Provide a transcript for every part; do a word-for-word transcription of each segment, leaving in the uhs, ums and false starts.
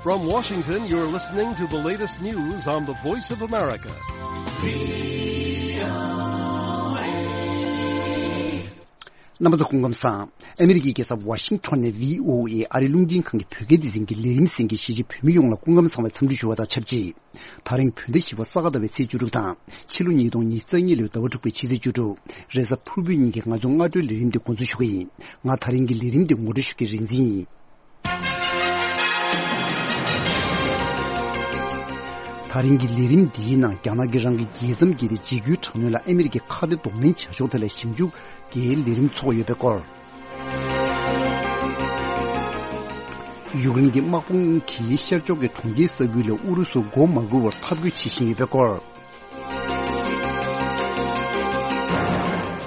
From Washington, you're listening to the latest news on the Voice of America. རྣམ་པ་ཚོ་སྐུ་ཁམས་བཟང་། ཨ་མི་རི་ཀའི་རྒྱལ་ས་ཝ་ཤིང་ཊོན་ནས་བྷི་ཨོ་ཨེ་ཨ་རིའི་རླུང་འཕྲིན་ཁང་གི་བོད་སྐད་སྡེ་ཚན་གྱི་ལས་རིམ་གསན་མཁན་གཞིས་བྱེས་བོད་མི་ཡོངས་ལ་སྐུ་ཁམས་བཟང་བའི་འཚམས་འདྲི་ཞུ་བ་དང་ཆབས་ཅིག་ད་རིང་བོད་ཟླ་བཞི་པ་ས་ག་ཟླ་བའི་ཚེས་བཅུ་དྲུག་དང་། ཕྱི་ལོ་ཉིས་སྟོང་ཉི་ཤུ་རྩ་གཉིས་ལོའི་ཟླ་བ་དྲུག་པའི་ཕྱི་ཚེས་བཅུ་དྲུག་རེས་གཟའ་ཕུར་བུའི་ཉིན་གྱི་ང་ཚོའི་སྔ་དྲོའི་ལས་རིམ་འདི་འགོ་འཛུགས་ཞུ་གི་ཡིན། ང་ད་རིང་གི་ལས་རིམ་འདི་ངོ་སྤྲོད་ཞུ་མཁན་རིག་འཛིན་ཡིན། ད་རིང་གི་ལས་རིམ་འདིའི་ནང་རྒྱ་ནག་གིས་རང་གི་རྒྱལ་མཚམས་བརྒལ་ཏེ་འཇིགས་སྐུལ་དྲག་གནོན་ལ་ཨ་མི་རི་ཀའི་ཁ་གཏད་གདོང་ལེན་བྱ་ཕྱོགས་ཐད་ལ་ཞིབ་འཇུག་གི་ལས་རིམ་ཚོགས་ཡོད་པའི་སྐོར། ཡུཀ་རེན་གྱི་དམག་དཔུང་གིས་ཤར་ཕྱོགས་ཀྱི་གྲོང་ཁྱེར་ས་ཁུལ་ལ་ཨུ་རུ་སུ་མགོ་མ་སྒུར་བར་འཐབ་རྒོལ་བྱེད་བཞིན་ཡོད་པའི་སྐོར།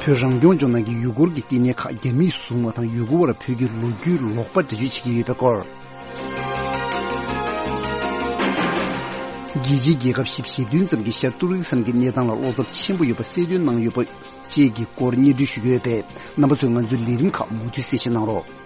བོད་རང་སྐྱོང་ལྗོངས་ནང་གི་ཡུལ་སྐོར་གྱི་བསྟི་གནས་ཁག་རྒྱ་མིས་བཟུང་བ་དང་ཡུལ་སྐོར་བར་བོད་ཀྱི་ལོ་རྒྱུས་ལོག་པ་འགྲེལ་བརྗོད་བྱེད་ཀྱི་ཡོད་པའི་སྐོར། རྒྱལ་སྤྱིའི་རྒྱལ་ཁབ་བཞི་བཅུ་ཞེ་བདུན་ཙམ་གྱིས་ཤར་ཏུར་ཀི་སི་ཐན་གྱི་གནས་སྟངས་ལ་བློ་འཚབ་ཆེན་པོ་ཡོད་པ་གསལ་སྟོན་གནང་ཡོད་པ་བཅས་ཀྱི་སྐོར་སྙན་སྒྲོན་ཞུ་གི་ཡོད་པས། རྣམ་པ་ཚོས་ང་ཚོའི་ལས་རིམ་ཁག་མུ་མཐུད་གསན་བཞེས་གནང་རོགས།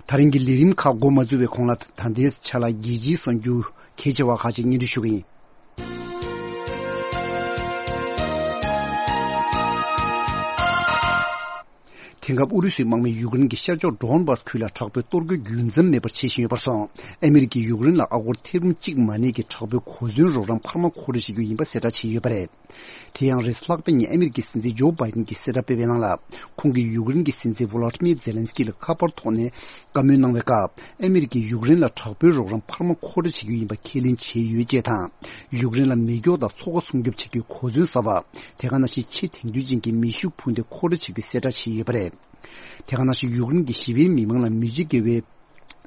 ད་རིང་གི་ལས་རིམ་ཁག་འགོ་མ་འཛུགས་པའི་གོང་ལ་ད་ལྟའི་ཆ་ལ་རྒྱལ་སྤྱིའི་གསར་འགྱུར་གལ་ཆེ་བ་ཁག་ཅིག་སྙན་སྒྲོན་ཞུ་གི་ཡིན། དེང་སྐབས་ཨུ་རུ་སུའི་དམག་མིས་ཡུཀ་རེན་གྱི་ཤར་ཕྱོགས་ཌོན་བྷ་སི་ཁུལ་ལ་དྲག་པོའི་གཏོར་རྒོལ་རྒྱུན་འཛོམས་མེད་པར་བྱེད་བཞིན་ཡོད་པར་སོང་། ཨ་མི་རི་ཀས་ཡུཀ་རེན་ལ་ཨ་སྒོར་ཐེར་འབུམ་གཅིག་མ་ནས་ཀྱི་དྲག་པོའི་གོ་མཚོན་རོགས་རམ་འཕར་མ་མཁོ་སྤྲོད་བྱེད་རྒྱུ་ཡིན་པ་གསལ་བསྒྲགས་བྱས་ཡོད་པ་རེད། དེ་ཡང་རེས་ལྷག་པའི་ཉིན་ཨ་མི་རི་ཀའི་སྲིད་འཛིན་ཇོ་བྷའི་ཌེན་གྱིས་གསལ་བསྒྲགས་སྤེལ་བའི་ནང་ལ། ཁོང་གིས་ཡུཀ་རེན་གྱི་སྲིད་འཛིན་ཝོ་ལོ་ཏི་མིར་ཛེ་ལན་སི་ཀི་ལ་ཁ་པར་ཐོག་ནས་བཀའ་མོལ་གནང་བའི་སྐབས། ཨ་མི་རི་ཀས་ཡུཀ་རེན་ལ་དྲག་པོའི་རོགས་རམ་འཕར་མ་མཁོ་སྤྲོད་བྱེད་རྒྱུ་ཡིན་པ་ཁས་ལེན་བྱས་ཡོད་ཅེས་དང་། ཡུཀ་རེན་ལ་མེ་སྒྱོགས་དང་མཚོ་ཁ་སྲུང་སྐྱོབ་བྱེད་རྒྱུའི་གོ་མཚོན་གསར་པ། དེ་ག་ནང་བཞིན་ཆེས་དེང་དུས་ཅན་གྱི་མེ་ཤུགས་འཕུར་མདེལ་མཁོ་སྤྲོད་བྱེད་རྒྱུའི་གསལ་བསྒྲགས་བྱས་ཡོད་པ་རེད། དེ་ག་ནང་བཞིན་ཡུཀ་རེན་གྱི་ཞི་བའི་མི་མང་ལ་མི་འཇིགས་དགེ་བའི་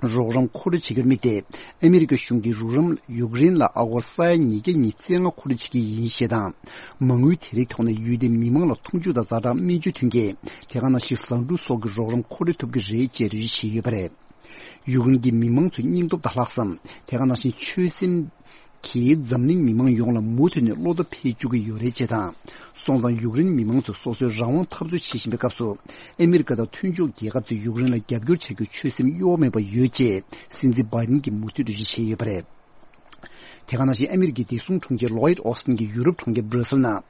རོགས་རམ་མཁོ་སྤྲོད་བྱེད་རྒྱུར་དམིགས་ཏེ། ཨ་མི་རི་ཀ་གཞུང་གིས་རོགས་རམ་ཡུཀ་རེན་ལ་ཨ་སྒོར་ས་ཡ་ཉིས་བརྒྱ་ཉི་ཤུ་རྩ་ལྔ་མཁོ་སྤྲོད་བྱེད་ཀྱི་ཡིན་ཞེས་དང་། མ་དངུལ་དེ་རིགས་ཐོག་ནས་ཡུལ་དེའི་མི་མང་ལ་འཐུང་ཆུ་དང་ཛ་དྲག་སྨན་བཅོས་མཐུན་རྐྱེན། དེ་ག་ནང་བཞིན་ཟ་འབྲུ་སོགས་ཀྱི་རོགས་རམ་མཁོ་སྤྲོད་ཐུབ་ཀྱི་རེད་ཅེས་འགྲེལ་བརྗོད་བྱས་ཡོད་པ་རེད། ཡུཀ་རེན་གྱི་མི་མང་ཚོའི་སྙིང་སྟོབས་དང་ལྷག་བསམ། དེ་ག་ནང་བཞིན་ཆོད་སེམས་ཀྱིས་འཛམ་གླིང་མི་མང་ཡོངས་ལ་མུ་མཐུད་ནས་བློ་ཐུབ་འཕེལ་བཅུག་གི་ཡོད་རེད་ཅེས་དང་། སོང་ཙང་ཡུཀ་རེན་མི་མང་ཚོས་སོ་སོའི་རང་དབང་འཐབ་རྩོད་བྱེད་བཞིན་པའི་སྐབས་སུ། ཨ་མི་རི་ཀ་དང་མཐུན་ཕྱོགས་རྒྱལ་ཁབ་ཚོས་ཡུཀ་རེན་ལ་རྒྱབ་སྐྱོར་བྱ་རྒྱུའི་ཆོད་སེམས་གཡོ་མེད་པ་ཡོད་ཅེས་སྲིད་འཛིན་བྷའི་ཌེན་གྱིས་མུ་མཐུད་འགྲེལ་བརྗོད་བྱས་ཡོད་པ་རེད། དེ་ག་ནང་བཞིན་ཨ་མི་རི་ཀའི་བདེ་སྲུང་དྲུང་ཆེ་ལོ་ཡིད་ཨོ་སི་ཊིན་གྱིས་ཡུ་རོབ་གྲོང་ཁྱེར་སྦྲ་སེལ་ནང་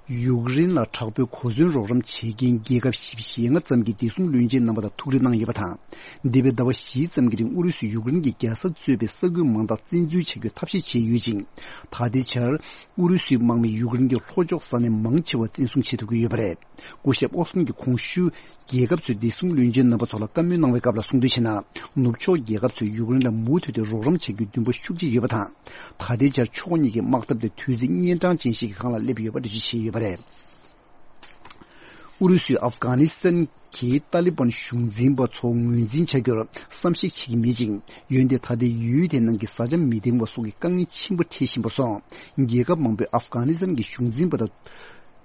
ཡུཀ་རེན་ལ་དྲག་པོའི་གོ་མཚོན་རོགས་རམ་བྱེད་མཁན་རྒྱལ་ཁབ་བཞི་བཅུ་ཞེ་ལྔ་ཙམ་གྱི་བདེ་སྲུང་བློན་ཆེན་རྣམ་པ་དང་ཐུག་འཕྲད་གནང་ཡོད་པ་དང་། འདས་པའི་ཟླ་བ་བཞི་ཙམ་གྱི་རིང་ཨུ་རུ་སུས་ཡུཀ་རེན་གྱི་རྒྱལ་ས་གཙོས་པའི་ས་ཁུལ་མང་དག་བཙན་འཛུལ་བྱ་རྒྱུའི་ཐབས་ཤེས་བྱས་ཡོད་ཅིང་། ད་ལྟའི་ཆར་ཨུ་རུ་སུའི་དམག་མིས་ཡུཀ་རེན་གྱི་ལྷོ་ཕྱོགས་ས་གནས་མང་ཆེ་བ་བཙན་བཟུང་བྱེད་ཐུབ་ཀྱི་ཡོད་པ་རེད། སྐུ་ཞབས་ཨོ་སི་ཊིན་གྱིས་གོང་ཞུས། རྒྱལ་ཁབ་ཚོའི་བདེ་སྲུང་བློན་ཆེན་རྣམ་པ་ཚོ་ལ་བཀའ་མོལ་གནང་བའི་སྐབས་ལ་གསུངས་དོན་བྱས་ན། ནུབ་ཕྱོགས་རྒྱལ་ཁབ་ཚོས་ཡུཀ་རེན་ལ་མུ་མཐུད་དེ་རོགས་རམ་བྱ་རྒྱུའི་འདུན་པ་ཤུགས་ཆེ་ཡོད་པ་དང་། ད་ལྟའི་ཆར་ཕྱོགས་གཉིས་ཀྱི་དམག་འཐབ་དེ་དུས་ཚོད་གཉན་འཕྲང་ཅན་ཞིག་གི་སྒང་ལ་སླེབས་ཡོད་པ་འགྲེལ་བརྗོད་བྱས་ཡོད་པ་རེད། ཨུ་རུ་སུས་ཨབ་གྷ་ནི་སི་ཐན་གྱི་ཏཱ་ལི་བན་གཞུང་འཛིན་པ་ཚོ་ངོས་འཛིན་བྱ་རྒྱུར་བསམ་གཞིག་བྱེད་ཀྱི་མེད་ཅིང་། འོན་ཏེ་ད་ལྟའི་ཡུལ་དེའི་ནང་གི་བཟའ་བཅའ་མི་ལྡན་པ་སོགས་ཀྱི་དཀའ་ངལ་ཆེན་པོ་འཕྲད་བཞིན་པར་སོང་། རྒྱལ་ཁབ་མང་པོས་ཨབ་གྷ་ནི་སི་ཐན་གྱི་གཞུང་འཛིན་པ་དང་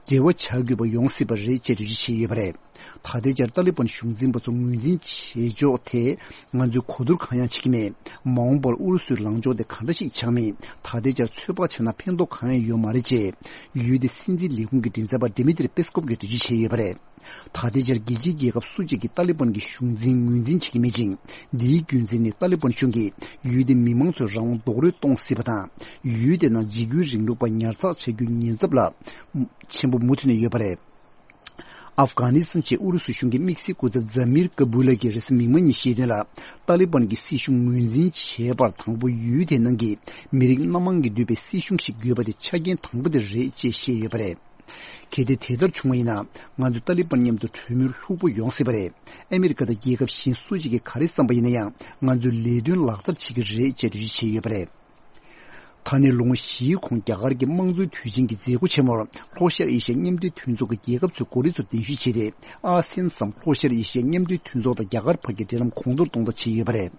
འབྲེལ་བ་བྱ་དགོས་པ་ཡོང་སྲིད་པ་རེད་ཅེས་འགྲེལ་བརྗོད་བྱས་ཡོད་པ་རེད། ད་ལྟའི་ཆར་ཏཱ་ལི་བན་གཞུང་འཛིན་པ་ཚོ་ངོས་འཛིན་བྱེད་ཕྱོགས་ཐད་ང་ཚོས་གོ་བསྡུར་གང་ཡང་བྱེད་ཀྱི་མེད། མ་འོངས་པར་ཨུ་རུ་སུའི་ལངས་ཕྱོགས་དེ་ག་འདྲ་ཞིག་ཆགས་མིན་ད་ལྟའི་ཆར་ཚོད་དཔག་བྱས་ན་ཕན་ཐོགས་གང་ཡང་ཡོད་མ་རེད་ཅེས་ཡུལ་དེའི་སྲིད་འཛིན་ལས་ཁུངས་ཀྱི་མགྲིན་ཚབ་པ་ཌི་མི་ཏྲི་པེ་སི་ཀོབ་ཀྱིས་འགྲེལ་བརྗོད་བྱས་ཡོད་པ་རེད། ད་ལྟའི་ཆར་རྒྱལ་སྤྱིའི་རྒྱལ་ཁབ་སུ་གཅིག་གིས་ཏཱ་ལི་བན་གྱི་གཞུང་འཛིན་ངོས་འཛིན་བྱེད་ཀྱི་མེད་ཅིང་། འདིའི་རྒྱུ་མཚན་ནི་ཏཱ་ལི་བན་གཞུང་གིས་ཡུལ་དེའི་མི་མང་ཚོའི་རང་དབང་རྡོག་རོལ་གཏོང་སྲིད་པ་དང་། ཡུལ་དེ་ནང་འཇིགས་སྐུལ་རིང་ལུགས་པ་ཉར་ཚགས་བྱ་རྒྱུའི་ཉེན་ཚབས་རླབས་ཆེན་པོ་མུ་མཐུད་ནས་ཡོད་པ་རེད། ཨབ་གྷ་ནི་སི་ཐན་ཆེད་ཨུ་རུ་སུ་གཞུང་གི་དམིགས་བསལ་སྐུ་ཚབ་ཛ་མིར་ཀ་བུ་ལ་གིས་རེས་གཟའ་མིག་དམར་ཉིན་བཤད་དོན་ལ། ཏཱ་ལི་བན་གྱི་སྲིད་གཞུང་ངོས་འཛིན་བྱས་པར་དང་པོ་ཡུལ་དེའི་ནང་གི་མི་རིགས་སྣ་མང་གིས་གཙོས་པའི་སྲིད་གཞུང་ཞིག་དགོས་པ་དེ་ཆ་རྐྱེན་དང་པོ་དེ་རེད་ཅེས་བཤད་ཡོད་པ་རེད། གལ་ཏེ་དེ་ལྟར་བྱུང་བ་ཡིན་ན། ང་ཚོས་ཏཱ་ལི་བན་མཉམ་དུ་གྲོས་མོལ་ལྷུག་པོ་ཡོང་སྲིད་པ་རེད། ཨ་མི་རི་ཀ་དང་རྒྱལ་ཁབ་གཞན་སུ་ཞིག་གིས་ག་རེ་བསམ་པ་ཡིན་ན་ཡང་། ང་ཚོས་ལས་དོན་ལག་བསྟར་བྱེད་ཀྱི་རེད་ཅེས་འགྲེལ་བརྗོད་བྱས་ཡོད་པ་རེད། ད་ནས་ལོ་ངོ་བཞིའི་གོང་རྒྱ་གར་གྱི་དམངས་གཙོའི་དུས་ཆེན་གྱི་མཛད་སྒོ་ཆེན་མོར་ལྷོ་ཤར་ཨེ་ཤི་ཡ་མཉམ་འབྲེལ་མཐུན་ཚོགས་ཀྱི་རྒྱལ་ཁབ་ཚོའི་འགོ་ཁྲིད་ཚོ་གདན་ཞུ་བྱས་ཏེ། ཨ་སེན་སམ་ལྷོ་ཤར་ཨེ་ཤི་ཡ་མཉམ་འབྲེལ་མཐུན་ཚོགས་དང་རྒྱ་གར་བར་གྱི་འབྲེལ་ལམ་གོང་མཐོར་གཏོང་ཐབས་བྱས་ཡོད་པ་རེད།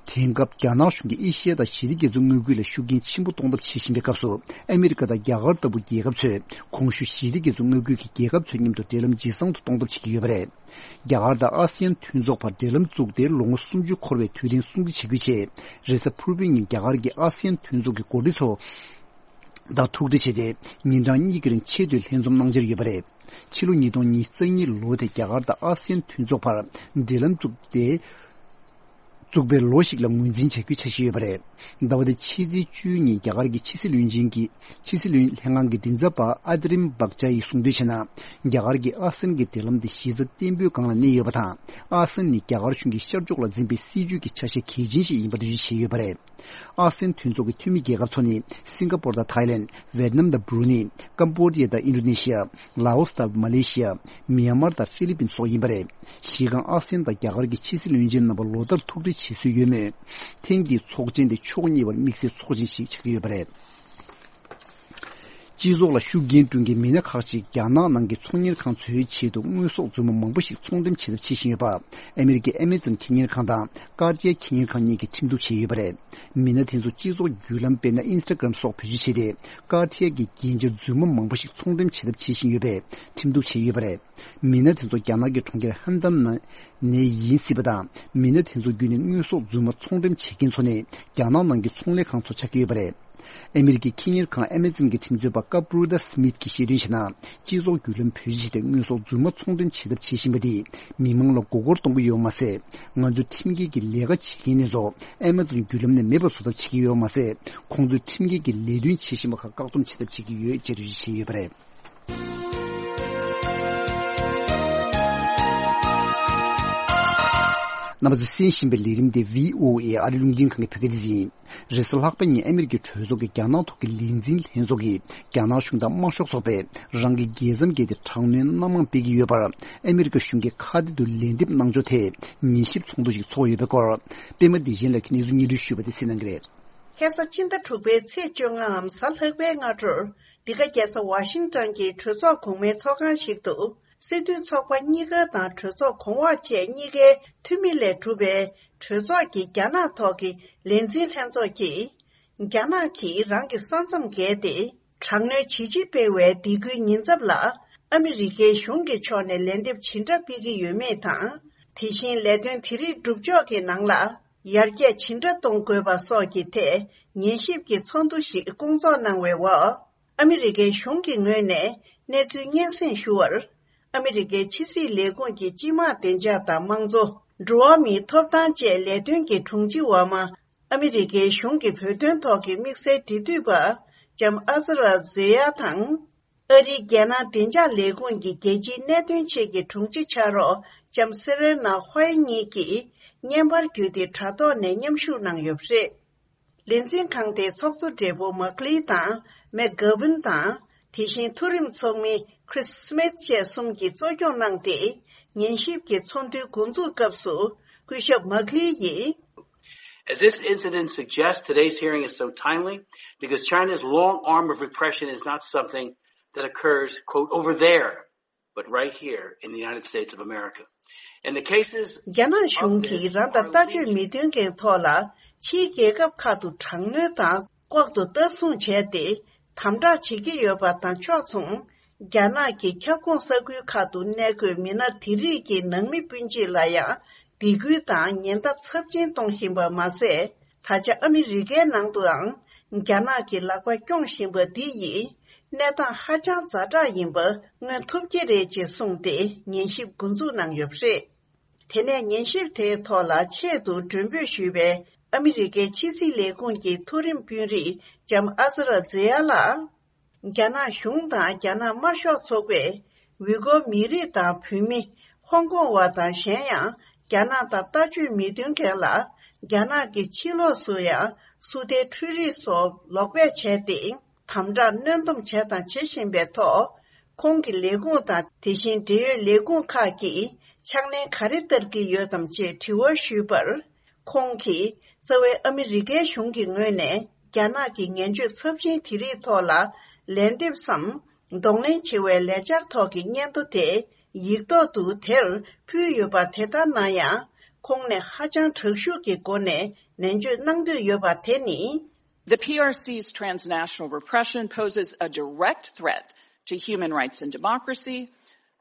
དེང་སྐབས་རྒྱ་ནག་གཞུང་གིས་ཨེ་ཤི་ཡ་དང་ཞི་བདེ་རྒྱ་མཚོའི་མངའ་ཁུལ་ལ་ཤུགས་རྐྱེན་ཆེན་པོ་གཏོང་ཐབས་བྱེད་བཞིན་པའི་སྐབས་སུ། ཨ་མི་རི་ཀ་དང་རྒྱ་གར་ལྟ་བུ་རྒྱལ་ཁབ་ཚོས་གོང་ཞུས་ཞི་བདེ་རྒྱ་མཚོའི་མངའ་ཁུལ་གྱི་རྒྱལ་ཁབ་ཚོའི་མཉམ་དུ་འབྲེལ་ལམ་ཇེ་བཟང་དུ་གཏོང་ཐབས་བྱེད་ཀྱི་ཡོད་པ་རེད། རྒྱ་གར་དང་ཨ་སི་ཡན་མཐུན་ཚོགས་བར་འབྲེལ་ལམ་བཙུགས་ཏེ་ལོ་ངོ་སུམ་ཅུ་འཁོར་བའི་དུས་དྲན་སྲུང་བརྩི་བྱེད་ཁུལ་ཆེད། རེས་གཟའ་ཕུར་བུའི་ཉིན་རྒྱ་གར་གྱི་ཨ་སི་ཡན་མཐུན་ཚོགས་ཀྱི་འགོ་ཁྲིད་ཚོ་དང་ཐུག་འཕྲད་བྱས་ཏེ། ཉིན་གྲངས་གཉིས་ཀྱི་རིང་ཆེས་མཐོའི་ལྷན་འཛོམས་གནང་འཆར་ཡོད་པ་རེད། ཕྱི་ལོ་ཉིས་སྟོང་ཉི་ཤུ་རྩ་གཉིས་ལོ་དེ་རྒྱ་གར་དང་ཨ་སི་ཡན་མཐུན་ཚོགས་བར་འབྲེལ་ལམ་བཙུགས་ཏེ། བཙུགས་པའི་ལོ་ཞིག་ལ་ངོས་འཛིན་བྱ་རྒྱུའི་འཆར་གཞི་ཡོད་པ་རེད། ཟླ་བ་འདིའི་ཕྱི་ཚེས་བཅུའི་ཉིན་རྒྱ་གར་གྱི་ཕྱི་སྲིད་བློན་ཆེན་གྱི་ཕྱི་སྲིད་བློན་ལྷན་ཁང་གི་མགྲིན་ཚབ་པ་ཨ་ཏི་རིམ་བྷག་ཅ་ཡིས་གསུངས་དོན་བྱས་ན། རྒྱ་གར་གྱིས་ཨ་སི་ཡན་གྱི་འབྲེལ་ལམ་དེ་གཞི་རྩ་བརྟན་པོའི་སྒང་ལ་གནས་ཡོད་པ་དང་། ཨ་སི་ཡན་ནི་རྒྱ་གར་གཞུང་གིས་ཤར་ཕྱོགས་ལ་འཛིན་པའི་སྲིད་ཇུས་ཀྱི་ཆ་ཤས་གལ་ཆེན་ཞིག་ཡིན་པ་འགྲེལ་བརྗོད་བྱས་ཡོད་པ་རེད། ཨ་སི་ཡན་མཐུན་ཚོགས་ཀྱི་འཐུས་མི་རྒྱལ་ཁབ་ཚོ་ནི་སིང་ག་པོར་དང་ཐའི་ལན། ཝེད་ནམ་དང་སྦྲུ་ནི། ཀམ་པོ་ཌི་ཡ་དང་ཨིན་ཌོ་ནེ་ཤི་ཡ། ལའོ་སི་དང་མ་ལེ་ཤི་ཡ། མི་ཡན་མར་དང་ཧྥི་ལི་པིན་སོགས་ཡིན་པ་རེད། གཞི་རྐང་ཨ་སི་ཡན་དང་རྒྱ་གར་གྱི་ཕྱི་སྲིད་བློན་ཆེན་རྣམ་པ་ལོ་ལྟར་ཐུག་འཕྲད་བྱེད་སྲོལ་ཡོད་མོད། ཐེངས་འདིའི་ཚོགས་ཆེན་དེ་ཕྱོགས་གཉིས་བར་དམིགས་བསལ་ཚོགས་ཆེན་ཞིག་ཆགས་ཀྱི་ཡོད་པ་རེད། སྤྱི་ཚོགས་ལ་ཤུགས་རྐྱེན་བསྐྲུན་མཁན་མི་སྣ་ཁག་ཅིག་རྒྱ་ནག་ནང་གི་ཚོང་གཉེར་ཁང་ཚོའི་ཆེད་དུ་དངོས་ཟོག་རྫུན་མ་མང་པོ་ཞིག་ཚོང་འགྲེམས་བྱེད་ཐབས་བྱེད་བཞིན་ཡོད་པ། ཨ་མི་རི་ཀའི་ཨེ་མེ་ཛོན་ཁེ་གཉེར་ཁང་དང་ཀར་ཏི་ཡ་ཁེ་གཉེར་ཁང་གཉིས་ཀྱིས་ཁྲིམས་གཏུག་བྱས་ཡོད་པ་རེད། མི་སྣ་དེ་ཚོ་སྤྱི་ཚོགས་བརྒྱུད་ལམ་དཔེར་ན་ཨིན་སི་ཊ་གྷི་རམ་སོགས་བེད་སྤྱོད་བྱས་ཏེ། ཀར་ཏི་ཡ་གི་རྒྱན་ཆ་རྫུན་མ་མང་པོ་ཞིག་ཚོང་འགྲེམས་བྱེད་ཐབས་བྱེད་བཞིན་ཡོད་པས་ཁྲིམས་གཏུག་བྱས་ཡོད་པ་རེད། མི་སྣ་དེ་ཚོ་རྒྱ་ནག་གི་གྲོང་ཁྱེར་ཧན་ཏན་ནས་ཡིན་སྲིད་པ་དང་། མི་སྣ་དེ་ཚོ་བརྒྱུད་ནས་དངོས་ཟོག་རྫུན་མ་ཚོང་འགྲེམས་བྱེད་མཁན་ཚོ་ནི་རྒྱ་ནག་ནང་གི་ཚོང་ལས་ཁང་ཚོ་ཆགས་ཀྱི་ཡོད་པ་རེད། ཨ་མི་རི་ཀའི་ཁེ་གཉེར་ཁང་ཨེ་མེ་ཛོན་གྱི་ཁྲིམས་རྩོད་པ་ཀ་པྲུ་ད་སི་མིད་ཀྱིས་བཤད་དོན་བྱས་ན། སྤྱི་ཚོགས་བརྒྱུད་ལམ་བེད་སྤྱོད་བྱས་ཏེ་དངོས་ཟོག་རྫུན་མ་ཚོང་འགྲེམས་བྱེད་ཐབས་བྱེད་བཞིན་པ་འདིས་མི་མང་ལ་མགོ་སྐོར་གཏོང་གི་ཡོད་མ་ཟད། ང་ཚོའི་ཁྲིམས་འགལ་གྱི་ལས་ཀ་བྱེད་མཁན་དེ་ཚོ་ཨེ་མེ་ཛོན་བརྒྱུད་ལམ་ནས་མེད་པ་བཟོ་ཐབས་བྱེད་ཀྱི་ཡོད་མ་ཟད། ཁོང་ཚོས་ཁྲིམས་འགལ་གྱི་ལས་དོན་བྱེད་བཞིན་པ་ཁག་བཀག་སྡོམ་བྱེད་ཐབས་བྱེད་ཀྱི་ཡོད་ཅེས་འགྲེལ་བརྗོད་བྱས་ཡོད་པ་རེད། རྣམ་པ་ཚོས་གསན་བཞིན་པའི་ལས་རིམ་དེ་བྷི་ཨོ་ཨེ་ཨ་རི་རླུང་འཕྲིན་ཁང་གི་བོད་སྐད་སྡེ་ཚན་ཡིན། རེས་གཟའ་ལྷག་པའི་ཉིན་ཨ་མི་རི་ཀའི་གྲོས་ཚོགས་ཀྱི་རྒྱ་ནག་ཐོག་གི་ལས་འཛིན་ལྷན་ཚོགས་ཀྱིས་རྒྱ་ནག་གཞུང་དང་དམར་ཤོག་ཚོགས་པས་རང་གི་རྒྱལ་མཚམས་བརྒལ་ཏེ་དྲག་གནོན་སྣ་མང་སྤེལ་གྱི་ཡོད་པར། ཨ་མི་རི་ཀ་གཞུང་གིས་ཁ་གཏད་དུ་ལན་འདེབས་གནང་ཕྱོགས་ཐད་ཉན་ཞིབ་ཚོགས་འདུ་ཞིག་ཚོགས་ཡོད་པའི་སྐོར། པད་མ་བདེ་ཆེན་ལགས་ཀྱིས་གནས་ཚུལ་སྙན་སྒྲོན་ཞུས་པ་དེ་གསན་གནང་གི་རེད། ཁ་སང་ཕྱི་ཟླ་དྲུག་པའི་ཚེས་བཅོ་ལྔའམ་གཟའ་ལྷག་པའི་སྔ་དྲོར། འདི་ག་རྒྱལ་ས་ཝ་ཤིང་ཏོན་གྱི་གྲོས་ཚོགས་གོང་མའི་ཚོགས་ཁང་ཞིག་ཏུ། སྲིད་དོན་ཚོགས་པ་གཉིས་ཀ་དང་གྲོས་ཚོགས་གོང་འོག་བཅས་གཉིས་ཀའི་འཐུས་མི་ལས་གྲུབ་པའི་གྲོས་ཚོགས་ཀྱི་རྒྱ་ནག་ཐོག་གི་ལས་འཛིན་ལྷན་ཚོགས་ཀྱིས། རྒྱ་ནག་གིས་རང་གི་ས་མཚམས་བརྒལ་ཏེ། དྲག་གནོན་ཇི་ལྕི་སྤེལ་བའི་སྡིགས་སྐུལ་ཉེན་ཚབས་ལ། ཨ་མི་རི་ཀའི་གཞུང་གི་ཕྱོགས་ནས་ལན་འདེབས་ཇི་འདྲ་སྤེལ་གྱི་ཡོད་མེད་དང་། དེ་བཞིན་ལས་དོན་དེ་རིགས་སྒྲུབ་ཕྱོགས་ཀྱི་ནང་ལ། ཡར་རྒྱས་ཇི་འདྲ་གཏོང་དགོས་པ་སོགས་ཀྱི་ཐད་ཉན་ཞིབ་ཀྱི་ཚོགས་འདུ་ཞིག་བསྐོང་ཚོགས་གནང་བའི་འོག་ཨ་མི་རི་ཀའི་གཞུང་གི་ངོས་ནས་གནས་ཚུལ་སྙན་སེང་ཞུ་བར། ཨ་མི་རི་ཀའི་ཕྱི་སྲིད་ལས་ཁུངས་ཀྱི་སྤྱི་དམངས་བདེ་འཇགས་དང་དམངས་གཙོ། འགྲོ་བ་མིའི་ཐོབ་ཐང་བཅས་ལས་དོན་གྱི་དྲུང་ཆེ་འོག་མ། ཨ་མི་རི་ཀའི་གཞུང་གི་བོད་དོན་ཐོག་གི་དམིགས་བསལ་འབྲེལ་མཐུད་པ། ལྕམ་ཨ་ཟ་ར་ཛེ་ཡ་དང་། ཨ་རིའི་རྒྱལ་ནང་བདེ་འཇགས་ལས་ཁུངས་ཀྱི་རྒྱལ་སྤྱིའི་གནད་དོན་ཆེད་ཀྱི་དྲུང་ཆེ་ཕྱག་རོགས་ལྕམ་སེ་རེ་ན་ཧོའེ་གཉིས་ཀྱིས་བརྙན་པར་བརྒྱུད་དེ་དྲ་ཐོག་ནས་མཉམ་ཞུགས་གནང་ཡོད་པ་རེད། ལས་འཛིན་ཁང་དེའི་ཚོགས་གཙོ་སྦྲེལ་པོ་མག་ལི་དང་མེག་གྷ་ཝིན་དང་། དེ་བཞིན་མཐོ་རིམ་ཚོགས་མི་ཁྲིས་སི་མིད་བཅས་གསུམ་གྱིས་གཙོ་སྐྱོང་གནང་སྟེ། ཉན་ཞིབ་ཀྱི་ཚོགས་འདུའི་འགོ་འཛུགས་སྐབས་སུ། སྐུ་ཞབས་མག་ལི་ཡིས། As this incident suggests, today's hearing is so timely because China's long arm of repression is not something that occurs, quote, over there, but right here in the United States of America. And the cases རྒྱ་ནག་གཞུང་གིས་རང་དང་ལྟ་སྤྱོད་མི་མཐུན་མཁན་ཐོག་ལ་ཕྱིའི་རྒྱལ་ཁབ་ཁག་ཏུ་དྲག་གནོན་དང་ལྐོག་ཏུ་ལྟ་སྲུང་བྱས་ཏེ། དམ་དྲག་བྱེད་ཀྱི་ཡོད་པ་དང་ཕྱོགས་མཚུངས། རྒྱ་ནག་གི་ཁྱབ་ཁོངས་ས་ཁུལ་ཁག་ཏུ་གནས་འཁོད་མི་སྣ་དེ་རིགས་ཀྱི་ནང་མི་སྤུན་མཆེད་ལ་ཡང་སྡིགས་སྐུལ་དང་ཉེན་བརྡ་ཚབས་ཆེན་གཏོང་བཞིན་པ་མ་ཟད། ད་ཆ་ཨ་མི་རི་ཀའི་ནང་དུའང་རྒྱ་ནག་གི་ལག་པ་སྐྱོང་བཞིན་པ་འདི་ཡིས་གནས་སྟངས་ཧ་ཅང་ཛ་དྲག་ཡིན་པ་མངོན་ཐུབ་ཀྱི་རེད་ཅེས་གསུངས་ཏེ་ཉན་ཞིབ་འགོ་འཛུགས་གནང་ཡོད་པ་རེད། དེ་ནས་ཉན་ཞིབ་དེའི་ཐོག་ལ་ཆེད་དུ་མགྲོན་འབོད་ཞུས་པའི་ཨ་མི་རི་ཀའི་ཕྱི་སྲིད་ལས་ཁུངས་ཀྱི་མཐོ་རིམ་དཔོན་རིགས་ལྕམ་ཨ་ཟ་ར་ཛེ་ཡ་ལགས། རྒྱ་ནག་གཞུང་དང་རྒྱ་ནག་དམར་ཤོག་ཚོགས་པས་ཝི་གོ་མི་རིགས་དང་བོད་མི། ཧོང་ཀོང་བ་དང་གཞན་ཡང་རྒྱ་ནག་དང་ལྟ་སྤྱོད་མི་མཐུན་མཁན་ལ་རྒྱ་ནག་གི་ཕྱི་ལོགས་སུ་ཡང་སུ་ཏའི་འཕྲུལ་རིག་སོགས་ལོག་སྤེལ་བྱས་ཏེ། དམ་དྲག་གནོན་སྡོམ་བྱས་དང་བྱེད་བཞིན་པའི་ཐོག་ཁོང་གི་ལས་ཁུངས་དང་དེ་བཞིན་འབྲེལ་ཡོད་ལས་ཁུངས་ཁག་གིས་ཕྱག་ལེན་ག་རེ་བསྟར་གྱི་ཡོད་དམ་ཅེས་དྲི་བ་ཞུས་པར། ཁོང་གིས་རྩ་བའི་ཨ་མི་རི་ཀའི་གཞུང་གི་ངོས་ནས་རྒྱ་ནག་གི་ངན་སྤྱོད་ཚབས་ཆེན་དེ་རིགས་ཐོག་ལ་ལན་འདེབས་སམ། གདོང་ལེན་བྱེད་པའི་ལས་འཆར་ཐོག་གི་སྙན་ཐོ་དེ་ཡིག་ཐོག་ཏུ་དེར་ཕུལ་ཡོད་པ་དེ་ལྟར་ན་ཡང་། ཁོང་ནས་ཧ་ཅང་དྲག་ཤུགས་ཀྱི་སྒོ་ནས་ ནན་བརྗོད་གནང་འདོད་ཡོད་པ་དེ་ནི། The P R C's transnational repression poses a direct threat to human rights and democracy,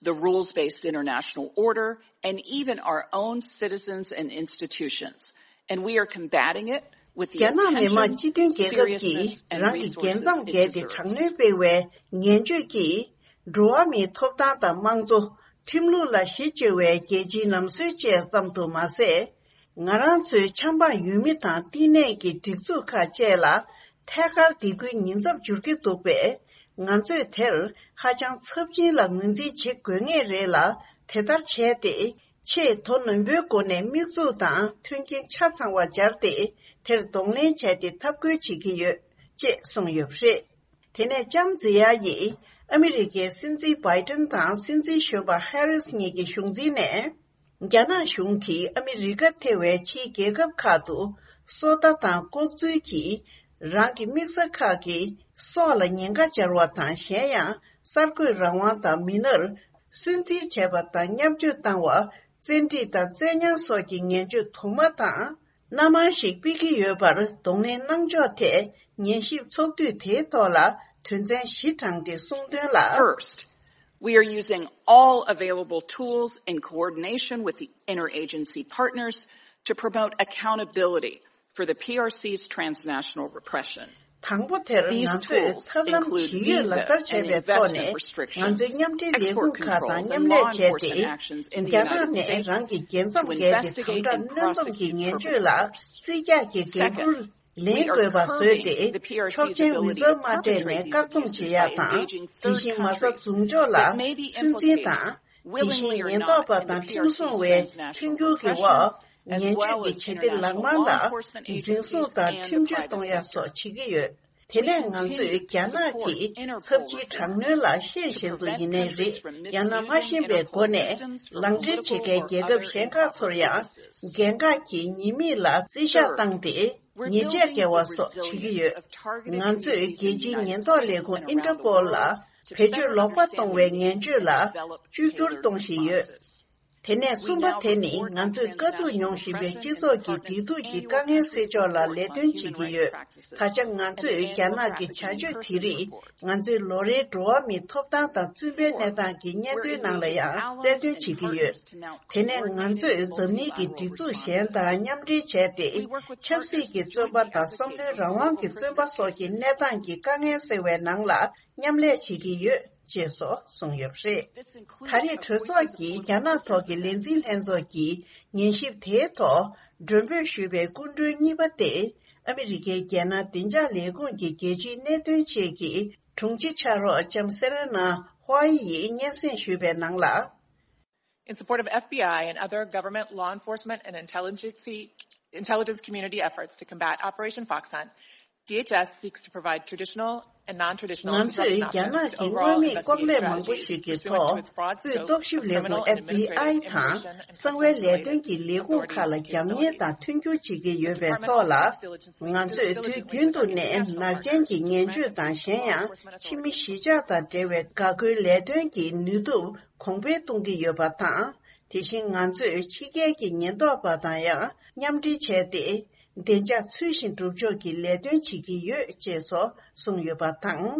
the rules-based international order, and even our own citizens and institutions. And we are combating it with the རྒྱ་ནག་མི་དམངས་སྤྱི་མཐུན་རྒྱལ་ཁབ་ཀྱིས་རང་གི་རྒྱལ་མཚམས་བརྒལ་ཏེ་དྲག་གནོན་སྤེལ་བའི་ངན་བྱུས་ཀྱིས། འགྲོ་བ་མིའི་ཐོབ་ཐང་དང་དམངས་གཙོ། ཁྲིམས་ལུགས་ལ་གཞི་བཅོལ་བའི་རྒྱལ་སྤྱིའི་ལམ་སྲོལ་བཅས་ཙམ་དུ་མ་ཟད། ང་རང་ཚོའི་ཆབ་འབངས་ཡུལ་མི་དང་བསྟི་གནས་ཀྱི་སྒྲིག་འཛུགས་ཁག་བཅས་ལ་ཐད་ཀར་སྡིགས་སྐུལ་ཉེན་ཚབས་འབྱོར་གྱི་འདུག་པས། ང་ཚོས་དེར་ཧ་ཅང་ཚབས་ཆེན་ལ་ངོས་འཛིན་བྱེད་དགོས་ངེས་རེད་ལ། དེ་ལྟར་བྱས་ཏེ། ཆེས་དོ་ནན་པོའི་སྒོ་ནས་དམིགས་འཛུགས་དང་མཐུན་རྐྱེན་ཆ་ཚང་བ་སྦྱར་ཏེ། དེར་གདོང་ལེན་བྱས་ཏེ་འཐབ་རྒོལ་བྱེད་ཀྱི་ཡོད། ཅེས་གསུངས་ཡོད་པ་རེད། དེ་ནས་ལྕམ་ཛི་ཡ་ཡིས་ཨ་མི་རི་ཀའི་སྲིད་འཛིན་བྷའི་ཏན་དང་སྲིད་འཛིན་གཞོན་པ་ཧེ་རིས་གཉིས་ཀྱི་གཞུང་འཛིན་ནས། རྒྱ་ནག་གཞུང་གིས་ཨ་མི་རི་ཀ་ཐེ་བའི་ཕྱིའི་རྒྱལ་ཁབ་ཁག་ཏུ་སོ་ལྟ་དང་ལྐོག་འཛུལ་གྱིས་རང་གི་དམིགས་ས་ཁག་གི་སྲོག་ལ་ཉེན་ཁ་སྦྱར་བ་དང་། གཞན་ཡང་གསར་འགོད་རང་དབང་དང་མི་སྣར་སུན་གཙེར་བྱས་པ་དང་མཉམ་སྤྱོད་བཏང་བ། བཙན་ཁྲིད་དང་བཙན་ཉར་སོགས་ཀྱི་ངན་བྱུས་དུ་མ་དང་། སྣ་མང་ཞིག་སྤེལ་གྱི་ཡོད་པར་གདོང་ལེན་གནང་ཕྱོགས་ཐད། ཉན་ཞིབ་ཚོགས་འདུས་དེའི་ཐོག་ལ་དོན་ཚན་བཞི་དྲངས་ཏེ་གསུངས་དོན་ལ། First, we are using all available tools in coordination with the interagency partners to promote accountability for the P R C's transnational repression. དང་པོ་དེར་ང་ཚོས་ཐབས་ལམ་ཇི་ཡོད་ལག་བསྟར་བྱས་པའི་ཐོག་ནས། ང་ཚོའི་མཉམ་འབྲེལ་ལས་ཁུངས་ཁག་དང་མཉམ་ལས་བྱས་ཏེ། རྒྱ་ནག་ནས་རང་གི་རྒྱལ་མཚམས་བརྒལ་ཏེ་དམ་དྲག་གནོན་སྡོམ་གྱི་ངན་བྱུས་ལ་རྩིས་རྒྱག་གི་འགན་འཁུར་ལེན་དགོས་པ་བཟོས་ཏེ། ཆོག་མཆན་འོས་འཚམ་མ་སྤྲད་ནས་བཀག་སྡོམ་བྱེད་ཡག་དང་། དེ་བཞིན་མ་རྩ་འཛུགས་འཇོག་ལ་ཚོད་འཛིན་དང་། དེ་བཞིན་ཉེན་རྟོག་པ་དང་ཁྲིམས་སྲུང་བའི་མཐུན་འགྱུར་གྱི་འོག་ཉེས་སྤྱོད་ཀྱི་བྱེད་གཏེ་ལག་དམར་ལ་འཛིན་བཟུང་དང་ཁྲིམས་གཅོད་གཏོང་ཡ་སོགས་བྱེད་ཀྱི་ཡོད། དེ་ནས་ང་ཚོས་རྒྱ་ནག་གི་ཚབས་ཆེའི་དྲག་གནོན་ལ་ཤེས་བཞིན་དུ་ཡིན་ནའི་རེད། ཡང་ན་མ་ཤེས་པའི་སྒོ་ནས་ལག་འབྲེལ་བྱེད་མཁན་རྒྱལ་ཁབ་གཞན་ཁག་ཚོར་ཡང་འགན་ཁག་གི་ཉེས་དམིགས་ལ་རྩིས་བཞག་བཏང་སྟེ། ཉེས་ཆད་འགེལ་བ་སོགས་བྱེད་ཀྱི་ཡོད། ང་ཚོས་རྒྱལ་སྤྱིའི་ཉེན་རྟོག་ལས་ཁུངས་ཨིན་ཊར་པོལ་ལ་བེད་སྤྱོད་ལོག་པ་གཏོང་བའི་ངན་བྱུས་ལ་བཅོས་བསྒྱུར་གཏོང་བཞིན་ཡོད། དེ་ནས་གསུམ་པ་དེ་ནི་ང་ཚོས་དཀའ་སྡུག་མྱོང་བཞིན་པའི་སྤྱི་ཚོགས་ཀྱི་བདེ་སྡུག་གི་དཀའ་ངལ་སེལ་ཕྱོགས་ལ་ལས་དོན་བྱེད་ཀྱི་ཡོད། ད་ཆ་ང་ཚོས་རྒྱ་ནག་གི་བྱ་སྤྱོད་དེ་རིགས་ང་ཚོའི་ལོ་རེའི་འགྲོ་བ་མིའི་ཐོབ་ཐང་དང་བཙུན་པའི་གནས་སྟངས་ཀྱི་སྙན་ཐོའི་ནང་ལ་ཡང་གསལ་སྟོན་བྱེད་ཀྱི་ཡོད། དེ་ནས་ང་ཚོས་འཛམ་གླིང་གི་སྒྲིག་འཛུགས་གཞན་དང་མཉམ་འབྲེལ་བྱས་ཏེ། ཆབ་སྲིད་ཀྱི་བཙོན་པ་དང་བསམ་བློའི་རང་དབང་གི་བཙོན་པ་སོགས་ཀྱི་གནས་སྟངས་ཀྱི་དཀའ་ངལ་སེལ་བའི་ནང་ལ་མཉམ་ལས་བྱེད་ཀྱི་ཡོད། ཅེས་སོགས་གསུངས་ཡོད་པ་རེད། ད་རེས་གྲོས་ཚོགས་ཀྱིས་རྒྱ་ནག་ཐོག་གི་ལས་འཛིན་ལྷན་ཚོགས་ཀྱི་ཉན་ཞིབ་དེའི་ཐོག་མགྲོན་འབོད་ཞུས་པའི་སྐུ་མགྲོན་གཉིས་པ་སྟེ། ཨ་མི་རི་ཀའི་རྒྱལ་ནང་བདེ་འཇགས་ལས་ཁུངས་ཀྱི་རྒྱལ་སྤྱིའི་གནད་དོན་ཆེད་ཀྱི་དྲུང་ཆེ་ཕྱག་རོགས་ལྕམ་སེ་རེ་ན་ཧྭ་ཡི་ཡིས་སྙན་སེང་ཞུས་པའི་ནང་ལ། In support of F B I and other government law enforcement and intelligence, intelligence community efforts to combat Operation Fox Hunt, D H S seeks to provide traditional and non-traditional ང་ཚོས་རྒྱ་ནག་གི་དངོས་མེད་ལྐོག་ལས་མང་པོ་ཞིག་གི་ཐོག་དབུས་རྟོག་ཞིབ་ལས་ཁུངས་F B I དང་གསང་བའི་ལས་དོན་གྱི་ལས་ཁུངས་ཁག་ལ་རྒྱབ་གཉེར་དང་མཐུན་འགྱུར་བྱེད་ཀྱི་ཡོད་པའི་ཐོག་ལ། ང་ཚོས་དུས་རྒྱུན་དུ་ནས་ནག་ཅན་གྱི་ངན་བྱུས་དང་གཞན་ཡང་ཕྱི་མི་གཞིས་ཆགས་དང་འབྲེལ་བའི་འགག་སྒོའི་ལས་དོན་གྱི་ནུས་སྟོབས་གོང་འཕེལ་གཏོང་གི་ཡོད་པ་དང་། དེ་བཞིན་ང་ཚོས་ཕྱི་རྒྱལ་གྱི་ཉེན་རྟོག་པ་དང་ཡང་མཉམ་འབྲེལ་བྱས་ཏེ། བདེ་འཇགས་ཚུལ་བཞིན་སྒྲུབ་ཕྱོགས་ཀྱི་ལས་དོན་བྱེད་ཀྱི་ཡོད་ཅེས་སོགས་གསུངས་ཡོད་པ་དང་།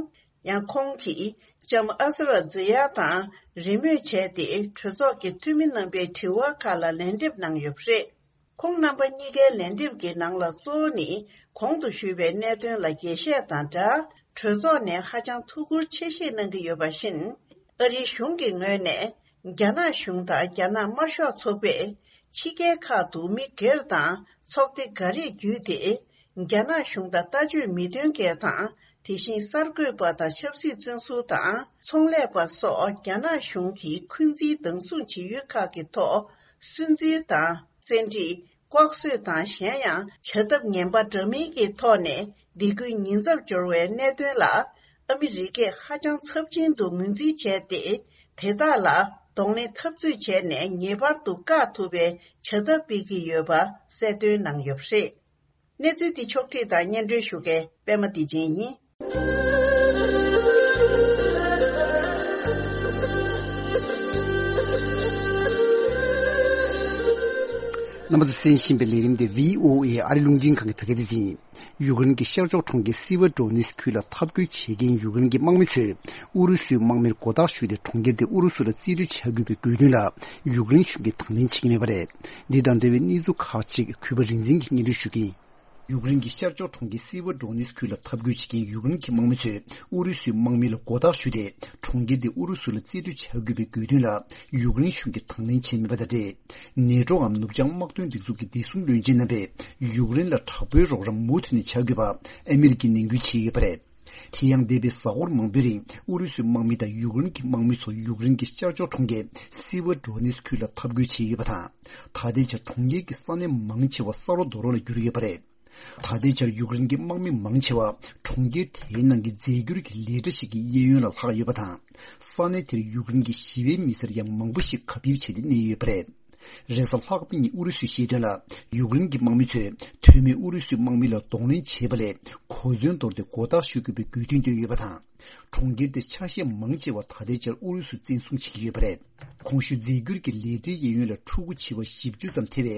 ཡང་ཁོང་གིས་ལྕམ་ཨ་སི་ར་ཛི་ཡ་དང་རེས་མོས་བྱས་ཏེ་གྲོས་ཚོགས་ཀྱི་འཐུས་མི་རྣམ་པའི་དྲི་བ་ཁག་ལ་ལན་འདེབས་གནང་ཡོད་པ་རེད། ཁོང་རྣམ་པ་གཉིས་ཀའི་ལན་འདེབས་ཀྱི་ནང་ལ་གཙོ་བོ་ནི་གོང་དུ་ཞུས་པའི་གནད་དོན་ལ་རྒྱས་བཤད་དང་སྦྲགས། གྲོས་ཚོགས་ནས་ཧ་ཅང་ཐུགས་ཁུར་ཆེ་བཞེས་གནང་གི་ཡོད་པ་བཞིན། ཨ་རིའི་གཞུང་གི་ངོས་ནས་རྒྱ་ནག་གཞུང་དང་རྒྱ་ནག་དམར་ཤོག་ཚོགས་པས་ཕྱི་རྒྱལ་ཁག་ཏུ་མི་སྒེར་དང་ཚོགས་སྡེ་འགའ་རེ་བརྒྱུད་དེ། རྒྱ་ནག་གཞུང་དང་ལྟ་སྤྱོད་མི་མཐུན་མཁན་དང་། དེ་བཞིན་གསར་འགོད་པ་དང་ཆབ་སྲིད་བཙོན་ཟུར་དང་ཚོང་ལས་པ་སོགས་རྒྱ་ནག་གཞུང་གིས་འཁོན་འཛིན་སྡང་ཟུག་བྱེད་ཡུལ་ཁག་གི་ཐོག་སུན་གཙེར་དང་བཙན་ཁྲིད། ལྐོག་གསོད་དང་གཞན་ཡང་བྱ་ཐབས་ངན་པ་འདྲ་མིན་གྱི་ཐོག་ནས་སྡིགས་སྐུལ་ཉེན་ཚབས་འབྱོར་བའི་གནད་དོན་ལ་ཨ་མི་རི་ཀས་ཧ་ཅང་ཚབས་ཆེན་དུ་ངོས་འཛིན་བྱས་ཏེ། དེ་དག་ལ་གདོང་ལེན་འཐབ་རྩོད་བྱས་ནས་ངེས་པར་དུ་བཀག་ཐུབ་པའི་བྱ་ཐབས་སྤེལ་གྱི་ཡོད་པ་གསལ་སྟོན་གནང་ཡོད་པ་རེད། གནས་ཚུལ་འདི་ཕྱོགས་བསྒྲིགས་དང་སྙན་སྒྲོན་ཞུ་མཁན་པད་མ་བདེ་ཆེན་ཡིན། རྣམ་པ་ཚོས་གསན་བཞིན་པའི་ལས་རིམ་དེ་བྷི་ཨོ་ཨེ་ཨ་རི་རླུང་འཕྲིན་ཁང་གི་བོད་སྐད་སྡེ་ཚན་ཡིན། ཡུཀ་རེན་གྱི་ཤར་ཕྱོགས་གྲོང་ཁྱེར་སི་ཝེར་ཌོ་ནེ་སི་ཁུལ་ལ་འཐབ་རྒོལ་བྱེད་མཁན་ཡུཀ་རེན་གྱི་དམག་མི་ཚོས་ཨུ་རུ་སུའི་དམག་མིར་མགོ་བཏགས་ཞུས་ཏེ། གྲོང་ཁྱེར་དེ་ཨུ་རུ་སུ་ལ་རྩིས་སྤྲོད་བྱ་དགོས་པའི་དགོས་འདུན་ལ་ཡུཀ་རེན་གཞུང་གིས་དང་ལེན་བྱེད་ཀྱི་མེད་པ་རེད། འདི་དང་འབྲེལ་བའི་གནས་ཚུལ་ཁག་ཅིག་གུས་པ་རིག་འཛིན་གྱིས་སྙན་སྒྲོན་ཞུ་གི་ཡིན། ཡུཀ་རེན་གྱི་ཤར་ཕྱོགས་གྲོང་ཁྱེར་སི་ཝེར་ཌོ་ནེ་སི་ཁུལ་ལ་འཐབ་རྒོལ་བྱེད་མཁན་ཡུཀ་རེན་གྱི་དམག་མི་ཚོས་ཨུ་རུ་སུའི་དམག་མི་ལ་མགོ་བཏགས་ཞུས་ཏེ། གྲོང་ཁྱེར་དེ་ཨུ་རུ་སུ་ལ་རྩིས་སྤྲོད་བྱ་དགོས་པའི་དགོས་འདུན་ལ་ཡུཀ་རེན་གཞུང་གིས་དང་ལེན་བྱས་མེད་པ་དང་འབྲེལ། ནེ་ཊོའམ་ནུབ་བྱང་དམག་དོན་སྒྲིག་འཛུགས་ཀྱི་བདེ་སྲུང་བློན་ཆེན་རྣམ་པས་ཡུཀ་རེན་ལ་དྲག་པོའི་རོགས་རམ་མུ་མཐུད་ནས་བྱ་དགོས་པ་ཨ་མི་རི་ཀས་ནན་སྐུལ་བྱས་ཡོད་པ་རེད། དེ་ཡང་འདས་པའི་གཟའ་འཁོར་མང་པོའི་རིང་ཨུ་རུ་སུའི་དམག་མི་དང་ཡུཀ་རེན་གྱི་དམག་མི་ཚོ་ཡུཀ་རེན་གྱི་ཤར་ཕྱོགས་གྲོང་ཁྱེར་སི་ཝེར་ཌོ་ནེ་སི་ཁུལ་ལ་འཐབ་རྒོལ་བྱས་ཡོད་པ་དང་། ད་ལྟའི་ཆར་གྲོང་ཁྱེར་གྱི་ས་གནས་མང་ཆེ་བ་ས་རོ་རྡོ་རོ་ལ་གྱུར་ཡོད་པ་རེད། ད་ལྟའི་ཆར་ཡུཀ་རེན་གྱི་དམག་མི་མང་ཆེ་བ་གྲོང་ཁྱེར་དེའི་ནང་གི་རྫས་འགྱུར་གྱི་ལས་གྲྭ་ཞིག་གི་གཡས་གཡོན་ལ་ལྷག་ཡོད་པ་དང་། ས་གནས་དེར་ཡུཀ་རེན་གྱི་ཞི་བའི་མི་སེར་ཡང་མང་པོ་ཞིག་གབ་ཡིབ་བྱས་ཏེ་གནས་ཡོད་པ་རེད། རེས་གཟའ་ལྷག་པའི་ཉིན་ཨུ་རུ་སུས་བཤད་དོན་ལ། ཡུཀ་རེན་གྱི་དམག་མི་ཚོས་དོན་མེད་ཨུ་རུ་སུའི་དམག་མི་ལ་གདོང་ལེན་བྱས་པ་ལས། གོ་མཚོན་དོར་ཏེ་མགོ་བཏགས་ཞུ་དགོས་པའི་དགོས་འདུན་བཏོན་ཡོད་པ་དང་། གྲོང་ཁྱེར་དེའི་ཆ་ཤས་མང་ཆེ་བ་ད་ལྟའི་ཆར་ཨུ་རུ་སུས་བཙན་བཟུང་བྱེད་ཀྱི་ཡོད་པ་རེད། གོང་ཞུས་རྫས་འགྱུར་གྱི་ལས་གྲྭའི་གཡས་གཡོན་ལ་ཕྲུ་གུ་བྱིས་པ་བཞི་བཅུ་ཙམ་ཐེ་བའི་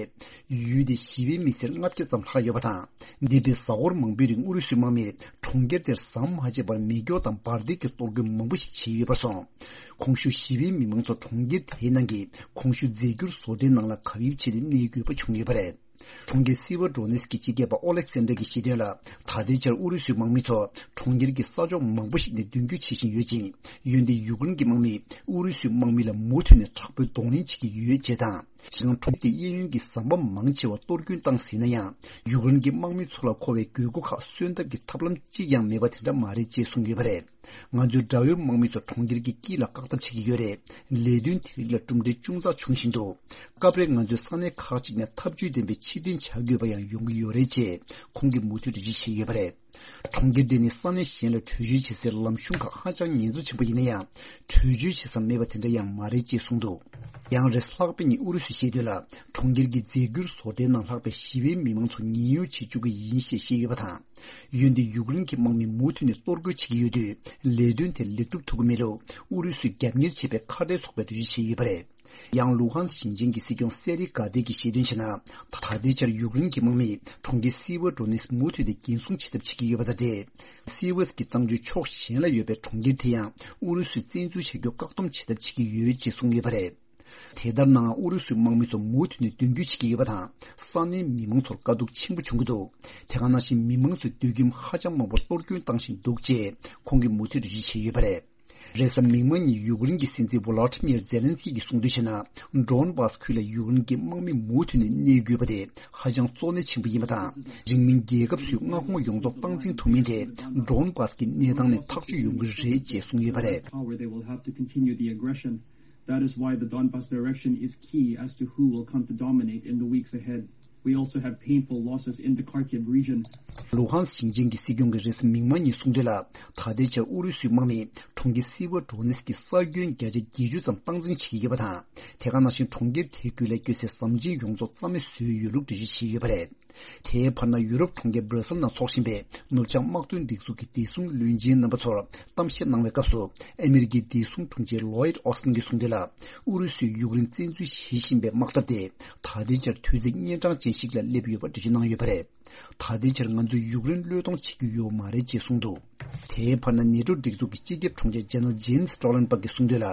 ཡུལ་དེའི་ཞི་བའི་མི་སེར་ལྔ་བརྒྱ་ཙམ་ལྷག་ཡོད་པ་དང་། འདས་པའི་གཟའ་འཁོར་མང་པོའི་རིང་ཨུ་རུ་སུའི་དམག་མིས་གྲོང་ཁྱེར་དེར་ཟམ་མ་ཆད་པར་མེ་སྒྱོགས་དང་འབར་མདེལ་གྱི་གཏོར་རྒོལ་མང་པོ་ཞིག་བྱས་ཡོད་པར་སོང་། གོང་ཞུས་ཞི་བའི་མི་མང་ཚོ་གྲོང་ཁྱེར་དེའི་ནང་གི་གོང་ཞུས་རྫས་འགྱུར་བཟོ་གྲྭའི་ནང་ལ་གབ་ཡིབ་བྱས་ཏེ་གནས་དགོས་པ་བྱུང་ཡོད་པ་རེད། གྲོང་ཁྱེར་སི་ཝར་ཌོ་ནེ་སི་ཀི་སྤྱི་ཁྱབ་པ་ཨོ་ལེག་སན་དྲ་གིས་བཤད་དོན་ལ། ད་ལྟའི་ཆར་ཨུ་རུ་སུའི་དམག་མི་ཚོ་གྲོང་ཁྱེར་གྱི་ས་ཕྱོགས་མང་པོ་ཞིག་ནས་མདུན་སྐྱོད་བྱེད་བཞིན་ཡོད་ཅིང་། འོན་ཏེ་ཡུཀ་རེན་གྱི་དམག་མིས་ཨུ་རུ་སུའི་དམག་མི་ལ་མུ་མཐུད་ནས་དྲག་པོའི་གདོང་ལེན་བྱེད་ཀྱི་ཡོད་ཅེས་དང་། གཞན་ཡང་གྲོང་ཁྱེར་དེའི་གཡས་གཡོན་གྱི་ཟམ་པ་མང་ཆེ་བ་གཏོར་སྐྱོན་བཏང་ཟིན་ན་ཡང་། ཡུཀ་རེན་གྱི་དམག་མི་ཚོ་ལ་མཁོ་བའི་དགོས་མཁོ་ཁག་གསོན་ཐབས་ཀྱི་ཐབས་ལམ་གཅིག་ཀྱང་མེད་པ་དེ་འདྲ་མ་རེད་ཅེས་གསུངས་ཡོད་པ་རེད། ང་ཚོའི་དགྲ་བོའི་དམག་མི་ཚོ་གྲོང་ཁྱེར་གྱི་དཀྱིལ་ལ་བཀག་ཐབས་བྱེད་ཀྱི་ཡོད་རེད། ལས་དོན་དེ་རིགས་ལ་གྲུབ་འབྲས་ཅུང་ཙག་བྱུང་བཞིན་འདུག་སྐབས་རེ་ང་ཚོས་ས་གནས་ཁག་ཅིག་ནས་ཐབས་ཇུས་ལྡན་པའི་ཕྱིར་འཐེན་བྱ་དགོས་པ་ཡང་ཡོང་གི་ཡོད་རེད་ཅེས་ཁོང་གིས་མུ་མཐུད་འགྲེལ་བརྗོད་བྱས་ཡོད་པ་རེད། གྲོང་ཁྱེར་འདི་ནི་ས་གནས་གཞན་ལ་བྲོས་བྱོལ་བྱེད་སའི་ལམ་གཞུང་ཁག་ཧ་ཅང་ཉེན་ཚབས་ཆེན་པོ་ཡིན་ན་ཡང་། བྲོས་བྱོལ་བྱེད་ས་མེད་པ་དེ་འདྲ་ཡང་མ་རེད་ཅེས་གསུངས་འདུག་ཡང་རེས་ལྷག་པའི་ཉིན་ཨུ་རུ་སུས་བཤད་དོན་ལ། གྲོང་ཁྱེར་གྱི་རྫས་འགྱུར་བཟོ་གྲྭའི་ནང་ལྷག་པའི་ཞི་བའི་མི་མང་ཚོ་ཉེན་གཡོལ་བྱེད་བཅུག་གི་ཡིན་ཞེས་བཤད་ཡོད་པ་དང་། འོན་ཏེ་ཡུཀ་རེན་གྱི་དམག་མིས་མུ་མཐུད་ནས་གཏོར་རྒོལ་བྱེད་ཀྱི་ཡོད་དུས། ལས་དོན་དེ་ལེགས་གྲུབ་ཐུབ་ཀྱི་མེད་ལུགས་ཨུ་རུ་སུས་རྒྱབ་གཉེར་བྱས་པའི་ཁ་བྲལ་ཚོགས་པས་འགྲེལ་བརྗོད་བྱས་ཡོད་པ་རེད། ཡང་ལུ་ཧན་ཞིང་ཆེན་གྱི་སྲིད་སྐྱོང་སེ་རི་ག་དེ་གིས་བཤད་དོན་བྱས་ན། ད་ལྟའི་ཆར་ཡུཀ་རེན་གྱི་དམག་མིས་གྲོང་ཁྱེར་སི་ཝར་ཌོ་ནེ་སི་མུ་མཐུད་དེ་འགན་སྲུང་བྱེད་ཐབས་བྱེད་ཀྱི་ཡོད་པ་དང་འབྲེལ། སི་ཝེ་སི་ཀྱི་གཙང་ཆུའི་ཕྱོགས་གཞན་ལ་ཡོད་པའི་གྲོང་ཁྱེར་དེ་ཡང་ཨུ་རུ་སུས་བཙན་འཛུལ་བྱ་རྒྱུ་བཀག་སྡོམ་བྱེད་ཐབས་བྱེད་ཀྱི་ཡོད་ཅེས་གསུངས་ཡོད་པ་རེད། དེ་ལྟར་ནའང་ཨུ་རུ་སུའི་དམག་མི་ཚོ་མུ་མཐུད་ནས་མདུན་སྐྱོད་བྱེད་ཀྱི་ཡོད་པ་དང་། ས་གནས་མི་མང་ཚོར་དཀའ་སྡུག་ཆེན་པོ་བྱུང་གི་འདུག་དེ་ག་ནང་བཞིན་མི་མང་ཚོས་སྡོད་ཁྱིམ་ཧ་ཅང་མང་པོར་གཏོར་སྐྱོན་བཏང་བཞིན་འདུག་ཅེས་ཁོང་གིས་མུ་མཐུད་འགྲེལ་བརྗོད་བྱས་ཡོད་པ་རེད། རེས་གཟའ་མིག་དམར་ཉིན་ཡུཀ་རེན་གྱི་སྲིད་འཛིན་ཝོ་ལོ་ཏི་མིར་ཛེ་ལན་སི་ཀི་གིས་གསུངས་དོན་བྱས་ན། ཌོན་བྷ་སི་ཁུལ་ལ་ཡུཀ་རེན་གྱི་དམག་མི་མུ་མཐུད་ནས་གནས་དགོས་པ་དེ་ཧ་ཅང་གཙོ་གནད་ཆེན་པོ་ཡིན་པ་དང་། རིང་མིན་རྒྱལ་ཁབ་སུའི་མངའ་ཁོངས་ཡོངས་རྫོགས་སྟངས་འཛིན་ཐུབ་མིན་དེ་ཌོན་བྷ་སི་ཀྱི་གནས་སྟངས་ནས་ཐག་གཅོད་ཡོང་གི་རེད་ཅེས་གསུངས་ཡོད་པ་རེད། Power, they will have to continue the aggression. That is why the Donbas direction is key as to who will come to dominate in the weeks ahead. We also have painful losses in the Kharkiv region. ལུ་ཧན་ཞིང་ཆེན་གྱི་སྲིད་སྐྱོང་གིས་རེས་གཟའ་མིག་དམར་ཉིན་གསུངས་དོན་ལ། ད་ལྟའི་ཆར་ཨུ་རུ་སུའི་དམག་མིས་གྲོང་ཁྱེར་སི་ཝར་ཌོ་ནེ་སི་ཀི་ས་ཁྱོན་བརྒྱ་ཆ་བརྒྱད་ཅུ་ཙམ་སྟངས་འཛིན་བྱེད་ཀྱི་ཡོད་པ་དང་། དེ་ག་ནང་བཞིན་གྲོང་ཁྱེར་དེའི་ཁུལ་ལ་སྐྱོད་སའི་ཟམ་ཆེན་ཡོངས་རྫོགས་རྩ་མེད་བཟོས་ཡོད་ལུགས་འགྲེལ་བརྗོད་བྱས་ཡོད་པ་རེད། དེའི་བར་ན་ཡུ་རོབ་གྲོང་ཁྱེར་སྦྲ་སེལ་ནང་འཚོགས་བཞིན་པའི་ནུབ་བྱང་དམག་དོན་སྒྲིག་འཛུགས་ཀྱི་བདེ་སྲུང་བློན་ཆེན་རྣམ་པ་ཚོར་གཏམ་བཤད་གནང་བའི་སྐབས་སུ། ཨ་མི་རི་ཀའི་བདེ་སྲུང་དྲུང་ཆེ་ལོའིད་ཨོ་སི་ཏིན་གྱིས་གསུངས་དོན་ལ། ཨུ་རུ་སུས་ཡུཀ་རེན་བཙན་འཛུལ་བྱེད་བཞིན་པའི་དམག་འཐབ་དེ་ད་ལྟའི་ཆར་དུས་ཚོད་གཉན་འཕྲང་ཅན་ཞིག་ལ་སླེབས་ཡོད་པ་འགྲེལ་བརྗོད་གནང་ཡོད་པ་རེད། ད་ལྟའི་ཆར་ང་ཚོས་ཡུཀ་རེན་བློས་གཏོང་བྱེད་ཀྱི་ཡོད་མ་རེད་ཅེས་གསུངས་འདུག་དེའི་བར་ན་ནེ་ཊོ་སྒྲིག་འཛུགས་ཀྱི་སྤྱི་ཁྱབ་དྲུང་ཆེ་ཇེ་ནེ་རལ་ཇེན་སི་སི་ཊོ་ལན་སྦར་གྱིས་གསུངས་དོན་ལ།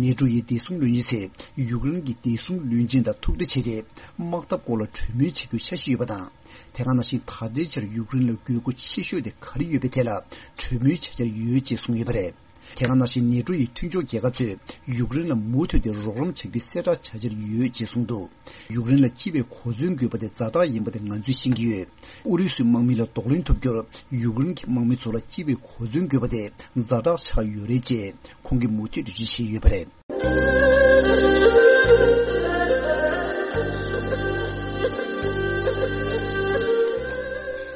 ནེ་ཊོ་ཡི་བདེ་སྲུང་བློན་ཆེན་ཚོས་ཡུཀ་རེན་གྱི་བདེ་སྲུང་བློན་ཆེན་དང་ཐུག་འཕྲད་བྱས་ཏེ། དམག་འཐབ་སྐོར་ལ་གྲོས་མོལ་བྱེད་རྒྱུ་འཆར་གཞི་ཡོད་པ་དང་། དེ་ག་ནང་བཞིན་ད་ལྟའི་ཆར་ཡུཀ་རེན་ལ་དགོས་མཁོ་ཆེ་ཤོས་དེ་ག་རེ་ཡོད་པའི་ཐད་ལ་གྲོས་མོལ་བྱ་འཆར་ཡོད་ཅེས་གསུངས་ཡོད་པ་རེད། དེ་ག་ནང་བཞིན་ནེ་ཊོ་ཡི་མཐུན་ཕྱོགས་རྒྱལ་ཁབ་ཚོས་ཡུཀ་རེན་ལ་མུ་མཐུད་དེ་རོགས་རམ་བྱ་རྒྱུའི་གསལ་བསྒྲགས་བྱ་འཆར་ཡོད་ཅེས་གསུངས་འདུག་ཡུཀ་རེན་ལ་སྤྱི་པའི་གོ་མཚོན་དགོས་པ་དེ་ཛ་དྲག་ཡིན་པ་དེ་ང་ཚོས་ཤེས་ཀྱི་ཡོད། ཨུ་རུ་སུའི་དམག་མི་ལ་གདོང་ལེན་ཐུབ་རྒྱུར་ཡུཀ་རེན་གྱི་དམག་མི་ཚོ་ལ་སྤྱི་པའི་གོ་མཚོན་དགོས་པ་དེ་ཛ་དྲག་ཆགས་ཡོད་རེད་ཅེས་ཁོང་གིས་མུ་མཐུད་འགྲེལ་བརྗོད་བྱས་ཡོད་པ་རེད།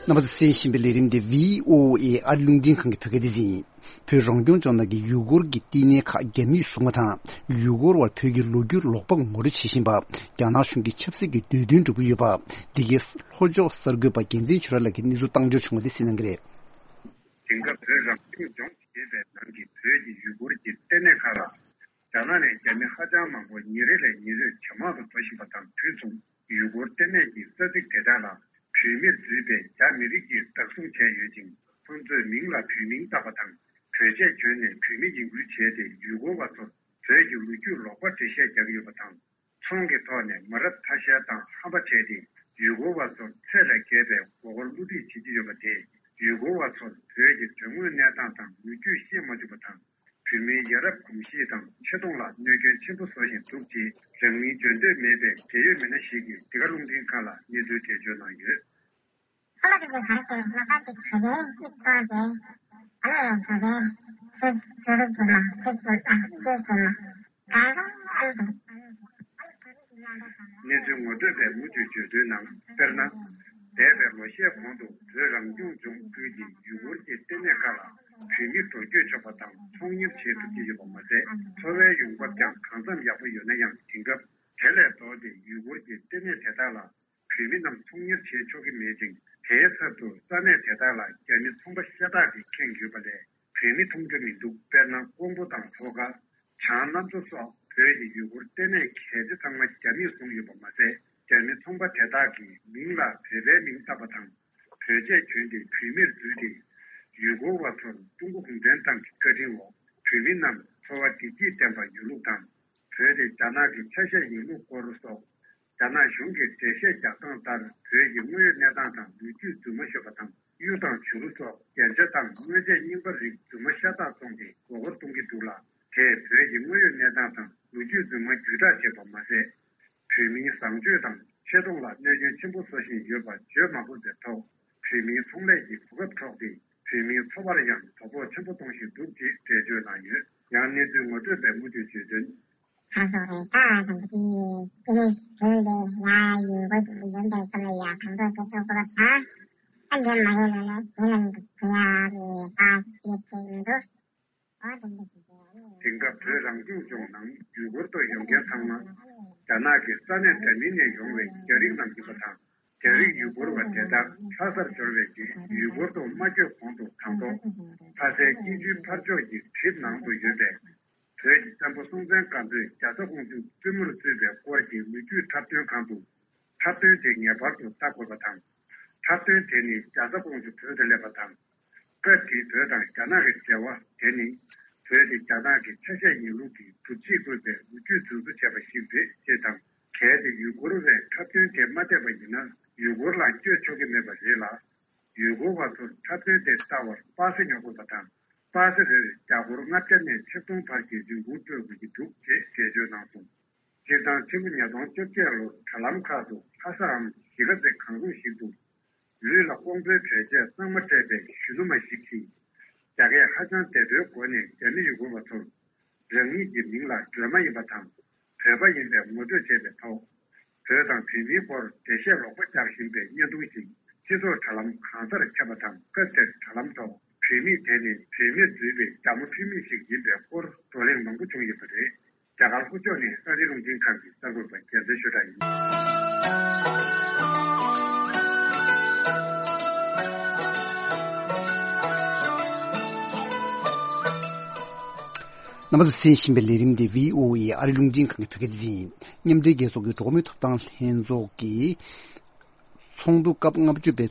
རྣམ་པ་ཚོས་གསན་བཞིན་པའི་ལས་རིམ་འདི་བྷི་ཨོ་ཨེ་ཨ་རི་རླུང་འཕྲིན་ཁང་གི་བོད་སྐད་སྡེ་ཚན་ཡིན། བོད་རང་སྐྱོང་ལྗོངས་ནང་གི་ཡུ་གུར་གྱི་བསྟི་གནས་ཁག་རྒྱ་མིས་བཟུང་བ་དང་། ཡུ་གུར་བར་བོད་ཀྱི་ལོ་རྒྱུས་ལོག་པ་ངོ་སྤྲོད་བྱེད་བཞིན་པ། རྒྱ་ནག་གཞུང་གིས་ཆབ་སྲིད་ཀྱི་འདོད་འདུན་སྒྲུབ་ཀྱི་ཡོད་པ། འདི་གའི་ལྷོ་ཕྱོགས་གསར་འགོད་པ་རྒྱལ་མཚན་ཆོས་གྲགས་ལགས་ཀྱིས་གནས་ཚུལ་བཏང་འབྱོར་བྱུང་བ་དེ་གསན་གནང་གི་རེད། དེང་སྐབས་བོད་རང་སྐྱོང་ལྗོངས་ཞེས་པའི་ནང་གི་བོད་ཀྱི་ཡུ་གུར་གྱི་བསྟི་གནས་ཁག་ལ། རྒྱ་ནག་ནས་རྒྱ་མི་ཧ་ཅང་མང་པོ་ཉིན་རེ་ལས་ཉིན་རེར་ཇེ་མང་དུ་འགྲོ་བཞིན་པ་དང་དུས་མཚུངས། ཡུལ་སྐོར་ལྟེ་གནས་ཀྱི་ས་ཚིགས་དེ་དག་ལ་བོད་མིར་བརྫུས་པའི་རྒྱ་མི་རིགས་ཀྱིས་བདག་བཟུང་བྱས་ཡོད་ཅིང་། ཁོ་ཚོས་མིང་ལ་བོད་མིང་བཏགས་པ་དང་། བོད་ཆས་གྱོན་ནས་བོད་མི་ཡིན་ཁུལ་བྱས་ཏེ་ཡུལ་སྐོར་བ་ཚོར་བོད་ཀྱི་ལོ་རྒྱུས་ལོག་པ་འགྲེལ་བཤད་རྒྱག་གི་ཡོད་པ་དང་། ཚོང་གི་ཐོག་ནས་མ་རབས་ཐ་ཤལ་དང་ཧམ་པ་བྱས་ཏེ། ཡུལ་སྐོར་བ་ཚོར་ཚད་ལས་བརྒལ་བའི་མགོ་སྐོར་བསླུ་བྲིད་བྱེད་ཀྱི་ཡོད་པ་དེས། ཡུལ་སྐོར་བ་ཚོར་བོད་ཀྱི་དོན་དངོས་གནས་སྟངས་དང་ལོ་རྒྱུས་ཤེས་མ་བཅུག་པ་དང་། བོད་མིའི་ཡ་རབས་གོམས་གཤིས་དང་ཆེ་མཐོང་ལ་གནོད་སྐྱོན་ཆེན་པོ་བཟོ་བཞིན་འདུག་ཅེས། རང་མིང་བརྗོད་འདོད་མེད་པའི་འབྲེལ་ཡོད་མི་སྣ་ཞིག་གིས་འདི་ག་རླུང་འཕྲིན་ཁང་ལ་གནས་ཚུལ་འགྲེལ་བརྗོད་གནང་ཡོད། ཁོ་ལ་དེ་ག་རེ་ཟེར་ན་ཁ་ཅིག་ག་གེ་ཨི་ཐོ་གེ། ཨ་ལོ་ཡང་ག་གེ། ཁྱེད་ཁྱེད་རེ་བྱུང་ན་ཁྱེད་ཚོ་ད་ཁྱེད་བྱུང་ན་ག་གེ་ཨ་ལོ། གནས་ཚུལ་ངོ་སྤྲོད་པས་མུ་མཐུད་བརྗོད་དོན་ནང་། དཔེར་ན། འདས་པའི་ལོ་ཤས་གོང་དུ་བོད་རང་སྐྱོང་ལྗོངས་ཁུལ་གྱི་ཡུལ་སྐོར་གྱི་ལྟེ་གནས་ཁག་ལ་བོད་མི་འགྲོ་སྐྱོད་ཆོག་པ་དང་ཚོང་གཉེར་བྱེད་ཐུབ་ཀྱི་ཡོད་པ་མ་ཟད། འཚོ་བའི་ཡོང་འབབ་ཀྱང་གང་འཚམ་ཡག་པོ་ཡོད་ན་ཡང་། དེང་སྐབས་དེ་ལས་ལྡོག་སྟེ་ཡུལ་སྐོར་གྱི་ལྟེ་གནས་དེ་དག་ལ་བོད་མི་རྣམས་ཚོང་གཉེར་བྱེད་ཆོག་གི་མེད་ཅིང་། དེའི་ཚབ་ཏུ་ས་གནས་དེ་དག་ལ་རྒྱ་མི་ཚོང་པ་ཤ་སྟག་གིས་ཁེངས་ཡོད་པ་ལས་བོད་མི་མཐོང་རྒྱུ་མི་འདུག་དཔེར་ན། ཀོང་པོ་དང་ལྷོ་ཁ། བྱང་གནམ་མཚོ་སོགས་བོད་ཀྱི་ཡུལ་སྐོར་ལྟེ་གནས་གལ་ཆེ་ཚང་མ་རྒྱ་མིས་བཟུང་ཡོད་པ་མ་ཟད། རྒྱ་མི་ཚོང་པ་དེ་དག་གིས་མིང་ལ་བོད་པའི་མིང་བཏགས་པ་དང་། བོད་ཆས་གྱོན་ཏེ་བོད་མིར་བརྫུས་ཏེ། ཡུལ་སྐོར་བ་ཚོར་ཀྲུང་གོ་གུང་ཁྲན་ཏང་གི་བཀའ་དྲིན་འོག་བོད་མི་རྣམས་འཚོ་བ་བདེ་སྐྱིད་ལྡན་པ་ཡོད་ལུགས་དང་། བོད་དེ་རྒྱ་ནག་གི་ཆ་ཤས་ཡིན་ལུགས་སྐོར་སོགས། རྒྱ་ནག་གཞུང་གིས་འགྲེལ་བཤད་རྒྱག་སྟངས་ལྟར། བོད་ཀྱི་དངོས་ཡོད་གནས་སྟངས་དང་ལོ་རྒྱུས་རྫུན་མ་ཤོད་པ་དང་། གཡུ་དང་བྱུ་རུ་སོགས་རྒྱན་ཆ་དང་དངོས་རྫས་རྙིང་པ་རིགས་རྫུན་མ་ཤ་སྟག་བཙོངས་ཏེ་མགོ་སྐོར་གཏོང་གི་འདུག་ལ། དེས་བོད་ཀྱི་དངོས་ཡོད་གནས་སྟངས་དང་ལོ་རྒྱུས་རྫུན་མ་བརྒྱུད་བསྒྲགས་བྱས་པ་མ་ཟད། བོད་མིའི་བཟང་སྤྱོད་དང་ཆེ་མཐོང་ལ་གནོད་སྐྱོན་ཆེན་པོ་བཟོ་བཞིན་ཡོད་པ་བརྗོད་མ་དགོས་པའི་ཐོག་བོད་མིའི་ཚོང་ལས་ཀྱི་གོ་སྐབས་འཕྲོག་སྟེ། བོད་མིའི་འཚོ་བར་ཡང་དོ་ཕོག་ཆེན་པོ་གཏོང་བཞིན་འདུག་ཅེས་འགྲེལ་བརྗོད་གནང་ཡོད། ཡང་གནས་ཚུལ་ངོ་སྤྲོད་པས་མུ་མཐུད་བརྗོད་དོན། ཁ་སོག་རེད། ད་དང་པོ་དེ་དེ་ནས་བྱུང་སྟེ། ཡ་ཡུལ་སྐོར་དུ་ཡོང་པའི་སྐབས་ལ་ཡ་གང་ཐུབ་ཅི་ཐུབ་གོ་བ་ད། ད་འདྲེ་མ་ཡོད་ལ་ལ་དེ་ལ་འདུག་གོ་ཡ་རེད། ད་དེ་ཚེ་འདུག་ཨོ་དེ་འདྲ་ཞིག་རེད། དེང་སྐབས་བོད་རང་སྐྱོང་ལྗོངས་ནང་ཡུལ་སྐོར་དུ་ཡོང་མཁན་ཚང་མ་རྒྱ་ནག་གི་ས་གནས་འདྲ་མིན་ནས་ཡོང་བའི་རྒྱ་རིགས་རྣམས་ཡིན་པ་དང་། རྒྱ་རིགས་ཡུལ་སྐོར་བ་དེ་དག་ལྷ་སར་འབྱོར་བའི་རྗེས་ཡུལ་སྐོར་དུ་མ་བསྐྱོད་གོང་དུ་དང་ཐོག་ལྷ་སའི་སྐྱིད་ཆུའི་ཕར་ཕྱོགས་ཀྱི་གྲིབ་ནང་དུ་ཡོད་པའི་བོད་ཀྱི་བཙན་པོ་སྲོང་བཙན་སྒམ་པོས་རྒྱ་བཟའ་ཀོང་ཇོ་བཙུན་མོར་བཙུན་པའི་སྐོར་གྱི་ལོ་རྒྱུས་འཁྲབ་སྟོན་ཁང་དུ། འཁྲབ་སྟོན་དེ་ངེས་པར་དུ་ལྟ་དགོས་པ་དང་། འཁྲབ་སྟོན་དེ་ནི་རྒྱ་བཟའ་ཀོང་ཇོ་བོད་དུ་སླེབས་པ་དང་། སྐབས་དེའི་བོད་དང་རྒྱ་ནག་གི་འབྲེལ་བ་དེ་ནི། བོད་དེ་རྒྱ་ནག་གི་ཆ་ཤས་ཡིན་ལུགས་ཀྱི་སྒྲུབ་བྱེད་དགོས་པའི་ལོ་རྒྱུས་རྫུན་བཟོ་བྱས་པ་ཞིག་རེད་ཅེས་དང་། གལ་ཏེ་ཡུལ་སྐོར་བས་འཁྲབ་སྟོན་དེ་མ་བལྟས་པ་ཡིན་ན་ཡུལ་སྐོར་ལ་བསྐྱོད་ཆོག་གི་མེད་པ་རེད་ལ། ཡུལ་སྐོར་བ་ཚོར་འཁྲབ་སྟོན་དེ་ལྟ་བར་པ་སེ་ཉོ་དགོས་པ་དང་། པ་སེ་རེར་རྒྱ་སྒོར་ལྔ་བརྒྱ་ནས་ཆིག་སྟོང་བར་གྱི་རིན་གོང་སྤྲོད་དགོས་ཀྱི་འདུག་ཅེས་འགྲེལ་བརྗོད་གནང་སོང་། སྤྱིར་བཏང་ཕྱི་ལོ་ཉིས་སྟོང་བཅོ་བརྒྱད་ལོར་དྲ་ལམ་ཁག་ཏུ་ལྷ་སའམ་གཞིས་ཀ་རྩེ་གང་རུང་ཞིག་ཏུ། ལུས་ལ་ཀོང་པོའི་བྲོས་ཆས་གཙང་མ་སྤྲས་པའི་གཞོན་ནུ་མ་ཞིག་གིས། རྒྱ་སྐད་ཧ་ཅང་བདེ་པོའི་སྒོ་ནས་རྒྱ་མི་ཡུལ་སྐོར་བ་ཚོར། རང་ཉིད་ཀྱི་མིང་ལ་སྒྲོལ་མ་ཡིན་པ་དང་། བོད་པ་ཡིན་པའི་ངོ་སྤྲོད་བྱས་པའི་ཐོག་བོད་དང་བོད་མིའི་སྐོར་འགྲེལ་བཤད་ལོག་པ་རྒྱག་བཞིན་པའི་བརྙན་ཐུང་ཞིག་སྤྱི་ཚོགས་དྲ་ལམ་གང་སར་ཁྱབ་པ་དང་། སྐབས་དེར་དྲ་ལམ་ཐོག་བུད་མེད་དེ་ནི་བུད་མེད་འཛུལ་བའི་རྒྱ་མོ་ཕུད་མེད་ཞིག་ཡིན་པའི་སྐོར་བགྲོ་གླེང་མང་པོ་བྱུང་ཡོད་པ་རེད། རྒྱ་གར་ལྷོ་ཕྱོགས་ནས་ཨ་རིའི་རླུང་འཕྲིན་ཁང་གི་གསར་འགོད་པ་རྒྱལ་མཚན་ཆོས་གྲགས་ཡིན། རྣམ་པ་ཚོ་གསན་བཞིན་པའི་ལས་རིམ་འདི་བྷི་ཨོ་ཨེ་ཨ་རིའི་རླུང་འཕྲིན་ཁང་གི་བོད་སྐད་སྡེ་ཚན་ཡིན། མཉམ་འབྲེལ་རྒྱལ་ཚོགས་ཀྱི་འགྲོ་བ་མིའི་ཐོབ་ཐང་ལྷན་ཚོགས་ཀྱིས། ཚོགས་འདུ་སྐབས་ལྔ་བཅུ་པའི།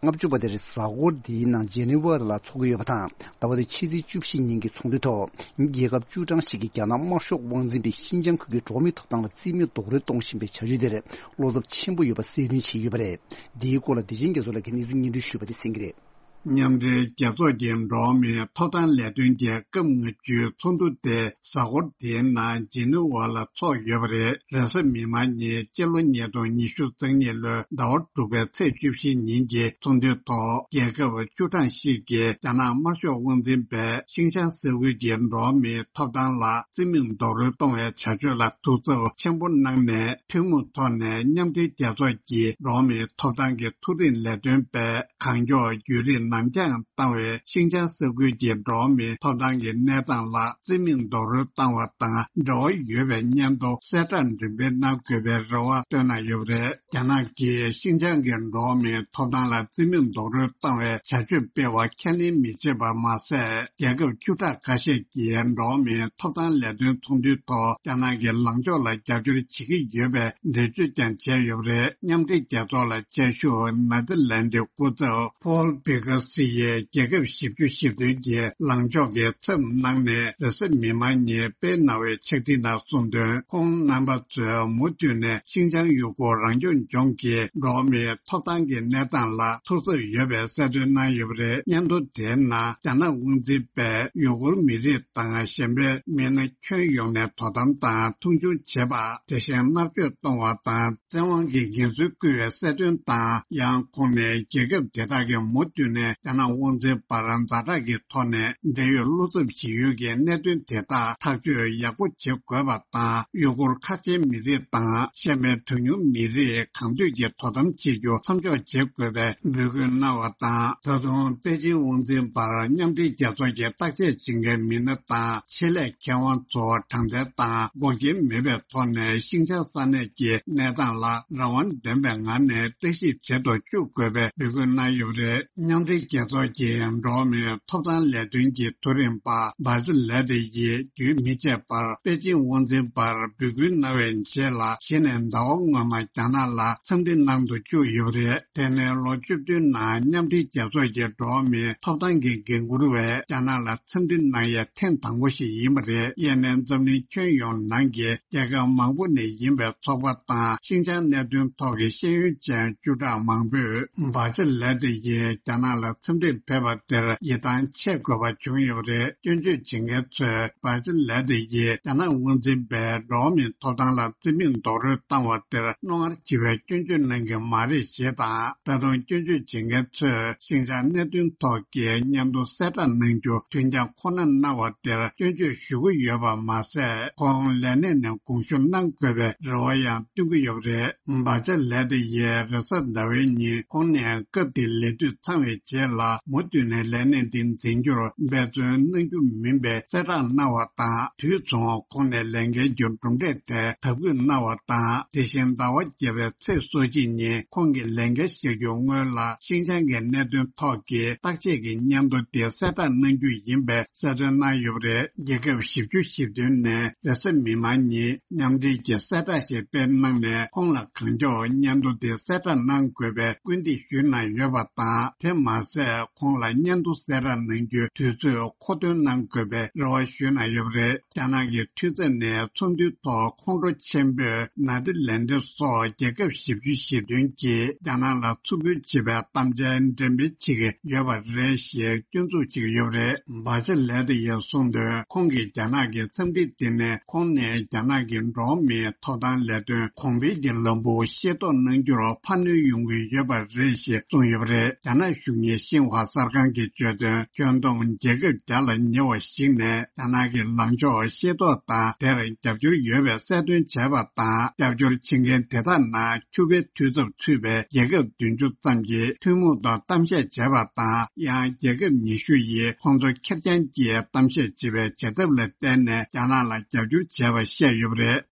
ལྔ་བཅུ་པ་དེར་གཟའ་འཁོར་འདིའི་ནང་ཇེ་ནི་ཝ་ལ་འཚོགས་ཀྱི་ཡོད་པ་དང་། ཟླ་བ་འདིའི་ཕྱི་ཚེས་བཅུ་བཞི་ཉིན་གྱི་ཚོགས་འདུའི་ཐོག་རྒྱལ་ཁབ་བཅུ་གྲངས་ཤིག་གིས་རྒྱ་ནག་དམར་ཤོག་དབང་འཛིན་པས་ཤིན་ཅང་ཁུལ་གྱི་འགྲོ་བ་མིའི་ཐོབ་ཐང་ལ་རྩིས་མེད་རྡོག་རོལ་གཏོང་བཞིན་པའི་བྱ་སྤྱོད་དེར་བློ་འཚབ་ཆེན་པོ་ཡོད་པ་གསལ་སྟོན་བྱས་ཡོད་པ་རེད། འདིའི་སྐོར་ལ་བདེ་ཆེན་རྒྱ་མཚོ་ལགས་ཀྱིས་གནས་ཚུལ་སྙན་སྒྲོན་ཞུས་པ་དེ་གསན་གྱི་རེད། མཉམ་འབྲེལ་རྒྱལ་ཚོགས་ཀྱི་འགྲོ་བ་མིའི་ཐོབ་ཐང་ལས་དོན་གྱི་སྐབས་ལྔ་བཅུའི་ཚོགས་འདུ་དེ་གཟའ་འཁོར་འདིའི་ནང་ཇི་ནི་ཝ་ལ་འཚོགས་ཡོད་པ་རེད། རེས་གཟའ་མིག་དམར་ཉིན་སྤྱི་ལོ་ཉིས་སྟོང་ཉི་ཤུ་རྩ་གཉིས་ལོའི་ཟླ་བ་དྲུག་པའི་ཚེས་བཅུ་བཞི་ཉིན་གྱི་ཚོགས་འདུའི་ཐོག་རྒྱལ་ཁབ་བཅུ་གྲངས་ཤིག་གིས་རྒྱ་ནག་དམར་ཤོག་དབང་འཛིན་པས་ཤིན་ཅང་ས་ཁུལ་གྱི་འགྲོ་བ་མིའི་ཐོབ་ཐང་ལ་རྩིས་མེད་རྡོག་རོལ་གཏོང་བའི་བྱ་སྤྱོད་ལ་ཐུགས་འཚབ་ཆེན་པོ་གནང་ནས། ཐུན་མོང་ཐོག་ནས་མཉམ་འབྲེལ་རྒྱལ་ཚོགས་ཀྱི་འགྲོ་བ་མིའི་ཐོབ་ཐང་གི་མཐོ་རིམ་ལས་དོན་པས་གང་མགྱོགས་བརྒྱུད་རིམ་གནང་ རང་འགན་བཏང་བའི་ཤིང་ཅང་ས་ཁུལ་གྱི་འགྲོ་བ་མིའི་ཐོབ་ཐང་གི་གནས་སྟངས་ལ་རྩིས་མེད་རྡོག་རོལ་བཏང་བ་དང་འབྲེལ་བ་ཡོད་པའི་སྙན་ཐོ་གསལ་བསྒྲགས་འགྲེམས་སྤེལ་གནང་དགོས་པའི་རེ་བ་བཏོན་གནང་ཡོད་པ་རེད། རྒྱ་ནག་གིས་ཤིན་ཅང་གི་འགྲོ་བ་མིའི་ཐོབ་ཐང་ལ་རྩིས་མེད་རྡོག་རོལ་བཏང་བའི་བྱ་སྤྱོད་སྤེལ་བ་ཁས་ལེན་མི་བྱེད་པ་མ་ཟད། རྒྱལ་ཁབ་བཅུ་ཕྲག་ཁ་ཤས་ཀྱིས་འགྲོ་བ་མིའི་ཐོབ་ཐང་ལས་དོན་ཚོགས་འདུའི་ཐོག་རྒྱ་ནག་གི་ལངས་ཕྱོགས་ལ་རྒྱབ་སྐྱོར་བྱེད་ཀྱི་ཡོད་པའི་འགྲེལ་བརྗོད་ཀྱང་བྱས་ཡོད་པ་རེད། མཉམ་འབྲེལ་རྒྱལ་ཚོགས་ལ་བཅའ་བཞུགས་ནེ་ཐར་ལན་ཌིའི་སྐུ་ཚབ་ཕོལ་བི་ཀ་སི་ཡིས་རྒྱལ་ཁབ་བཞི་བཅུ་ཞེ་བདུན་གྱི་ལངས་ཕྱོགས་ཀྱི་ཚབ་གནང་ནས་རེས་གཟའ་མིག་དམར་ཉིན་སྤེལ་གནང་བའི་ཕྱག་བྲིས་ནང་གསུངས་དོན། ཁོང་རྣམ་པ་ཚོས་མུ་མཐུད་ནས་ཤིན་ཅང་ཡུ་གུར་རང་སྐྱོང་ལྗོངས་ཀྱི་འགྲོ་བ་མིའི་ཐོབ་ཐང་གི་གནས་སྟངས་ལ་ཐུགས་འཚབ་ཡོད་པའི་གསལ་སྟོན་གནང་ཡོད་པ་རེད། སྙན་ཐོ་དེའི་ནང་རྒྱ་ནག་དབང་འཛིན་པས་ཡུ་གུར་མི་རིགས་དང་གཞན་པའི་མི་སྣ་ཁྱོན་ཡོངས་ནས་དོ་དམ་དང་མཐོང་ཆུང་བྱེད་པ། དེ་བཞིན་མནར་གཅོད་གཏོང་བ་དང་བཙན་དབང་གི་ངན་ཚུལ་བསྐུལ་བའི་གསལ་སྟོན་དང་། ཡང་ཁོང་ནས་རྒྱལ་ཁབ་དེ་དག་གིས་མུ་མཐུད་ནས་རྒྱ་ནག་དབང་འཛིན་པར་ཛ་དྲག་གི་ཐོག་ནས་འབྲེལ་ཡོད་བློ་འཚབ་བྱེད་ཡུལ་གྱི་གནད་དོན་དེ་དག་ཐག་གཅོད་ཡག་པོ་བྱེད་དགོས་པ་དང་། ཡུ་གུར་ཁ་ཆེའི་མི་རིགས་དང་གཞན་པའི་གྲངས་ཉུང་མི་རིགས་གང་འདོད་ཀྱིས་དོ་དམ་བྱེད་རྒྱུ་མཚམས་འཇོག་བྱེད་དགོས་པའི་འབོད་སྐུལ་གནང་བ་དང་། ད་དུང་པེ་ཅིང་དབང་འཛིན་པར་མཉམ་འབྲེལ་རྒྱལ་ཚོགས་ཀྱི་བརྟག་དཔྱད་བྱེད་མཁན་མི་སྣ་དང་། ཆེད་ལས་མཁས་དབང་ཚོ་དྲང་བདེན་དང་འགོག་རྐྱེན་མེད་པའི་ཐོག་ནས་ཤིང་ཅང་ས་གནས་ཀྱི་གནས་སྟངས་ལ་རང་དབང་ལྡན་པའི་ངང་ནས་བརྟག་ཞིབ་བྱེད་དུ་བཅུག་དགོས་པའི་འབོད་སྐུལ་གནང་ཡོད་པ་རེད། མཉམ་འབྲེལ་རྒྱལ་ཚོགས་ཀྱི་འགྲོ་བ་མིའི་ཐོབ་ཐང་ལས་དོན་གྱི་མཐོ་རིམ་པ་བྷ་ཅི་ལེ་ཏི་ཡིས་རྒྱུན་མི་ཆད་པར་པེ་ཅིང་དབང་འཛིན་པར་འབོད་སྐུལ་གནང་བའི་རྗེས་ལ། གཞི་ནས་ཟླ་བ་སྔོན་མ་རྒྱ་ནག་ལ་འཚམས་འདྲི་གནང་དུ་བཅུག་ཡོད་པ་རེད། དེ་ནི་ལོ་བཅུ་བདུན་ནང་མཉམ་འབྲེལ་རྒྱལ་ཚོགས་ཀྱི་འགྲོ་བ་མིའི་ཐོབ་ཐང་གི་འགན་འཁུར་བས་རྒྱ་ནག་ལ་འཚམས་འདྲི་གནང་ཡས་ཐེངས་དང་པོ་ཞིག་ཡིན་པ་རེད། དབྱེ་ནས་འཛམ་གླིང་ཁྱོན་ཡོངས་ནང་གི་རྒྱལ་ཁབ་མང་པོ་ནས་ཡིན་པའི་ཚོགས་པ་དང་ཤིན་ཅང་གནད་དོན་ཐོག་གི་ཤེས་ཡོན་ཅན་བཅུ་ཕྲག་མང་པོས་བྷ་ཅི་ལེ་ཏི་ཡིས་རྒྱ་ནག་ལ་འཚམས་འདྲིར་ཕེབས་པ་དེར་ཡིད་ཐང་ཆད་དགོས་པ་བྱུང་ཡོད་པ་རེད། སྐྱོན་བརྗོད་བྱེད་མཁན་ཚོས་བྷ་ཅི་ལེ་ཏི་ཡིས་རྒྱ་ནག་དབང་འཛིན་པས་འགྲོ་བ་མིའི་ཐོབ་ཐང་ལ་རྩིས་མེད་རྡོག་རོལ་བཏང་བ་དེར་རྣོ་ངར་ཆེ་བའི་སྐྱོན་བརྗོད་གནང་གི་མ་རེད་ཞེས་དང་། ད་དུང་སྐྱོན་བརྗོད་བྱེད་མཁན་ཚོས་ཤིན་ཅང་གནད་དོན་ཐོག་གི་སྙན་ཐོ་གསལ་བསྒྲགས་གནང་རྒྱུ་དོན་རྐྱང་ཁོ་ན་གནང་བ་དེར་སྐྱོན་བརྗོད་ཞུ་གི་ཡོད་པ་མ་ཟད། ཁོང་ལས་གནས་ནས་དགོངས་ཞུ་གནང་དགོས་པའི་རེ་བ་ཡང་བཏོན་གྱི་ཡོད་པ་རེད། བྷ་ཅི་ལེ་ཏི་ཡིས་རེས་གཟའ་ཟླ་བའི་ཉིན་ཁོང་ནས་སྐབས་དེའི་ལས་དུས་ཚང་བའི་རྗེས་ལ་མུ་མཐུད་ནས་ལས་གནས་འདི་འཛིན་རྒྱུར་འབད་བརྩོན་གནང་རྒྱུ་མིན་པའི་གསལ་བསྒྲགས་གནང་བ་དང་། དུས་མཚུངས་ཁོང་ནས་ལས་འགན་གྱི་གྲུབ་འབྲས་དེ་དག་འབུལ་གནང་བ་དང་། དེ་བཞིན་ཟླ་བ་བརྒྱད་པའི་ཚེས་སོ་གཅིག་ཉིན་ཁོང་གིས་ལས་འགན་བཞེས་རྒྱུ་སྔོན་ལ་ཤིན་ཅང་གི་གནད་དོན་ཐོག་གི་བརྟག་དཔྱད་ཀྱི་སྙན་ཐོ་དེ་གསལ་བསྒྲགས་གནང་རྒྱུ་ཡིན་པའི་གསལ་སྟོན་གནང་ཡོད་པ་རེད། རྒྱལ་ཁབ་བཞི་བཅུ་ཞེ་བདུན་ནས་རེས་གཟའ་མིག་དམར་ཉིན་མཉམ་འབྲེལ་གྱི་གསལ་བསྒྲགས་ཤིག་སྤེལ་གནང་ནས། ཁོང་ལ་གང་མགྱོགས་སྙན་ཐོ་དེ་གསལ་བསྒྲགས་གནང་དགོས་པའི་སྐུལ་འདེད་ཞུས་གནང་ཡོད་པ་དང་། དེ་མ་ཟད། ཁོང་ལ་སྙན་ཐོ་གསལ་བསྒྲགས་གནང་རྒྱུའི་དུས་ཚོད་མཁོ་འདོན་གནང་དགོས་པའི་རེ་བ་ཞུས་གནང་ཡོད་པ་རེད། རྒྱ་ནག་གི་འཐུས་ཚབ་ནས་ཚོགས་འདུའི་ཐོག་ཁོང་ཁྲོ་ཆེན་པོས་ནེ་ཐར་ལན་ཌི་སོགས་རྒྱལ་ཁབ་བཞི་བཅུ་ཞེ་བདུན་གྱིས་རྒྱ་ནག་ལ་མཚུར་ཕུལ་བྱེད་པའི་གཏམ་འཆལ་འགྲེམས་སྤེལ་བྱེད་ཀྱི་ཡོད་པ་རེད་ཞེས་སྐྱོན་འཛུགས་བྱེད་ཀྱི་ཡོད་པ་རེད། བྷ་ཅི་ལེ་ཏི་ཡིས་གསུངས་དོན། ཁོང་གིས་རྒྱ་ནག་གི་འཚམས་འདྲི་དེ་ནི་ཁོང་ནས་རྒྱ་ནག་གི་འགྲོ་བ་མིའི་ཐོབ་ཐང་ལས་དོན་གོང་འཕེལ་གྱི་ལམ་བུ་ཤེས་རྟོགས་གནང་རྒྱུར་ཕན་གནོད་ཡོང་གི་ཡོད་པ་རེད་ཞེས་གསུངས་ཡོད་པ་རེད། རྒྱ་ནག་གཞུང་གཉེར་ཤིན་ཧྭ་གསར་ཁང་གིས་བརྗོད་དོན། ཁྱོན་བསྡོམས་རྒྱལ་ཁབ་བརྒྱ་ལ་ཉེ་བ་ཞིག་ནས་རྒྱ་ནག་གི་ལངས་ཕྱོགས་ཤེས་རྟོགས་དང་། དེར་རྒྱབ་སྐྱོར་ཡོད་པའི་གསལ་སྟོན་བྱས་པ་དང་། རྒྱབ་སྐྱོར་བྱེད་མཁན་དེ་དག་ནང་ཁྱུ་པའི་འཐུས་ཚབ་ཚུད་པའི་རྒྱལ་ཁབ་བདུན་ཅུ་ཙམ་གྱིས་ཐུན་མོང་ཐོག་གཏམ་བཤད་བྱས་པ་དང་། ཡང་རྒྱལ་ཁབ་ཉི་ཤུ་ཡིས་ཁོང་ཚོ་ཁེར་རྐྱང་གིས་གཏམ་བཤད་བྱེད་པའི་བྱེད་ཐབས་ལ་བརྟེན་ནས་རྒྱ་ནག་ལ་རྒྱབ་སྐྱོར་བྱས་པ་བཤད་ཡོད་པ་རེད།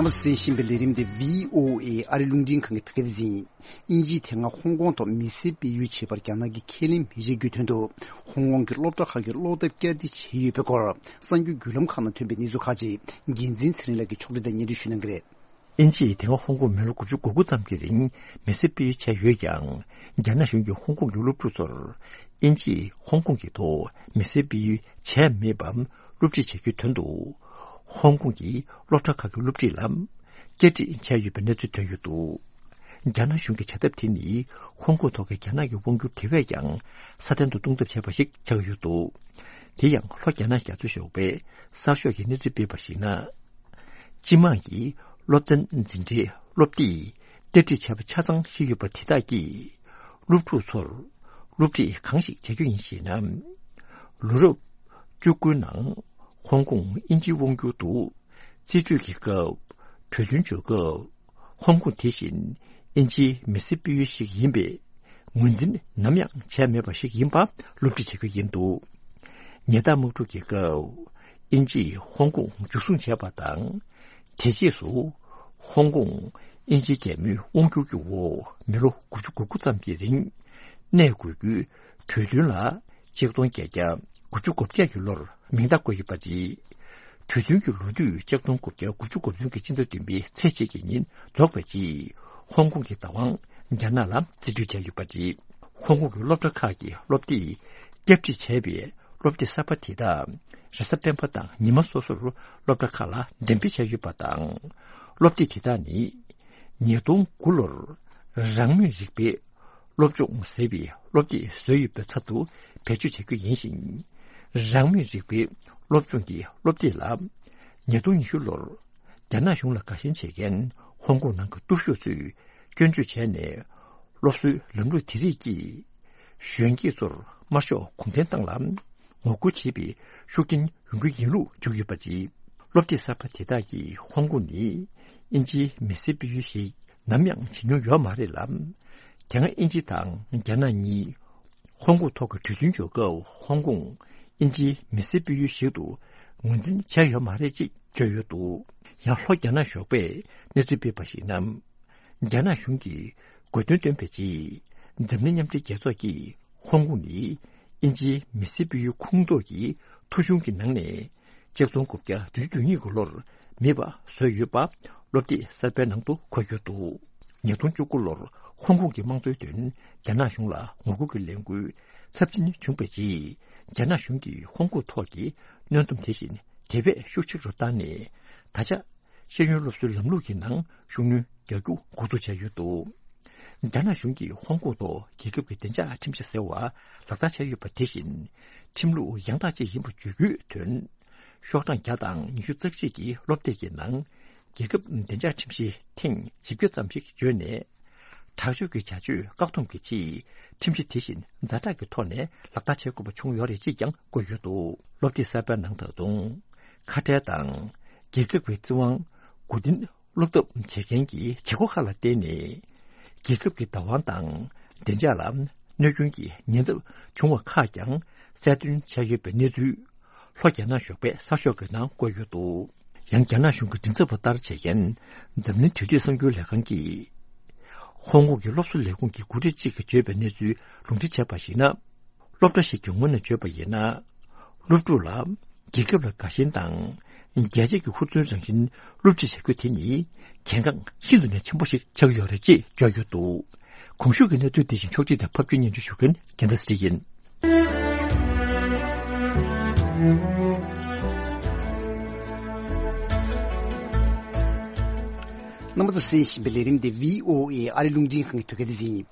རྣམ་པ་ཚོས་གསན་བཞིན་པའི་ལས་རིམ་དེ་བྷི་ཨོ་ཨེ་ཨ་རི་རླུང་འཕྲིན་ཁང་གི་བོད་སྐད་སྡེ་ཚན་ཡིན། དབྱིན་ཇིས་དེ་སྔ་ཧོང་ཀོང་ཐོག་མི་སེར་སྤེལ་ཡུལ་བྱེད་པར་རྒྱ་ནག་གིས་ཁས་ལེན་མི་བྱེད་རྒྱུའི་དོན་དུ། ཧོང་ཀོང་གི་སློབ་གྲྭ་ཁག་གི་སློབ་དེབ་བསྐྱར་ཟློས་བྱས་ཡོད་པའི་སྐོར། གསར་འགྱུར་བརྒྱུད་ལམ་ཁག་ནང་ཐོན་པའི་གནས་ཚུལ་ཁག་ཅིག་འགན་འཛིན་ཚེ་རིང་ལགས་ཀྱིས་ཕྱོགས་སྒྲིག་དང་སྙན་སྒྲོན་ཞུ་གནང་གི་རེད། དབྱིན་ཇིས་དེ་སྔ་ཧོང་ཀོང་མི་ལོ་དགུ་བཅུ་གོ་དགུ་ཙམ་གྱི་རིང་མི་སེར་སྤེལ་ཡུལ་བྱས་ཡོད་ཀྱང་། རྒྱ་ནག་གཞུང་གིས་ཧོང་ཀོང་གི་སློབ་ཕྲུག་ཚོར་དབྱིན་ཇིས་ཧོང་ཀོང་གི་ཐོག་མི་སེར་སྤེལ་ཡུལ་བྱས་མེད་པ་སློབ་ཁྲིད་བྱ་རྒྱུའི་དོན་དུ། ཧོང་ཀོང་གི་སློབ་གྲྭ་ཁག་གི་སློབ་ཁྲིད་ལ་བསྐྱར་སྒྲིག་བྱས་ཡོད་པའི་གནས་ཚུལ་ཐོན་ཡོད་འདུག་རྒྱ་ནག་གཞུང་གི་བྱ་ཐབས་དེ་ནི་ཧོང་ཀོང་ཐོག་གི་རྒྱ་ནག་གི་དབང་སྒྱུར་དེ་བས་ཀྱང་སྲ་བརྟན་དུ་གཏོང་ཐབས་བྱས་པ་ཞིག་ཆགས་ཀྱི་ཡོད་འདུག་དེ་ཡང་ལྷོ་རྒྱ་ནག་རྒྱ་མཚོ་ཞབས་པའི་གསར་ཤོག་གིས་གནས་ཚུལ་སྤེལ་བར་གཞིགས་ན། སྤྱི་དམངས་ཀྱི་སློབ་ཚན་འཛིན་གྲྭའི་སློབ་དེབ་བསྐྱར་སྒྲིག་བྱས་པ་ཆ་ཚང་ཞིག་ཡོད་པ་དེ་དག་གིས་སློབ་ཕྲུག་ཚོར་སློབ་ཁྲིད་གང་ཞིག་བྱ་རྒྱུ་ཡིན་ཞེ་ན། ལོ་རབས་བཅུ་དགུ་ནང་ཧོང་ཀོང་དབྱིན་ཇིའི་དབང་སྒྱུར་དུ་རྩིས་སྤྲོད་ཀྱི་སྐབས། གྲོས་མཐུན་བརྗོད་སྐབས། ཧོང་ཀོང་དེ་བཞིན་དབྱིན་ཇིའི་མི་སེར་སྤེལ་ཡུལ་ཞིག་ཡིན་པའི་ངོས་འཛིན་ནམ་ཡང་བྱས་མེད་པ་ཞིག་ཡིན་པ་སློབ་ཁྲིད་བྱེད་རྒྱུ་ཡིན་འདུག་ཉེ་ལྟར་དམག་འཁྲུག་གི་སྐབས་དབྱིན་ཇིས་ཧོང་ཀོང་འཇུ་བཟུང་བྱས་པ་དང་། དེ་རྗེས་སུ་ཧོང་ཀོང་དབྱིན་ཇིའི་རྒྱལ་མོའི་དབང་སྒྱུར་གྱི་འོག་མི་ལོ་དགུ་བཅུ་གོ་དགུ་ཙམ་གྱི་རིང་གནས་དགོས་རྒྱུའི་གྲོས་མཐུན་ལ་ཆིག་སྟོང་བརྒྱད་བརྒྱ་དགུ་བཅུ་གོ་བརྒྱད་ཀྱི་ལོར་མིང་རྟགས་བཀོད་ཡོད་པ་རེད། གྲོས་མཐུན་གྱི་ལོ་དུས་ཆིག་སྟོང་དགུ་བརྒྱ་དགུ་བཅུ་གོ་བདུན་གྱི་སྤྱི་ཟླ་བདུན་པའི་ཚེས་གཅིག་གི་ཉིན་རྫོགས་པའི་རྗེས། ཧོང་ཀོང་གི་བདག་དབང་རྒྱ་ནག་ལ་རྩིས་སྤྲོད་བྱས་ཡོད་པ་རེད། ཧོང་ཀོང་གི་སློབ་གྲྭ་ཁག་གི་སློབ་དེབ་བསྐྱར་སྒྲིག་བྱས་པའི་སློབ་དེབ་གསར་པ་དེ་དག་རེས་གཟའ་སྤེན་པ་དང་ཉི་མ་སོ་སོར་སློབ་གྲྭ་ཁག་ལ་འགྲེམས་སྤེལ་བྱས་ཡོད་པ་དང་། སློབ་དེབ་དེ་དག་ནི་ཉིས་སྟོང་དགུ་ལོར་རང་མོས་རིག་པའི་སློབ་སྦྱོང་ཟེར་བའི་སློབ་དེབ་བཟོས་ཡོད་པའི་ཚབ་ཏུ་བེད་སྤྱོད་བྱེད་རྒྱུ་ཡིན་ཞིང་། རང་མོས་རིག་པའི་སློབ་སྦྱོང་གི་སློབ་དེབ་ལ་ཉིས་སྟོང་ཉི་ཤུ་ལོར་རྒྱ་ནག་གཞུང་ལ་དགའ་ཞེན་བྱེད་མཁན་ཧོང་ཀོང་ནང་གི་སྟོབས་ཤུགས་ཚོས་སྐྱོན་བརྗོད་བྱས་ནས། སློབ་གསོའི་ལམ་ལུགས་དེ་རིགས་ཀྱིས་གཞོན་སྐྱེས་ཚོར་དམར་ཤོག་གུང་ཁྲན་ཏང་ལ་ངོ་རྒོལ་བྱེད་པའི་ཤུགས་རྐྱེན་ཡོང་གི་ཡིན་ལུགས་བརྗོད་ཡོད་པ་རེད། སློབ་དེབ་གསར་པ་དེ་དག་གིས་ཧོང་ཀོང་ནི་དབྱིན་ཇིའི་མི་སེར་སྤེལ་ཡུལ་ཞིག་ནམ་ཡང་བྱེད་མྱོང་ཡོད་མ་རེད་ལ། དེ་སྔ་དབྱིན་ཇི་དང་རྒྱ་ནག་གཉིས་ཧོང་ཀོང་ཐོག་གི་གྲོས་མཐུན་བརྗོད་སྐབས། ཧོང་ཀོང་དབྱིན་ཇིའི་མི་སེར་སྤེལ་ཡུལ་ཞིག་ཏུ་ངོས་འཛིན་བྱས་ཡོད་མ་རེད་ཅེས་བརྗོད་ཡོད་འདུག་ཡང་ལྷོ་རྒྱ་ནག་ཞོགས་པས་གནས་ཚུལ་སྤེལ་བར་གཞིགས་ན། རྒྱ་ནག་གཞུང་གིས་དགོས་འདུན་བཏོན་པའི་རྗེས། འཛམ་གླིང་མཉམ་འབྲེལ་རྒྱལ་ཚོགས་ཀྱིས་ཧོང་ཀོང་ནི་དབྱིན་ཇིའི་མི་སེར་སྤེལ་ཡུལ་ཁོངས་གཏོགས་ཀྱི་ཐོ་གཞུང་གི་ནང་ནས། ཆིག་སྟོང་དགུ་བརྒྱ་བདུན་ཅུ་དོན་གཉིས་ཀྱི་ལོར་མེད་པ་བཟོས་ཡོད་པ་སློབ་དེབ་གསར་པའི་ནང་དུ་འཁོད་ཡོད་འདུག་ཉིས་སྟོང་བཅུ་དགུ་ལོར་ཧོང་ཀོང་གི་དམངས་གཙོའི་དོན་རྒྱ་ནག་གཞུང་ལ་ངོ་རྒོལ་གྱི་ལས་འགུལ་ཚབས་ཆེན་བྱུང་བའི་རྗེས། རྒྱ་ནག་གཞུང་གིས་ཧོང་ཀོང་ཐོག་གི་གནོན་སྡོམ་དེ་བཞིན་དེ་བས་ཤུགས་ཆེ་རུ་བཏང་ནས། ད་ཆ་ཤེས་ཡོན་སློབ་གསོའི་ལམ་ལུགས་ཀྱི་ནང་ཤུགས་སྣོན་རྒྱག་རྒྱུ་འགོ་འཛུགས་བྱས་ཡོད་འདུག་རྒྱ་ནག་གཞུང་གིས་ཧོང་ཀོང་ཐོག་རྒྱལ་ཁབ་ཀྱི་བདེ་འཇགས་ཁྲིམས་གཞི་ཟེར་བ་ལག་བསྟར་བྱས་ཡོད་པ་དེ་བཞིན། ཁྲིམས་ལུགས་ཡང་དག་ཅིག་ཡིན་པ་བརྗོད་རྒྱུའི་དོན། ཤོག་གྲངས་བརྒྱ་དང་ཉི་ཤུ་རྩ་གཅིག་གི་སློབ་དེབ་ཀྱི་ནང་། རྒྱལ་ཁབ་བདེ་འཇགས་ཁྲིམས་གཞི་ཐེངས་བཞི་བརྒྱ་ཙམ་ཞིག་བརྗོད་ནས། དྲག་སྤྱོད་ཀྱི་བྱ་སྤྱོད་བཀག་སྡོམ་གྱི་ཆེད། ཁྲིམས་གཞི་དེ་བཞིན་ཛ་དྲག་གི་ཐོག་ནས་ལག་བསྟར་བྱེད་དགོས་པ་བྱུང་ཡོད་རེད་ཅེས་ཀྱང་བཀོད་ཡོད་འདུག་སློབ་དེབ་གསར་པའི་ནང་ད་དུང་། ཁ་བྲལ་དང་། རྒྱལ་ཁབ་ཀྱི་བཙན་དབང་མགོ་རྟིང་སློག་ཐབས་བྱེད་མཁན་གྱི་བྱེད་སྒོ་ཁག་ལ་བརྟེན་ནས། རྒྱལ་ཁབ་ཀྱི་བདག་དབང་དང་བདེ་འཇགས་ལ་གནོད་སྐྱོན་གྱི་ཉེན་ཚབས་བྱུང་བ་ཁག་ཀྱང་གསལ་སྟོན་བྱས་ཡོད་པའི་གནས་ཚུལ། ལྷོ་རྒྱ་ནག་ཞོགས་པའི་གསར་ཤོག་གི་ནང་བཀོད་ཡོད་འདུག་ཡང་རྒྱ་ནག་གཞུང་གི་མགྲིན་ཚབ་པ་ལྟར་བྱེད་མཁན་འཛམ་གླིང་དུས་དེབ་གསར་འགྱུར་ལས་ཁང་གིས། ཧོང་ཀོང་གི་སློབ་གསོ་ལས་ཁུངས་ཀྱི་འགོ་ཁྲིད་ཅིག་གིས་བརྗོད་པའི་གནས་ཚུལ་ལུང་འདྲེན་བྱས་པར་གཞིགས་ན། སློབ་གྲྭ་ཞིག་གི་ངོས་ནས་བརྗོད་པ་ཡིན་ན། སློབ་ཕྲུག་ལ་རྒྱལ་ཁབ་ལ་དགའ་ཞེན་དང་། རྒྱལ་གཅེས་ཀྱི་ཧུར་བརྩོན་རང་བཞིན་སློབ་ཁྲིད་བྱ་རྒྱུ་དེ་ནི་གལ་འགངས་ཤིན་ཏུ་ནས་ཆེན་པོ་ཞིག་ཆགས་ཡོད་རེད་ཅེས་བརྗོད་ཡོད་འདུག་གོང་ཞུས་ཀྱི་གནས་ཚུལ་དེ་བཞིན་ཕྱོགས་སྒྲིག་དང་ཕབ་སྒྱུར་སྙན་སྒྲོན་ཞུ་མཁན་རྒྱལ་མཚན་ཚེ་རིང་ཡིན། རྣམ་པ་ཚོ་གསན་བཞིན་པའི་ལས་རིམ་དེ་བྷི་ཨོ་ཨེ་ཨ་རི་རླུང་འཕྲིན་ཁང་གི་བོད་སྐད་སྡེ་ཚན་ཡིན།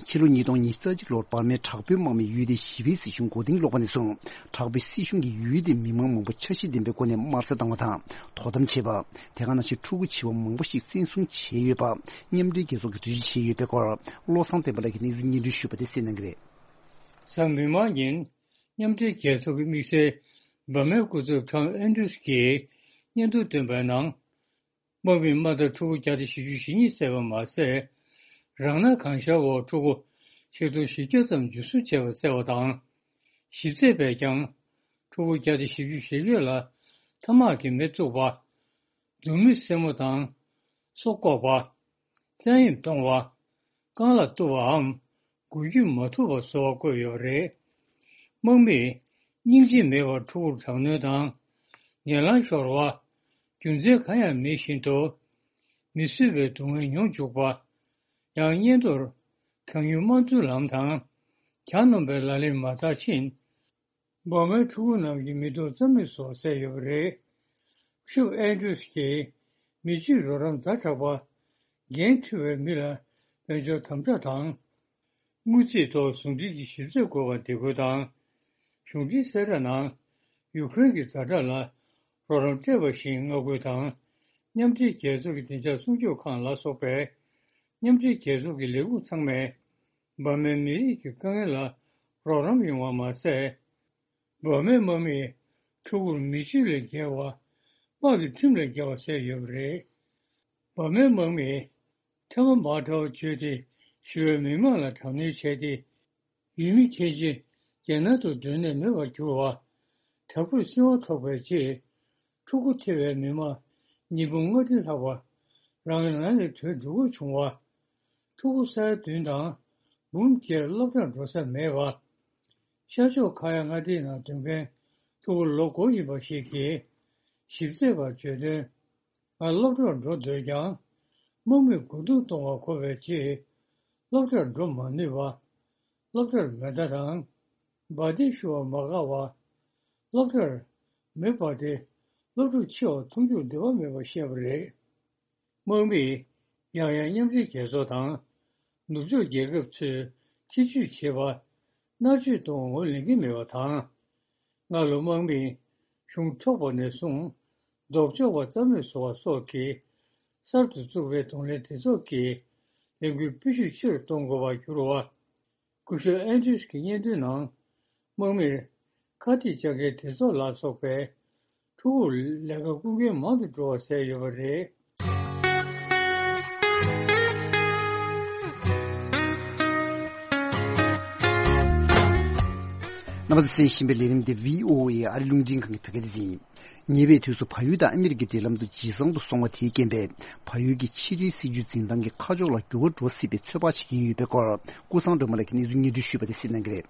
ཕྱི་ལོ་ཉིས་སྟོང་ཉི་ཤུ་རྩ་གཅིག་ལོར་འབར་མའི་དྲག་པོའི་དམག་མིས་ཡུལ་དེའི་ཞི་བའི་སྲིད་གཞུང་མགོ་རྟིང་སློག་པ་ནས་བཟུང་། དྲག་པོའི་སྲིད་གཞུང་གིས་ཡུལ་དེའི་མི་མང་མང་པོ་འཆར་གཞི་ལྡན་པའི་སྒོ་ནས་དམར་གསོད་བཏང་བ་དང་དོ་དམ་བྱས་པ། དེ་ག་ནང་བཞིན་ཕྲུ་གུ་བྱིས་པ་མང་པོ་ཞིག་བཙན་བཟུང་བྱས་ཡོད་པ། མཉམ་འབྲེལ་རྒྱལ་ཚོགས་ཀྱིས་འགྲེལ་བརྗོད་བྱས་ཡོད་པའི་སྐོར། བློ་བཟང་བསྟན་པ་ལགས་ཀྱིས་གནས་ཚུལ་སྙན་སྒྲོན་ཞུས་པ་དེ་གསན་གནང་གི་རེད། གཟའ་མིག་དམར་ཉིན། མཉམ་འབྲེལ་རྒྱལ་ཚོགས་ཀྱི་དམིགས་བསལ་འབར་མའི་སྐུ་ཚབ་ཊོམ་ཨན་ཌྲུས་ཀྱིས་སྙན་ཐོ་བཏོན་པའི་ནང་། དམག་མིས་དམའ་མཐར་ཕྲུ་གུ་བརྒྱ་དང་བཞི་བཅུ་ཞེ་གཉིས་བསད་པ་མ་ཟད། རང་ན་གང་ཤར་འོག་ཕྲུ་གུ་ཆིག་སྟོང་བཞི་བརྒྱ་ཙམ་འཇུ་བཟུང་བྱས་པ་བསལ་བ་དང་། ཞིབ་འཚོལ་པས་ཀྱང་ཕྲུ་གུ་བརྒྱ་དང་བཞི་བཅུ་ཞེ་བརྒྱད་ལ་ཐ་མག་གིས་མེ་བཙུགས་པ། མཛུབ་མོ་སེན་མོ་དང་སོ་བཀོག་པ། བཙན་གཡེམ་གཏོང་བ། རྐང་ལག་གཏུབ་པའམ་འགུལ་སྐྱོད་མ་ཐུབ་པ་བཟོ་བ་བཀོད་ཡོད་པ་རེད། དམག་མིས་སྙིང་རྗེ་མེད་པར་ཕྲུ་གུར་དྲག་གནོན་དང་། ངན་ལང་ཤོར་བ། རྒྱུ་མཚན་གང་ཡང་མེད་བཞིན་དུ་མི་བཟོད་པའི་སྡུག་བསྔལ་མྱོང་འཇུག་པ། ཡང་སྙན་ཐོར་གྲངས་ཉུང་དམངས་གཙོའི་ལམ་དང་གྱ་ནོམ་པའི་ལག་ལེན་མ་དར་ཕྱིན། འབར་མའི་ཕྲུ་གུ་རྣམས་ཀྱི་མི་ཐོག་རྩ་མེད་བཟོ་བསད་ཡོད་པ་རེད། ཕྱུག་ཨན་ཌྲུས་ཀྱིས་མི་སྤྱོད་རོགས་རམ་ཛ་དྲག་པ། འགན་འཁྲི་བའི་མི་ལ་དཔལ་འབྱོར་དམ་དྲག་དང་། དངུལ་རྩིས་ཐོག་ཟུང་འབྲེལ་གྱི་ཞིབ་འཚོལ་དགོས་པར་འདེད་སྐུལ་དང་། གཞུང་འབྲེལ་གསལ་བསྒྲགས་ནང་ཡུ་ཀེ་རེན་གྱི་ཛ་དྲག་ལ་རོགས་རམ་སྤྲད་པ་བཞིན་བསྔགས་སྐུལ་དང་། མཉམ་འབྲེལ་རྒྱལ་ཚོགས་ཀྱི་བདེ་འཇགས་སྲུང་སྐྱོབ་ཁང་ལ་སོགས་པའི་མཉམ་འབྲེལ་རྒྱལ་ཚོགས་ཀྱི་ལས་ཁུངས་ཚང་མས་འབར་མའི་མི་རིགས་ཀྱི་དཀའ་ངལ་ལ་རོགས་རམ་ཡོང་བ་མ་ཟད། འབར་མའི་དམག་མིས་ཕྲུ་གུར་མི་སྤྱོད་ལས་བརྒལ་བ། དམག་གི་ཁྲིམས་ལས་བརྒལ་བ་བསད་ཡོད་པ་རེད། འབར་མའི་དམག་མིས་ཐ་མག་མར་དྲ་བ་བརྗོད་དེ་ཞི་བའི་མི་མང་ལ་དྲག་གནོན་བྱས་ཏེ། ཡུལ་མི་ཁྱད་ཆེ་རྒྱལ་ནང་དུ་སྡོད་གནས་མེད་པར་གྱུར་བ། དྲག་པོས་བཙན་དབང་ཐོབ་པའི་རྗེས། ཕྲུ་གུ་ཐེ་བའི་མི་མང་ཉིས་འབུམ་ལྔ་བདུན་ལྷག་པ་རང་གི་ནང་ནས་བྲོས་འགྲོ་དགོས་བྱུང་བ། ཕྲུ་གུ་ས་ཡ་བདུན་དང་འབུམ་བརྒྱད་སློབ་གྲྭར་འགྲོ་ས་མེད་པ། ཤར་ཕྱོགས་ཁ་ཡ་མངའ་སྡེའི་ནང་སྡོད་མཁན་ཕྲུ་གུ་ལོ་དགུ་ཡིན་པ་ཞིག་གིས་ཞིབ་འཚོལ་བར་བརྗོད་དོན། ང་སློབ་གྲྭར་འགྲོ་འདོད་ཀྱང་། དམག་མིས་རྒོལ་རྡུང་གཏོང་བར་གོ་བའི་རྗེས། སློབ་གྲྭར་འགྲོ་མ་ནུས་པ། སློབ་གྲྭར་མེ་མདའ་དང་། འབར་མདེལ་ཤོར་བ་མ་དགའ་བ། སློབ་གྲྭར་མེ་འབར་ཏེ་སློབ་ཕྲུག་འཆི་བར་མཐོང་ཆོས་འདོད་པ་མེད་པར་བཤད་པ་རེད། དམག་མིས་ཡང་ཡང་མཉམ་འབྲེལ་རྒྱལ་ཚོགས་དང་ནུབ་ཕྱོགས་རྒྱལ་ཁབ་ཚོས་ཐེ་ཇུས་བྱེད་པ་མནར་གཅོད་གཏོང་བར་ངོས་ལེན་གྱི་མེད་པ་དང་། སྔ་ལོ་དམག་མིས་གཞུང་འཕྲོག་པ་ནས་བཟུང་ལྡོག་ཕྱོགས་པ་རྩ་མེད་བཟོ་བ་སོགས་ཀྱི་གསར་དུ་བཙུགས་པའི་གདོང་ལེན་སྡེ་ཚོགས་ཀྱི་ལས་འགུལ་སྤེལ་ཤུགས་ཆེ་རུ་གཏོང་དགོས་པར་གྱུར་བ། སྐུ་ཞབས་ཨན་ཌི་རི་སི་གི་སྙན་ཐོའི་ནང་། དམག་མིར་ཁ་གཏད་བཅག་མཁན་སྡེ་ཚོགས་ལ་སོགས་པའི་ཕྲུ་གུར་ལས་ཀ་བསྐུལ་མཁན་མང་དུ་འགྲོ་བ་གསལ་ཡོད་པ་རེད། རྣམ་པ་ཚོས་གསན་བཞིན་པའི་ལས་རིམ་འདི་བྷི་ཨོ་ཨེ་ཨ་རི་རླུང་འཕྲིན་ཁང་གི་བོད་སྐད་སྡེ་ཚན་ཡིན། ཉེ་བའི་དུས་སུ་བལ་ཡུལ་དང་ཨ་མི་རི་ཀའི་འབྲེལ་ལམ་དུ་ཇེ་བཟང་དུ་སོང་བ་དེའི་རྐྱེན་པས། བལ་ཡུལ་གྱི་ཕྱི་འབྲེལ་སྲིད་ཇུས་འཛིན་སྟངས་ཀྱི་ཁ་ཕྱོགས་ལ་འགྱུར་བ་འགྲོ་སྲིད་པའི་ཚོད་དཔག་བྱེད་ཀྱིན་ཡོད་པའི་སྐོར། ཀུན་བཟང་སྒྲོལ་མ་ལགས་ཀྱིས་གནས་ཚུལ་སྙན་སྒྲོན་ཞུས་པ་དེ་གསན་གནང་གི་རེད།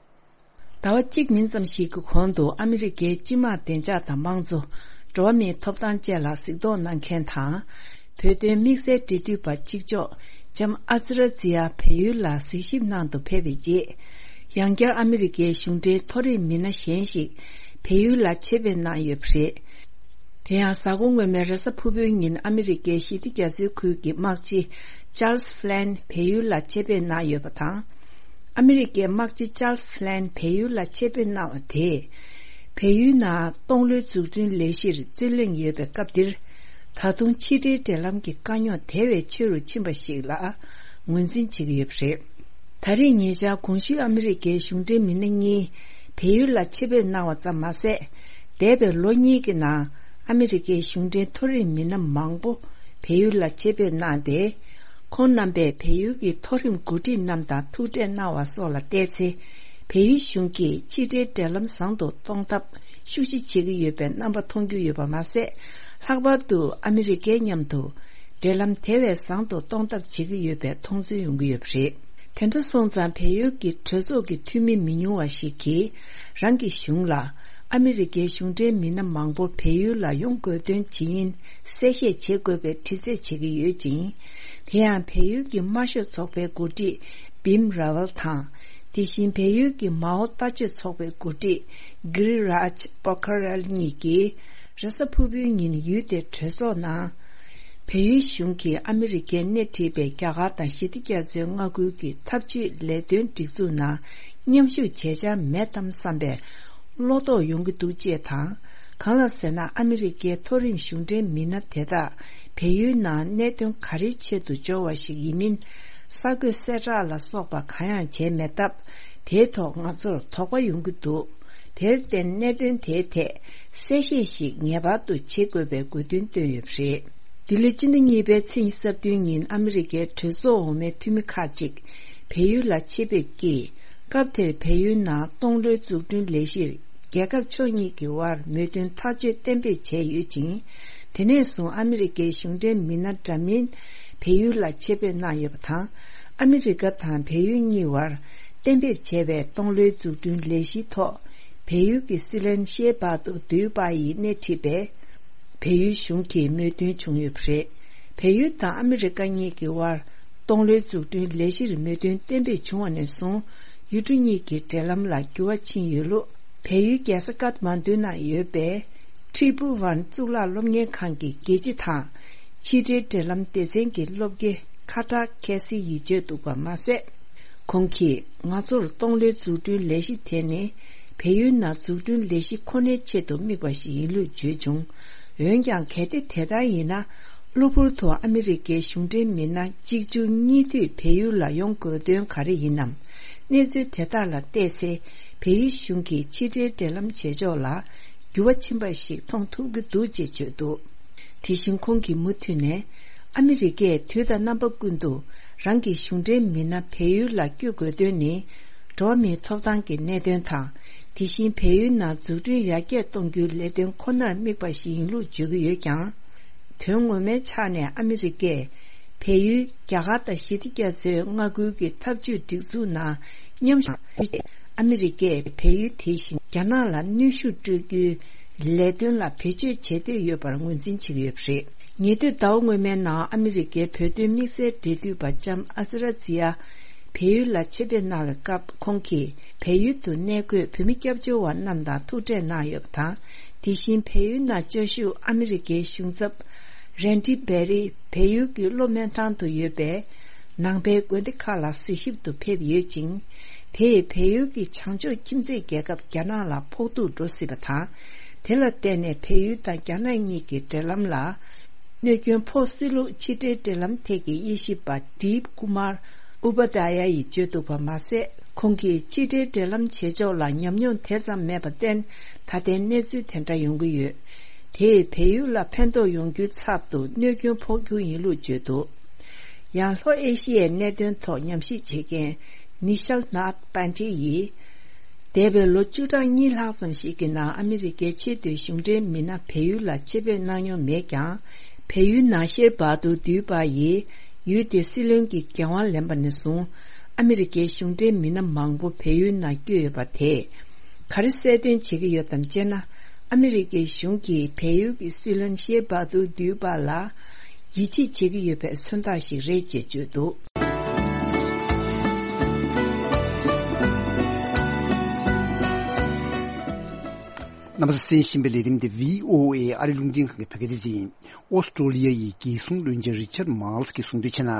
ཟླ་བ་གཅིག་མིན་ཙམ་ཞིག་གི་གོང་དུ་ཨ་མི་རི་ཀའི་སྤྱི་དམངས་བདེ་འཇགས་དང་དམངས་གཙོ། འགྲོ་བ་མིའི་ཐོབ་ཐང་བཅས་ལ་གཟིགས་རྟོག་གནང་མཁན་དང་། བོད་དོན་དམིགས་བསལ་འབྲེལ་མཐུད་པ་གཅིག་ལྕོགས་ལྕམ་ཨ་ཙི་ར་ཛི་ཡ་བལ་ཡུལ་ལ་གཟིགས་ཞིབ་གནང་དུ་ཕེབས་པའི་རྗེས། ཡང་བསྐྱར་ཨ་མི་རི་ཀའི་གཞུང་འབྲེལ་མཐོ་རིམ་མི་སྣ་གཞན་ཞིག་བལ་ཡུལ་ལ་ཆེད་ཕེབས་གནང་ཡོད་པ་རེད། དེ་ཡང་གཟའ་འཁོར་སྔོན་མའི་རེས་གཟའ་ཕུར་བུའི་ཉིན་ཨ་མི་རི་ཀའི་ཞི་བདེ་རྒྱ་མཚོའི་ཁུལ་གྱི་དམག་སྤྱི་ཅཱལ་སི་ཧྥི་ལན་བལ་ཡུལ་ལ་ཆེད་ཕེབས་གནང་ཡོད་པ་དང་། ཨ་མི་རི་ཀའི་དམག་སྤྱི་ཅཱལ་སི་ཧྥི་ལན་བལ་ཡུལ་ལ་ཆེད་ཕེབས་གནང་བ་དེས། བལ་ཡུལ་ནང་སྟོང་ལོའི་འཛུགས་སྐྲུན་ལས་གཞིར་རྩོད་གླེང་ཡོད་པའི་སྐབས་འདིར། ད་དུང་ཕྱི་འབྲེལ་འབྲེལ་ལམ་གྱི་དཀའ་རྙོག་དེ་བས་ཆེ་རུ་ཕྱིན་པ་ཞིག་ལ་ངོས་འཛིན་བྱེད་ཀྱི་ཡོད་པ་རེད། ད་རེས་ཉེ་ཆར་གོང་ཞུས་ཨ་མི་རི་ཀའི་གཞུང་འབྲེལ་མི་སྣ་གཉིས་བལ་ཡུལ་ལ་ཆེད་ཕེབས་གནང་བ་ཙམ་མ་ཟད། འདས་པའི་ལོ་གཉིས་ཀྱི་ནང་ཨ་མི་རི་ཀའི་གཞུང་འབྲེལ་མཐོ་རིམ་མི་སྣ་མང་པོ་བལ་ཡུལ་ལ་ཆེད་ཕེབས་གནང་སྟེ། ཁོང་རྣམ་པས་བལ་ཡུལ་གྱི་མཐོ་རིམ་འགོ་ཁྲིད་རྣམས་དང་ཐུག་འཕྲད་གནང་བ་སོགས་ལ་བལྟས་ཚེ། བལ་ཡུལ་གཞུང་གིས་ཕྱི་འབྲེལ་འབྲེལ་ལམ་བཟང་དུ་གཏོང་ཐབས་ཤུགས་ཆེ་བྱེད་ཀྱི་ཡོད་པའི་རྣམ་པ་མཐོང་རྒྱུ་ཡོད་པ་མ་ཟད། ལྷག་པར་དུ་ཨ་མི་རི་ཀའི་མཉམ་དུ་འབྲེལ་ལམ་དེ་བས་བཟང་དུ་གཏོང་ཐབས་བྱེད་ཀྱི་ཡོད་པའི་མཐོང་ཚུལ་ཡོང་གི་ཡོད་པ་རེད། དེ་འདྲ་སོང་ཙང་བལ་ཡུལ་གྱི་གྲོས་ཚོགས་ཀྱི་འཐུས་མི་མི་ཉུང་བ་ཞིག་གིས་རང་གི་གཞུང་ལ་ཨ་མི་རི་ཀའི་གཞུང་འབྲེལ་མི་སྣ་མང་པོ་བལ་ཡུལ་ལ་ཡོང་དགོས་དོན་ཇི་ཡིན་གསལ་བཤད་བྱེད་དགོས་པའི་དྲི་རྩད་བྱེད་ཀྱི་ཡོད་ཅིང་། དེ་ཡང་བལ་ཡུལ་གྱི་དམར་ཤོག་ཚོགས་པའི་འགོ་ཁྲིད་བིམ་ར་ཝལ་དང་། དེ་བཞིན་བལ་ཡུལ་གྱི་མའོ་ལྟ་སྤྱོད་ཚོགས་པའི་འགོ་ཁྲིད་གྷི་རི་རཱཇ་པོ་ཁ་རལ་གཉིས་ཀྱིས་རེས་གཟའ་ཕུར་བུའི་ཉིན་ཡུལ་དེའི་གྲོས་ཚོགས་ནང་། བལ་ཡུལ་གཞུང་གིས་ཨ་མི་རི་ཀས་སྣེ་ཁྲིད་པའི་རྒྱ་གར་དང་ཞི་བདེ་རྒྱ་མཚོའི་མངའ་ཁུལ་གྱི་འཐབ་ཇུས་ལས་དོན་སྒྲིག་འཛུགས་ནང་མཉམ་ཞུགས་བྱེད་འཆར་མེད་དམ་བསམ་པའི་བློ་དོགས་ཡོང་གི་འདུག་ཅེས་དང་། གང་ལ་ཟེར་ན་ཨ་མི་རི་ཀའི་མཐོ་རིམ་གཞུང་འབྲེལ་མི་སྣ་དེ་དག་བལ་ཡུལ་ནང་གནད་དོན་ག་རེའི་ཆེད་དུ་འབྱོར་བ་ཞིག་ཡིན་མིན་གསར་འགོད་གསལ་བསྒྲགས་ལ་སོགས་པ་གང་ཡང་བྱས་མེད་སྟབས། དེའི་ཐོག་ང་ཚོར་དོགས་པ་ཡོང་གི་འདུག་དེར་བརྟེན་གནད་དོན་དེའི་ཐད་གསལ་བཤད་ཞིག་ངེས་པར་དུ་བྱེད་དགོས་པའི་དགོས་འདུན་བཏོན་ཡོད་པ་རེད། འདི་ལོའི་སྤྱི་ཟླ་གཉིས་པའི་ཚེས་ཉི་ཤུ་རྩ་བདུན་ཉིན་ཨ་མི་རི་ཀའི་གྲོས་ཚོགས་འོག་མའི་འཐུས་མི་ཁག་ཅིག་བལ་ཡུལ་ལ་ཆེད་ཕེབས་ཀྱིས། སྐབས་དེར་བལ་ཡུལ་ནང་སྟོང་ལོའི་འཛུགས་སྐྲུན་ལས་གཞིར་རྒྱལ་ཁབ་ཕྱོགས་གཉིས་ཀྱི་དབར་མོས་མཐུན་ཐག་གཅོད་གཏན་འབེབས་བྱས་ཡོད་ཅིང་། དེ་ནས་བཟུང་ཨ་མི་རི་ཀའི་གཞུང་འབྲེལ་མི་སྣ་འདྲ་མིན་བལ་ཡུལ་ལ་ཆེད་ཕེབས་གནང་ཡོད་པ་དང་། ཨ་མི་རི་ཀ་དང་བལ་ཡུལ་གཉིས་དབར་གཏན་འབེབས་བྱས་པའི་སྟོང་ལོའི་འཛུགས་སྐྲུན་ལས་གཞིའི་ཐོག་བལ་ཡུལ་གྱི་སྲིད་བློན་ཤེ་བྷ་ཏུ་དུའུ་པ་ཡིས་སྣེ་ཁྲིད་པའི་བལ་ཡུལ་གཞུང་གིས་མོས་མཐུན་བྱུང་ཡོད་པ་རེད། བལ་ཡུལ་དང་ཨ་མི་རི་ཀ་གཉིས་ཀྱི་དབར་སྟོང་ལོའི་འཛུགས་སྐྲུན་ལས་གཞིར་མོས་མཐུན་གཏན་འབེབས་བྱུང་བ་ནས་བཟུང་། ཡུལ་གྲུ་གཉིས་ཀྱི་འབྲེལ་ལམ་ལ་འགྱུར་བ་ཕྱིན་ཡོད་ལུགས། བལ་ཡུལ་རྒྱལ་ས་ཀཏ་མན་ཌུ་ནང་ཡོད་པའི་ཁྲི་པུ་ཝན་གཙུག་ལག་སློབ་གཉེར་ཁང་གི་དགེ་ཆེ་དང་། ཕྱི་འབྲེལ་འབྲེལ་ལམ་སྡེ་ཚན་གྱི་སློབ་དགེ་ཁ་ཏྲ་ཁེ་སི་ཡིས་བརྗོད་འདུག་པ་མ་ཟད། ཁོང་གིས་ང་ཚོར་སྟོང་ལོའི་འཛུགས་སྐྲུན་ལས་གཞི་དེ་ནི་བལ་ཡུལ་ནང་འཛུགས་སྐྲུན་ལས་གཞི་ཁོ་ནའི་ཆེད་དུ་དམིགས་པ་ཞིག་ཡིན་ལུགས་བརྗོད་བྱུང་། འོན་ཀྱང་གལ་ཏེ་དེ་ལྟར་ཡིན་ན། གློ་བུར་དུ་ཨ་མི་རི་ཀའི་གཞུང་འབྲེལ་མི་སྣ་གཅིག་མཇུག་གཉིས་མཐུད་བལ་ཡུལ་ལ་ཡོང་དགོས་དོན་ག་རེ་ཡིན་ནམ། གནས་ཚུལ་དེ་དག་ལ་བལྟས་ཚེ། བལ་ཡུལ་གཞུང་གིས་ཕྱི་འབྲེལ་འབྲེལ་ལམ་བྱེད་ཕྱོགས་ལ་འགྱུར་བ་ཕྱིན་པ་ཞིག་མཐོང་ཐུབ་ཀྱི་འདུག་ཅེས་བརྗོད་འདུག་དེ་བཞིན་ཁོང་གིས་མུ་མཐུད་ནས། ཨ་མི་རི་ཀས་དུས་དང་རྣམ་པ་ཀུན་ཏུ་རང་གི་གཞུང་འབྲེལ་མི་སྣ་བལ་ཡུལ་ལ་བསྐྱོད་དགོས་དོན་ནི། འགྲོ་བ་མིའི་ཐོབ་ཐང་གི་གནད་དོན་དང་། དེ་བཞིན་བལ་ཡུལ་ནང་འཛུགས་སྐྲུན་ཡར་རྒྱས་གཏོང་རྒྱུའི་ལས་དོན་ཁོ་ནར་དམིགས་པ་ཞིག་ཡིན་ལུགས་བརྗོད་ཀྱི་ཡོད་ཀྱང་། དོན་ངོ་མའི་ཆ་ནས་ཨ་མི་རི་ཀས་བལ་ཡུལ་རྒྱ་གར་དང་ཞི་བདེ་རྒྱ་མཚོའི་མངའ་ཁུལ་གྱི་འཐབ་ཇུས་སྒྲིག་འཛུགས་ནང་མཉམ་ཞུགས། ཨ་མི་རི་ཀས་བལ་ཡུལ་དེ་བཞིན་རྒྱ་ནག་ལ་གནོན་ཤུགས་སྤྲོད་རྒྱུའི་ལས་དོན་ལ་བེད་སྤྱོད་བྱེད་འདོད་ཡོད་པར་ངོས་འཛིན་བྱེད་ཀྱི་ཡོད་པ་རེད། ཉེ་དུས་ཟླ་བ་སྔོན་མའི་ནང་ཨ་མི་རི་ཀའི་བོད་དོན་དམིགས་བསལ་འབྲེལ་མཐུད་པ་ལྕམ་ཨ་ཟི་ར་ཛི་ཡ་བལ་ཡུལ་ལ་ཆེད་ཕེབས་གནང་བའི་སྐབས། ཁོང་གིས་བལ་ཡུལ་དུ་གནས་འཁོད་བོད་མི་སྐྱབས་བཅོལ་བ་རྣམས་དང་ཐུག་འཕྲད་གནང་ཡོད་པ་དང་། དེ་བཞིན་བལ་ཡུལ་ནང་བཅའ་བཞུགས་ཨ་མི་རི་ཀའི་གཞུང་ཚབ་རན་ཌི་བེ་རི་བལ་ཡུལ་གྱི་གློ་སྨན་ཐང་དུ་ཡོད་པའི་ནང་པའི་དགོན་སྡེ་ཁག་ལ་གཟིགས་ཞིབ་ཏུ་ཕེབས་ཡོད་ཅིང་། དེས་བལ་ཡུལ་གྱི་བྱང་ཕྱོགས་ཁྱིམ་མཚེས་རྒྱལ་ཁབ་རྒྱ་ནག་ལ་ཕོག་ཐུག་འགྲོ་སྲིད་པ་དང་། དེ་ལ་བརྟེན་ནས་བལ་ཡུལ་དང་རྒྱ་ནག་གཉིས་ཀྱི་འབྲེལ་ལམ་ལ་གནོད་སྐྱོན་ཕོག་སྲིད་ལུགས་ཕྱི་འབྲེལ་འབྲེལ་ལམ་ཐད་ཀྱི་དབྱེ་ཞིབ་པ་ཌིབ་ཀུ་མར་ཨུ་པ་དཱ་ཡ་ཡིས་བརྗོད་འདུག་པ་མ་ཟད། ཁོང་གིས་ཕྱི་འབྲེལ་འབྲེལ་ལམ་བྱེད་ཕྱོགས་ལ་ཉམས་མྱོང་དེ་ཙམ་མེད་པར་བརྟེན། ད་ལྟའི་གནས་ཚུལ་དེ་འདྲ་ཡོང་གི་ཡོད། དེས་བལ་ཡུལ་ལ་ཕན་ཐོགས་ཡོང་རྒྱུའི་ཚབ་ཏུ་གནོད་སྐྱོན་ཕོག་རྒྱུ་ཡིན་ལུགས་བརྗོད་འདུག་ཡང་ལྷོ་ཨེ་ཤི་ཡའི་གནད་དོན་ཐོག་ཉམས་ཞིབ་བྱེད་མཁན་ནི་ཤལ་ནཱཐ་པན་ཏི་ཡིས། འདས་པའི་ལོ་བཅུ་ཕྲག་གཉིས་ལྷག་ཙམ་ཞིག་གི་ནང་ཨ་མི་རི་ཀའི་ཆེས་མཐོའི་གཞུང་འབྲེལ་མི་སྣ་བལ་ཡུལ་ལ་ཆེད་ཕེབས་གནང་མྱོང་མེད་ཀྱང་། བལ་ཡུལ་ནང་ཤེར་བྷ་དུར་དུས་པ་ཡིས་ཡུལ་དེའི་སྲིད་བློན་གྱི་འགན་དབང་ལེན་པ་ནས་བཟུང་། ཨ་མི་རི་ཀའི་གཞུང་འབྲེལ་མི་སྣ་མང་པོ་བལ་ཡུལ་ནང་བསྐྱོད་ཡོད་པ་དེས་ག་རེ་གསལ་སྟོན་བྱེད་ཀྱི་ཡོད་དམ་ཅེ་ན། ཨ་མི་རི་ཀའི་གཞུང་གིས་བལ་ཡུལ་གྱི་སྲིད་བློན་ཤེར་བྷ་དུར་དུས་པ་ལ་ཡིད་ཆེས་བྱེད་ཀྱི་ཡོད་པའི་མཚོན་རྟགས་ཤིག་རེད་ཅེས་བརྗོད་འདུག་རྣམ་པ་ཚོས་གསན་བཞིན་པའི་ལས་རིམ་འདི་བྷི་ཨོ་ཨེ་ཨ་རི་རླུང་འཕྲིན་ཁང་གི་བོད་སྐད་སྡེ་ཚན་ཡིན། ཨོ་སི་ཀྲོ་ལི་ཡ་ཡི་རྒྱལ་སྲུང་བློན་ཆེན་རི་ཆར་མཱལ་སི་གིས་གསུངས་དོན་བྱས་ན།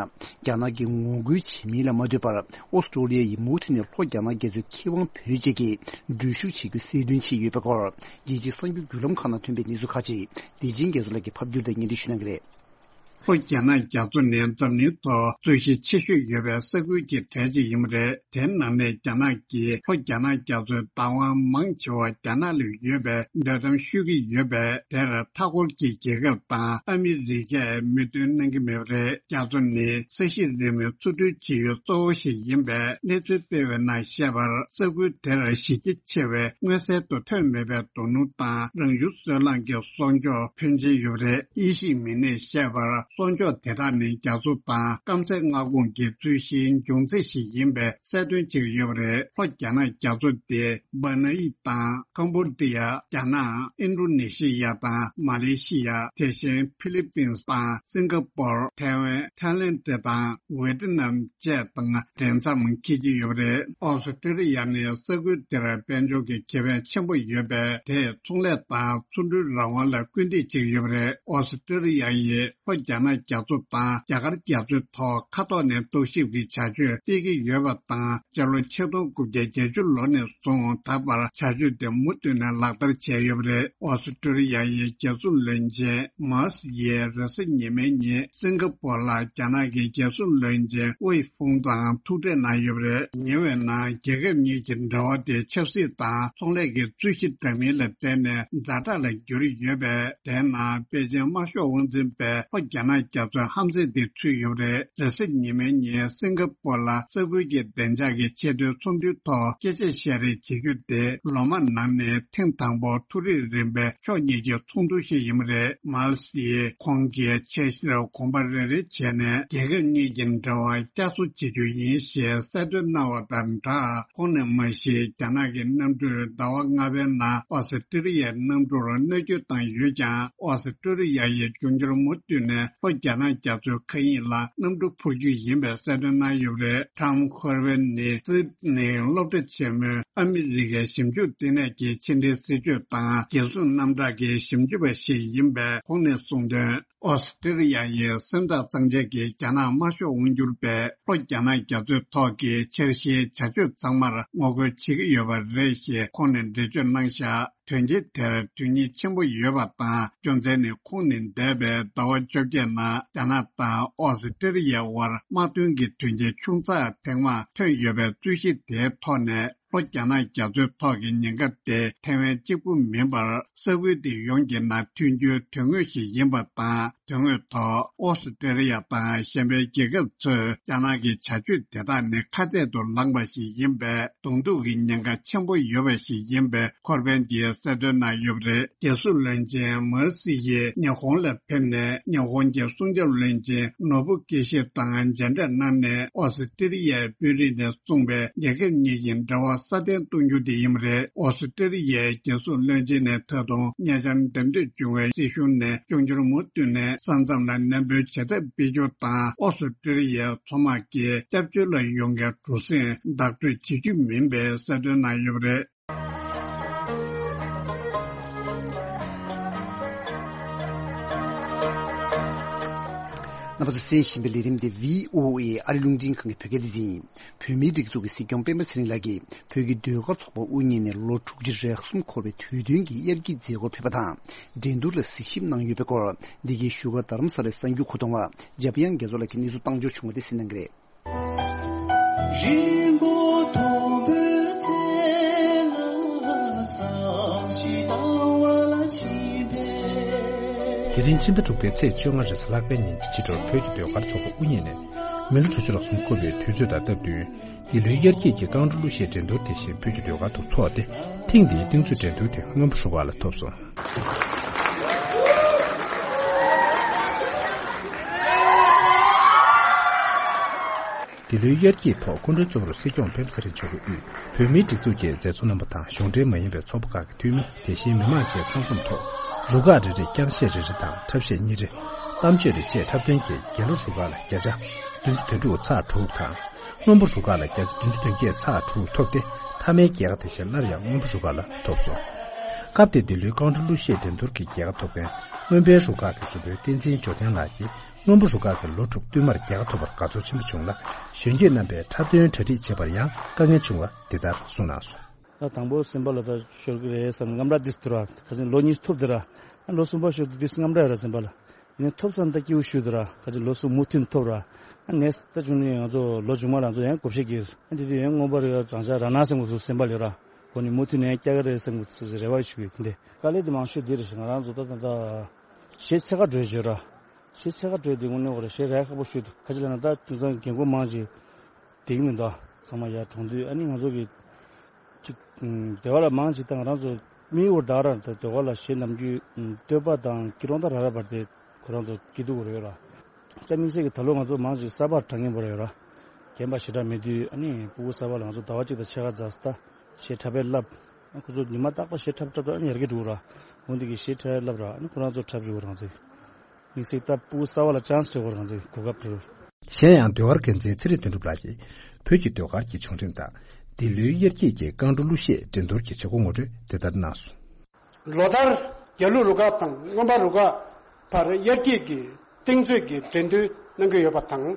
རྒྱ་ནག་གིས་ངོ་རྒོལ་བྱེད་མིན་ལ་མ་ལྟོས་པར། ཨོ་སི་ཀྲོ་ལི་ཡ་ཡིས་མུ་མཐུད་ནས་ལྷོ་རྒྱ་ནག་རྒྱ་མཚོའི་ཁེ་དབང་བོད་ཅིག་གི་འགྲུལ་བཞུད་བྱེད་རྒྱུ་གསལ་སྟོན་བྱས་ཡོད་པའི་སྐོར། རྒྱལ་སྤྱིའི་གསར་འགྱུར་བརྒྱུད་ལམ་ཁག་ནང་ཐོན་པའི་གནས་ཚུལ་ཁག་ཅིག་བདེ་ཆེན་རྒྱ་མཚོ་ལགས་ཀྱིས་ཕབ་བསྒྱུར་དང་སྙན་སྒྲོན་ཞུ་གནང་གི་རེད། ལྷོ་རྒྱ་ནག་རྒྱ་མཚོ་ནི་འཛམ་གླིང་ཐོག་རྩོད་གཞི་ཆེ་ཤོས་ཡོད་པའི་ས་ཁུལ་གྱི་གྲས་ཅིག་ཡིན་པ་རེད། དེའི་ནང་ནས་རྒྱ་ནག་གིས་ལྷོ་རྒྱ་ནག་རྒྱ་མཚོའི་བདག་དབང་མང་ཆེ་བ་རྒྱ་ནག་ལ་ཡོད་པའི་འདོད་གཏམ་ཤོད་ཀྱི་ཡོད་པས། དེར་མཐའ་འཁོར་གྱི་རྒྱལ་ཁབ་དང་ཨ་མི་རི་ཀས་མོས་མཐུན་གནང་གི་མེད་པ་རེད། རྒྱ་མཚོ་ནི་ས་གཞི་རིལ་མོའི་འཚོ་སྡོད་བྱེད་ཡུལ་གཙོ་བོ་ཞིག་ཡིན་པས། གནས་ཚུལ་སྤེལ་བའི་ནང་བཤད་པར། ས་ཁུལ་དེར་གཞི་རྒྱ་ཆེ་བའི་མངོན་གསལ་དུ་ཐོན་མེད་པའི་རྡོ་སྣུམ་དང་རང་བྱུང་སོལ་རླངས་ཀྱི་གསོག་འཇོག་ཕོན་ཆེན་ཡོད་པ་རེད། དབྱེ་ཞིབ་མི་སྣས་བཤད་པར། གསོག་འཇོག་དེ་དག་ནི་རྒྱ་མཚོ་དང་སྐམ་སའི་མངའ་ཁོངས་ཀྱི་རྩོད་གཞིའི་འབྱུང་རྩ་ཞིག་ཡིན་པའི་གསལ་སྟོན་བྱེད་ཀྱི་ཡོད་པ་རེད། ལྷོ་རྒྱ་ནག་རྒྱ་མཚོ་དེ་སྦ་ན་ཡི་དང་ཀམ་བོ་ཌི་ཡ། རྒྱ་ནག་ཨིན་ཌོ་ནེ་ཤི་ཡ་དང་མ་ལེ་ཤི་ཡ། དེ་བཞིན་ཕི་ལི་པིན་དང་སིང་ག་པོར། ཐའེ་ཝན། ཐའི་ལེན་ཌི་དང་ཝེ་ཏི་ནམ་བཅས་དང་འབྲེལ་མཚམས་འཁེལ་གྱི་ཡོད་པ་རེད། ཨོ་སི་ཀྲི་ལི་ཡ་ནི་ས་ཁུལ་དེར་དཔལ་འབྱོར་གྱི་ཁེ་ཕན་ཆེན་པོ་ཡོད་པས། དེས་ཚོང་ལས་དང་ཚོང་འབྲེལ་རང་དབང་ལ་སྐུལ་འདེད་བྱེད་ཀྱི་ཡོད་པ་རེད། ཨོ་སི་ཀྲི་ལི་ཡ་ཡིས་ལྷོ་རྒྱ་ནག་རྒྱ་མཚོ་དང་རྒྱ་གར་རྒྱ་མཚོའི་ཐོག་མཁའ་ཐོག་ནས་རྟོག་ཞིབ་ཀྱི་བྱ་སྤྱོད་སྤེལ་གྱི་ཡོད་པ་དང་། སྤྱི་ལོ་ཆིག་སྟོང་དགུ་བརྒྱ་བརྒྱད་ཅུ་ལོ་ནས་བཟུང་ད་བར་བྱ་སྤྱོད་དེ་མུ་མཐུད་ནས་ལག་བསྟར་བྱས་ཡོད་པ་རེད། ཨོ་སི་ཀྲི་ལི་ཡ་ཡི་རྒྱལ་སྲུང་བློན་ཆེན་མཱ་སི་ཡིས་རེས་གཟའ་ཉི་མའི་ཉིན་སིང་ག་པོར་ལ་རྒྱ་ནག་གི་རྒྱལ་སྲུང་བློན་ཆེན་ཝེ་ཧྥུང་དང་ཐུག་འཕྲད་གནང་ཡོད་པ་རེད། ཉེ་བའི་ནང་རྒྱལ་ཁབ་གཉིས་ཀྱི་འབྲེལ་བ་དེ་ཆབ་སྲིད་དང་ཚོང་ལས་ཀྱི་རྩོད་གཞི་འདྲ་མིན་ལ་བརྟེན་ནས་ཛ་དྲག་ལ་གྱུར་ཡོད་པས། དེའི་ནང་པེ་ཅིན་དམར་ཤོག་དབང་འཛིན་པས་ལྷོ་རྒྱ་ནག་རྒྱ་མཚོའི་ཧམ་སེམས་དེ་ཚུད་ཡོད་པ་རེད། རེས་གཟའ་ཉི་མའི་ཉིན་སིང་ག་པོར་ལ་ས་ཁུལ་གྱི་བདེ་འཇགས་ཀྱི་ཆེས་མཐོའི་ཚོགས་འདུའི་ཐོག་སྐད་ཆ་བཤད་རེས་བྱེད་རྒྱུ་དེ་ལོ་མང་ནང་ནས་ཐེངས་དང་པོ་ཐུག་རེས་རན་པའི་ཕྱོགས་གཉིས་ཀྱི་ཚོགས་འདུ་ཞིག་ཡིན་པ་རེད། མཱལ་སི་ཡིས་ཁོང་གིས་འཆར་གཞིར་གོམ་པ་རེ་རེ་བྱས་ནས་རྒྱལ་ཁབ་གཉིས་ཀྱི་འབྲེལ་བ་བསྐྱར་གསོ་བྱེད་རྒྱུ་ཡིན་ཞེས་གསལ་སྟོན་གནང་བ་དང་སྦྲགས། ཁོང་ནས་མ་གཞི་རྒྱ་ནག་གི་གནམ་གྲུས་ཟླ་བ་ལྔ་པའི་ནང་ཨོ་སི་ཀྲི་ལི་ཡའི་གནམ་གྲུར་གནོད་སྐྱོན་བཏང་ཡོད་ཀྱང་། ཨོ་སི་ཀྲི་ལི་ཡ་ཡིས་འབྱུང་འགྱུར་མུ་མཐུད་ནས་ལྷོ་རྒྱ་ནག་རྒྱ་མཚོའི་མཁའ་དབྱིངས་ལ་གནམ་གྲུ་འཕུར་རྒྱུ་ཡིན་པའི་གསལ་སྟོན་གནང་ཡོད་པ་རེད། ཊམ་ཧོར་ཝེན་ནི་སིད་ནི་སློབ་གྲྭ་ཆེན་མོའི་ཨ་མི་རི་ཀའི་ཞིབ་འཇུག་ལྟེ་གནས་ཀྱི་ཕྱི་འབྲེལ་སྲིད་ཇུས་དང་རྒྱལ་སྲུང་རྣམ་གྲགས་ཀྱི་ཞིབ་འཇུག་པ་ཞིག་ཡིན་པས། ཁོང་ནས་གསུངས་དོན། ཨོ་སི་ཀྲི་ལི་ཡ་ཡི་སེམས་ཐག་གཙང་བཅད་ཀྱིས་རྒྱ་ནག་དམར་ཤོག་དབང་སྒྱུར་པས་ལྷོ་རྒྱ་ནག་རྒྱ་མཚོའི་ཐོག་གི་འཆར་གཞིའི་བྱ་སྤྱོད་ཚང་མར་ངོ་རྒོལ་བྱེད་ཀྱི་ཡོད་པ་རེད་ཞེས་ཁོང་ནས་འགྲེལ་བརྗོད་གནང་བཞག་དོན་རྐྱེན་དེར་དོན་སྙིང་ཆེན་པོ་ཡོད་པ་དང་། རྒྱུ་མཚན་ནི་ཁོང་ནི་འདས་པའི་ཟླ་བ་བཅོ་བརྒྱད་ནང་རྒྱ་ནག་དང་ཨོ་སི་ཀྲི་ལི་ཡའི་དབར་དམག་དོན་གྱི་དོན་རྐྱེན་ཆུང་ཙག་ཐེངས་མང་ཐོན་ཡོད་པའི་རྩོད་གཞི་དེའི་ཐོག་ནས། ལྷོ་རྒྱ་ནག་རྒྱ་མཚོའི་ཐོག་གི་ཉེན་ཁ་དེ་ཐའེ་ཝན་གཅིག་པུ་མིན་པར་ས་ཁུལ་དེ་ཡོངས་ཀྱི་ནང་ཐོན་རྒྱུའི་དོན་དངོས་ཤིག་ཡིན་པ་དང་ དོན་དངོས་ཐོག་ཨོ་སི་ཀྲི་ལི་ཡ་དང་གཞན་པའི་རྒྱལ་ཁབ་ཚོས་རྒྱ་ནག་གི་བྱ་སྤྱོད་དེ་དག་ནི་ཁ་གཏད་དུ་ལངས་པ་ཞིག་ཡིན་པས། གདོང་ཐུག་གི་ཉེན་ཁ་ཆེན་པོ་ཡོད་པ་ཞིག་ཡིན་པའི་འཁོར་དཔོན་གྱིས་གསལ་སྟོན་གནང་ཡོད་པ་རེད། རྒྱལ་སྲུང་བློན་ཆེན་མོ་སི་ཡིས་ཉི་ཧོང་ལ་ཕེབས་ནས། ཉི་ཧོང་གི་སྲུང་སྐྱོབ་བློན་ཆེན་ནོ་བུ་ཀི་ཤི་དང་མཇལ་འཕྲད་གནང་ནས། ཨོ་སི་ཀྲི་ལི་ཡའི་དཔོན་རིགས་ནས་གསུངས་པའི་རྒྱལ་ཁབ་གཉིས་ཀྱི་འབྲེལ་བ་སྲ་བརྟན་གཏོང་རྒྱུ་དེ་ཡིན་པ་རེད། ཨོ་སི་ཀྲི་ལི་ཡའི་རྒྱལ་སྲུང་བློན་ཆེན་ནས་ད་དུང་ཉེ་ཆར་འདེམས་སྒྲུག་བྱུང་བའི་སྲིད་གཞུང་ནས་སྐྱོང་འཆར་མུ་མཐུད་ནས་ས་མཚམས་ལ་ནན་པོའི་བྱེད་ཐབས་སྤེལ་རྒྱུ་དང་། ཨོ་སི་ཀྲི་ལི་ཡའི་མཚོ་དམག་གི་སྐྱབས་བཅོལ་ལ་ཡོང་མཁན་འགྲོ་སོང་བདག་སྤྲོད་བྱེད་རྒྱུ་མིན་པའི་གསལ་སྟོན་གནང་ཡོད་པ་རེད། རྣམ་པ་ཚོས་གསན་བཞིན་པའི་ལས་རིམ་འདི་བྷི་ཨོ་ཨེ་ཨ་རི་རླུང་འཕྲིན་ཁང་གི་བོད་སྐད་སྡེ་ཚན་ཡིན། བོད་མིའི་སྒྲིག་འཛུགས་ཀྱི་སྲིད་སྐྱོང་སྤེན་པ་ཚེ་རིང་ལགས་ཀྱིས་བོད་ཀྱི་ཟློས་གར་ཚོགས་པ་དབུ་བརྙེས་ནས་ལོ་དྲུག་ཅུ་རེ་གསུམ་འཁོར་བའི་དུས་སྟོན་གྱི་དབྱར་སྐྱིད་མཛད་སྒོར་ཕེབས་པ་དང་། འགྲན་བསྡུར་ལ་གཟིགས་ཞིབ་གནང་ཡོད་པའི་སྐོར། འདི་གའི་བཞུགས་སྒར་རྡ་རམ་ས་ལའི་གསར་འགྱུར་ཁུ་ཐོང་བ་འཇམ་དབྱངས་རྒྱ་མཚོ་ལགས་ཀྱིས་གནས་ཚུལ་བཏང་འབྱོར་བྱུང་བ་དེ་གསན་གནང་གི་རེད། རི་མགོ་དོམ་བུའི་རྩེ་ལ་བསམ་ཤིང་དང་བ་ལ་ཕྱིན་པས། དེ་རིང་ཕྱི་ཟླ་དྲུག་པའི་ཚེས་བཅོ་ལྔ་རེས་གཟའ་ལྷག་པའི་ཉིན་གྱི་ཕྱི་དྲོར་བོད་ཀྱི་ཟློས་གར་ཚོགས་པ་དབུ་བརྙེས་ནས་མི་ལོ་དྲུག་ཅུ་རེ་གསུམ་འཁོར་བའི་དུས་ཚོད་དང་སྟབས་བསྟུན། འདི་ལོའི་དབྱར་སྐྱིད་ཀྱི་རྐང་བྲོ་གླུ་གཞས་འགྲན་བསྡུར་དེ་བཞིན་བོད་ཀྱི་ཟློས་གར་དུ་འཚོགས་ཏེ། ཐེངས་འདིའི་རྟིང་རྩོད་འགྲན་བསྡུར་དེ་སྔོན་པོ་རུ་ཁག་ལ་ཐོབ་སོང་། འདི་ལོའི་དབྱར་སྐྱིད་ཐོག་སྐུ་མགྲོན་གཙོ་བོར་སྲིད་སྐྱོང་སྤེན་པ་ཚེ་རིང་མཆོག་གིས་དབུས་བོད་མིའི་སྒྲིག་འཛུགས་ཀྱི་མཛད་གཙོ་རྣམ་པ་དང་གཞུང་འབྲེལ་མ་ཡིན་པའི་ཚོགས་པ་ཁག་གི་འཐུས་མི། དེ་བཞིན་མི་མང་བཅས་ཚང་འཛོམས་ཐོག་རུ་ཁག་རེ་རེས་རྐྱང་གཞས་རེ་རེ་དང་འཁྲབ་གཞས་གཉིས་རེ། གཏམ་བརྗོད་རེ་བཅས་འཁྲབ་སྟོན་གྱིས་རྒྱལ་གླུ་རུ་ཁག་ལ་བརྒྱ་ཆ་བདུན་ཅུ་དོན་དྲུག་ཚེག་དྲུག་དང་། སྔོན་པོ་རུ་ཁག་ལ་བརྒྱ་ཆ་བདུན་ཅུ་དོན་བརྒྱད་ཚེག་དྲུག་ཐོབ་སྟེ། མཐའ་མའི་རྒྱལ་ཁ་དེ་བཞིན་སླར་ཡང་སྔོན་པོ་རུ་ཁག་ལ་ཐོབ་སོང་། སྐབས་དེར་འདི་ལོའི་རྐང་བྲོ་གླུ་གཞས་འགྲན་བསྡུར་གྱི་རྒྱལ་ཁ་ཐོབ་མཁན་སྔོན་པོའི་རུ་ཁག་གི་རུ་དཔོན་བསྟན་འཛིན་འབྱོར་ལྡན་ལགས་ཀྱིས། སྔོན་པོ་རུ་ཁག་གིས་ལོ་དྲུག་བསྟུད་མར་རྒྱལ་ཁ་ཐོབ་པར་དགའ་ཚོར་ཆེན་པོ་བྱུང་ལ། གཞོན་སྐྱེས་རྣམ་པས་འཁྲབ་སྟོན་གྲ་སྒྲིག་བྱེད་པར་ཡང་དཀའ་ངལ་བྱུང་བ་འདི་ལྟར་གསུངས་གནང་སོང་། ད་དང་པོ་སེམས་པ་ལ་ད་ཤོར་གི་རེད་བསམ། རྔམ་ར་འདི་སུ་འདུག་ར། ཁ་ཅིག་ལོ་གཉིས་ཐོབ་འདི་ར། ཨ་ལོ་གསུམ་པ་ཤོར་འདི་སུ་རྔམ་ར་ཡོད་ར་སེམས་པ་ལ། ཡིན་ནའི་ཐོབ་སོང་ད་སྐྱིད་པོ་ཞུ་འདི་ར། ཁ་ཅིག་ལོ་གསུམ་མུ་མཐུད་ཐོབ་ར། ཨ་ནེས་ད་བྱུང་ནས་ང་ཚོ་ལོ་མཇུག་མ་ལ་ང་ཚོ་ཡང་བགོ་བཤའ་གི་ཨ་འདི་དུས་ཡང་མངོན་པ་རེད། རང་ཅག་རང་ན་སེམས་ངོ་ཚོ་སེམས་པ་ལ་ཡོད་ར། གོ་ནས་མུ་མཐུད་ནས་ཡང་སྐྱ་ག་རེད་སེམས་ངོ་ཚོ་རེ་བ་ཞུ་གི་དེ་འདྲས། དཀའ་ལས་དེ་མང་ཤོས་འདི་རེད། ང་རང་ཚོ་ད་ད་ད་གཞས་ཚད་ཁ་འགྲོ་བརྗོད་ར། གཞས་ཚད་ཁ་འགྲོ་དེ་དངོས་གནས་ཁོ་ར་གཞས་རག་ཁག་པོ་ཞུ་འདུག་ཁ་ཅིག་ལ་ན་ད་དེང་སང་རྒན་རྒོན་མང་ཅིག་དེ་གི་མི་འདུག་ཚང་མ་ཡར་གྲོངས་དུས་ཨ་ནི་ང་ཚོ་གི་ཅིག་ཨུམ་སྡེ་བ་ལ་མང་ཆེ་ད་ང་རང་ཚོ་མི་འུར་ད་ར་ད་སྡེ་བ་ལ་གཞས་ནམ་རྒྱུན་ཨུམ་སྟོད་པ་དང་སྐྱིད་རོང་ད་ར་ར་བར་དེ་ཁོ་རང་ཚོ་སྐྱིད་སྡུག་རེད་ར། ད་དམིགས་བསལ་གྱི་ད་ལོ་ང་ཚོ་མང་ཆེ་གསར་པར་གྲགས་ངན་པོ་རེད་ར། རྒན་པ་ཞེ་དྲག་མེད་དུས་ཨ་ནི་སྤུ་གུ་གསར་པ་ལ་ང་ཚོ་ཟླ་བ་གཅིག་དང་ཕྱེད་ཀ་ཛ་སི་ད་གཞས་འཁྲབ་པའི་བསླབ། ཁོ་ཚོ་ཉི་མ་རྟག་པར་གཞས་འཁྲབ་འཁྲབ་འཁྲབ་ཨ་ནི་ཡར་རྒྱས་འགྲོ་ར། འོན་ཏེ་གི་གཞས་འཁྲབ་བསླབ་ར་ཨ་ནི་ཁོ་རང་ཚོ་འཁྲབ་བཅུག་རང་ཚོ། དམིགས་བསལ་ད་སྤུ་གུ་གསར་པ་ལ་ཆན་སི་སྤྲད་དགོས་རང་ཚོའི་གོ་སྐབས་སྤྲོད། གཞན་ཡང་ཟློས་གར་འགན་འཛིན་ཚེ་རིང་དོན་གྲུབ་ལགས་ཀྱིས་བོད་ཀྱི་ཟློས་གར་གྱི་བྱུང་རིམ་དང་འདི་ལོའི་དབྱར་སྐྱིད་ཀྱི་རྐང་བྲོ་གླུ་གཞས་འགྲན་བསྡུར་གྱི་བྱེད་སྒོ་ངོ་སྤྲོད་དེ་ལྟར་གནང་སོང་། ལོ་ལྟར་རྒྱ་ལུགས་རུ་ཁག་དང་སྔོན་པ་རུ་ཁག་བར་དབྱར་སྐྱིད་ཀྱི་རྟིང་རྩོད་ཀྱི་འགྲན་བསྡུར་གནང་གི་ཡོད་པ་དང་།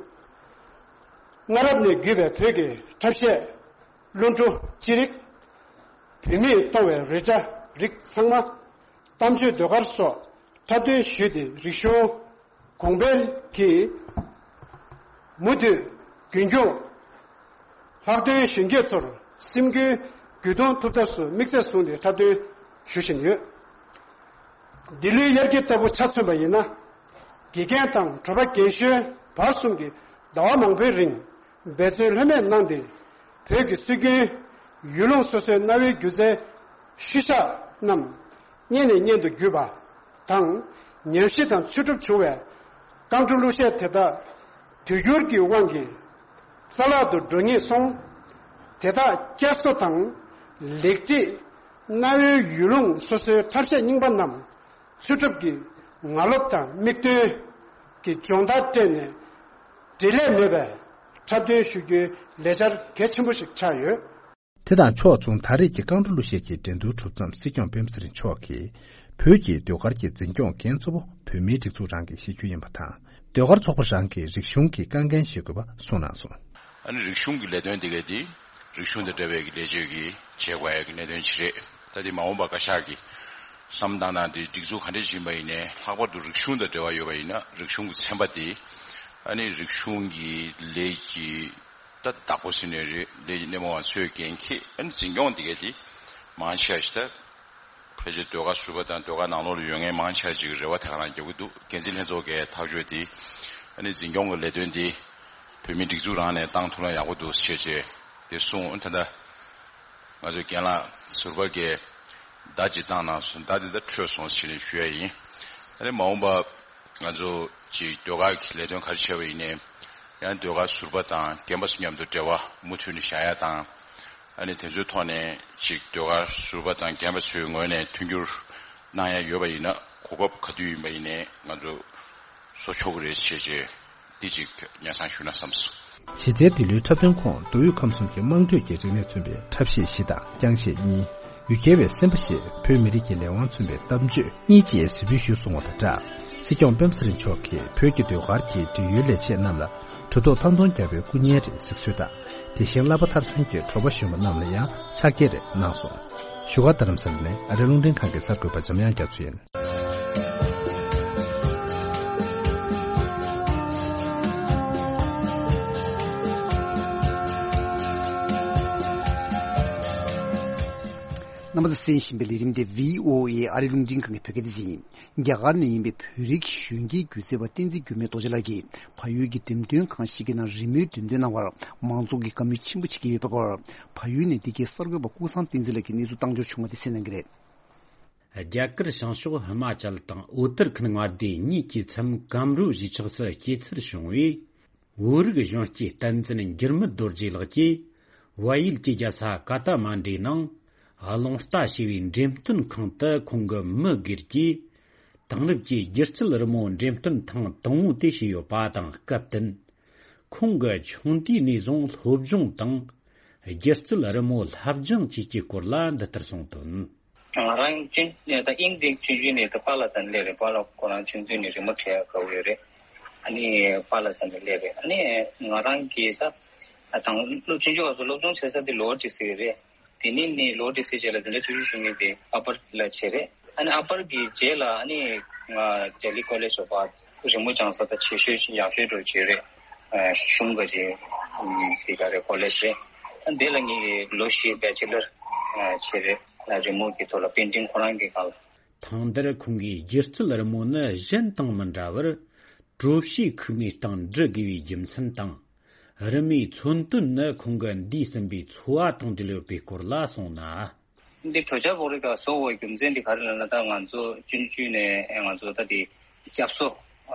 སྔ་རབས་ནས་བརྒྱུད་པའི་བོད་ཀྱི་འཁྲབ་གཞས། གླུ་བྲོ་ཅི་རིགས། བུད་མེད་གཏོང་བའི་རོལ་ཆ་རིགས་ཚང་མ། གཏམ་བརྗོད་ཟློས་གར་སོགས་འཁྲབ་སྟོན་ཞུས་ཏེ་རིག་གཞུང་གོང་འཕེལ་གྱིས་མུ་མཐུད་རྒྱུན་འཁྱོངས། ལྷག་དོན་གཞོན་སྐྱེས་ཚོར་སེམས་འགུལ་རྒྱུད་གཏོང་ཐུབ་ཐབས་སུ་དམིགས་ཚད་བཟུང་སྟེ་འཁྲབ་སྟོན་ཞུ་བཞིན་ཡོད། འདི་ལོའི་དབྱར་སྐྱིད་ལྟ་བུ་ཆ་མཚོན་པ་ཡིན་ན། དགེ་རྒན་དང་གྲོགས་པོ་རྒན་གཞོན་བར་གསུམ་གྱིས་ཟླ་བ་མང་པོའི་རིང་འབད་བརྩོན་ལྷོད་མེད་གནང་སྟེ། བོད་ཀྱི་སྲོལ་རྒྱུན་ཡུལ་ལུང་སོ་སོའི་གནའ་བོའི་སྒྱུ་རྩལ་ཤུལ་བཞག་རྣམས་སྔོན་ནས་སྔོན་དུ་བརྒྱུད་པ་དང་། ཉམས་ཞིབ་དང་འཚོལ་སྒྲུབ་བྱུང་བའི་རྐང་བྲོ་གླུ་གཞས་དེ་དག་དུས་འགྱུར་གྱི་དབང་གིས་རྩ་བརླག་ཏུ་འགྲོ་ཉེན་སོང་། དེ་དག་བསྐྱར་གསོ་དང་ལེགས་སྒྲིག་གནའ་བོའི་ཡུལ་ལུང་སོ་སོའི་འཁྲབ་གཞས་རྙིང་པ་རྣམས། འཚོལ་སྒྲུབ་ཀྱི་ངར་རླབས་དང་མིག་སྟོན་གྱི་སྦྱོང་བརྡར་སྤྲད་ནས། འབྲེལ་ལས་མེད་པའི་འཁྲབ་སྟོན་ཞུ་རྒྱུའི་ལས་འཆར་གལ་ཆེན་པོ་ཞིག་ཆགས་ཡོད། དེ་དང་ཕྱོགས་མཚུངས་ད་རེས་ཀྱི་རྐང་བྲོ་གླུ་གཞས་ཀྱི་འགྲན་བསྡུར་གྲུབ་མཚམས་སྲིད་སྐྱོང་སྤེན་པ་ཚེ་རིང་མཆོག་གིས་བོད་ཀྱི་ཟློས་གར་གྱི་འཛིན་སྐྱོང་འགན་གཙོ་བོ་བོད་མིའི་སྒྲིག་འཛུགས་རང་གིས་བཞེས་རྒྱུ་ཡིན་པ་དང་། ཟློས་གར་ཚོགས་པ་རང་གིས་རིག་གཞུང་གི་དཀའ་འགན་བཞེས་དགོས་པ་གསུངས་གནང་སོང་། ཨ་ནི་རིག་གཞུང་གི་ལས་དོན་དེ་གས་དེ་རིག་གཞུང་དང་འབྲེལ་བའི་གི་ལས་བྱེད་ཀྱི་བྱེད་དགོས་ཡ་གི་གནད་དོན་ཅིག་རེད། ད་དེ་མ་འོངས་པ་བཀའ་ཤག་གི་བསམ་བཏང་སྟངས་དེ་སྒྲིག་འཛུགས་ག་འདྲ་ཞིག་ཡིན་པ་ཡིན་ནའི་ལྷག་པར་དུ་རིག་གཞུང་དང་འབྲེལ་བ་ཡོད་པ་ཡིན་ན་རིག་གཞུང་གི་ཚན་པ་དེ་ཨ་ནི་རིག་གཞུང་གི་ལས་ཀྱི་ད་བདག་པོ་ཟེར་ནའི་རེད། ལས་ཀྱི་སྣེ་མོ་བ་ཚོས་འགན་འཁྱེར་ཨ་ནི་འཛིན་སྐྱོང་དེ་གས་དེ་མང་ཆེ་བ་ཞིག་ད། ཕལ་ཆེར་ཟློས་གར་ཟུར་པ་དང་ཟློས་གར་ནང་ལོགས་ལ་ཡོད་མཁན་མང་ཆེ་ཅིག་རེ་བ་དེ་ག་རང་རྒྱག་གི་འདུག་འགན་འཛིན་ལྷན་ཚོགས་ཀྱི་ཐག་གཅོད་དེ་ཨ་ནི་འཛིན་སྐྱོང་གི་ལས་དོན་དེ་བོད་མིའི་སྒྲིག་འཛུགས་རང་ནས་བཏང་ཐུབ་ན་ཡག་པོ་འདུག་ཟེར་བྱས་དེ་གསུངས། ད་ལྟ་ང་ཚོའི་རྒན་ལགས་ཟུར་པ་གིས་བརྡ་ཅིག་བཏང་གནང་སོང་། བརྡ་དེ་ད་འཕྲོད་སོང་ཟེར་ནས་ཞུ་ཡ་ཡིན། ཨ་ནི་མ་འོངས་པ་ང་ཚོ་ཅིག་ཟློས་གར་གྱི་ལས་དོན་ག་རེ་བྱས་པ་ཡིན་ནའི་ཡང་ཟློས་གར་ཟུར་པ་དང་རྒན་པ་ཚོ་མཉམ་དུ་འབྲེལ་བ་མུ་མཐུད་ནས་བཞག་ཡ་དང་། ཨ་ནི་དེ་ཚོའི་ཐོག་ནས་ཅིག་ཟློས་གར་ཟུར་པ་དང་རྒན་པ་ཚོའི་ངོས་ནས་མཐུན་འགྱུར་གནང་ཡ་ཡོད་པ་ཡིན་ན་གོ་སྐབས་ག་དུས་ཡིན་པ་ཡིན་ནའི་ང་ཚོ་བཟོ་ཆོག་གི་རེད་ཞེས་བྱས་འདི་ཅིག་སྙན་སེང་ཞུ་ན་བསམས་སོང་། གཞི་རྩའི་འདི་ལོའི་འཁྲབ་སྟོན་ཁོངས་མདོ་དབུས་ཁམས་གསུམ་གྱི་དམངས་ཁྲོད་ཀྱི་རིག་གནས་མཚོན་པའི་འཁྲབ་གཞས་བཞི་དང་རྐྱང་གཞས་གཉིས། ཡུལ་གྱར་བའི་སེམས་པ་ཞེས་བོད་མི་རིགས་ཀྱི་ལས་དབང་མཚོན་པའི་གཏམ་བརྗོད་གཉིས་བཅས་གཟིགས་འབུལ་ཞུས་སོང་བ་དང་སྦྲགས། སྲིད་སྐྱོང་སྤེན་པ་ཚེ་རིང་མཆོག་གིས་བོད་ཀྱི་ཟློས་གར་གྱི་འབྲེལ་ཡོད་ལས་བྱེད་རྣམས་ལ་གྲུབ་ཐོབ་ཐང་སྟོང་རྒྱལ་པོའི་སྐུ་བརྙན་རེ་གཟིགས་གསོལ་དང་། དེ་བཞིན་བསླབ་པ་མཐར་སོན་གྱི་གྲོགས་པོ་གཞོན་པ་རྣམས་ལ་ཡང་ཕྱག་འཁྱེར་རེ་གནང་སོང་། བཞུགས་སྒར་རྡ་རམ་ས་ལ་ནས་ཨ་རི་རླུང་འཕྲིན་ཁང་གི་གསར་འགོད་པ་འཇམ་དབྱངས་རྒྱ་མཚོ་ཡིན། རྣམ་པ་ཚོས་གསན་བཞིན་པའི་ལས་རིམ་དེ་བྷི་ཨོ་ཨེ་ཨ་རི་རླུང་འཕྲིན་ཁང་གི་བོད་སྐད་སྡེ་ཚན་ཡིན། རྒྱ་གར་ནས་ཡིན་པའི་བོད་རིགས་གཞོན་སྐྱེས་སྒྱུ་རྩལ་པ་བསྟན་འཛིན་འགྱུར་མེད་རྡོ་རྗེ་ལགས་ཀྱིས་བལ་ཡུལ་གྱི་འགྲེམས་སྟོན་ཁང་ཞིག་གི་ནང་རི་མོའི་འགྲེམས་སྟོན་གནང་བར་མང་ཚོགས་ཀྱིས་དགའ་མོས་ཆེན་པོ་བྱེད་ཀྱི་ཡོད་པའི་སྐོར། བལ་ཡུལ་ནས་འདི་གའི་གསར་འགོད་པ་ཀུན་བཟང་བསྟན་འཛིན་ལགས་ཀྱིས་གནས་ཚུལ་བཏང་འབྱོར་བྱུང་བ་དེ་གསན་གནང་གི་རེད། རྒྱ་གར་བྱང་ཕྱོགས་ཧི་མ་ཅལ་དང་ཨུ་ཏར་ཁན་མངའ་སྡེ་གཉིས་ཀྱི་མཚམས་ཀམ་རུ་གཞིས་ཆགས་སུ་སྐྱེས་ཚུལ་བྱུང་བའི་བོད་རིགས་གཞོན་སྐྱེས་བསྟན་འཛིན་འགྱུར་མེད་རྡོ་རྗེ་ལགས་ཀྱིས་བལ་ཡུལ་གྱི་རྒྱལ་ས་ཀ་ཐ་མན་ཌུའི་ནང་རླུང་རྟ་ཞེས་པའི་འགྲེམས་སྟོན་ཁང་དུ་ཁོང་གི་མི་སྒེར་གྱི་དེང་རབས་ཀྱི་སྒྱུ་རྩལ་རི་མོ་འགྲེམས་སྟོན་ཐེངས་དང་པོ་དེ་བྱས་ཡོད་པ་དང་སྐབས་བསྟུན། ཁོང་གིས་ཆུང་དུས་ནས་བཟུང་སློབ་སྦྱོང་དང་སྒྱུ་རྩལ་རི་མོ་སློབ་སྦྱོང་བཅས་ཀྱི་སྐོར་ལ་འདི་ལྟར་གསུངས་དོན། ང་རང་ཅུན་ད་དབྱིན་ཏིག་ཆུང་ཆུང་ནས་ད་པཱ་ལགས་ས་ནས་སླེབས་རེད། པཱ་ལགས་ཁོ་རང་ཆུང་དུས་ནས་རི་མོ་བྲིས་དགའ་བོ་ཡོད་རེད། ཨ་ནི་པཱ་ལགས་ས་ནས་སླེབས་རེད། ཨ་ནི་ང་རང་གིས་ད་དང་སློབ་ཆུང་ཆུང་བ་ཚོ་སློབ་སྦྱོང་བྱེད་ས་དེ་ལོ་ཊི་སི་རེད། དེ་ནས་ནི་ལོ་ཊི་སི་བྱས་ལ་དེ་འདྲ་ཆུང་ཆུང་ཆུང་ངུ་དེ་ཨ་པར་ལ་བྱས་རེད། ཨ་ནི་ཨ་པར་གྱི་རྗེས་ལ་ཨ་ནི་ང་ལྡི་ལི་ཀོ་ལེཇ་སོགས་པ་རི་མོ་སྦྱང་ས་ད་ཆེ་ཤོས་ཡག་ཤོས་འགྲོ་བྱས་རེད། གཞུང་ག་ཅིག་དེ་ག་རེ་ཀོ་ལེཇ་རེད། ཨ་འདི་ལ་ངས་ལོ་བཞི་བེ་ཅི་ལར་བྱས་རེད། རི་མོ་གི་ཐོག་ལ་པེན་ཊིང་ཁོ་རང་གི་སྒང་ལ། ཐེངས་འདིར་ཁོང་གིས་སྒྱུ་རྩལ་རི་མོ་ནི་གཞན་དང་མི་འདྲ་བར་གྲོ་ཕྱེའི་ཁུག་མའི་སྟེང་འབྲི་དགོས་པའི་རྒྱུ་མཚན་དང་། རི་མོའི་མཚོན་དོན་ནི་ཁོང་གི་འདས་ཟིན་པའི་འཚོ་བ་དང་འབྲེལ་ཡོད་པའི་སྐོར་ལ་གསུངས་ན། འདི་གྲོ་ཆ་བོག་རིལ་ག་བཟོ་བའི་རྒྱུ་མཚན་འདི་ག་རེ་ལབ་ན། ད་ང་ཚོ་ཆུང་ཆུང་ནས་ང་ཚོ་ད་འདི་སྐྱབས་སོ་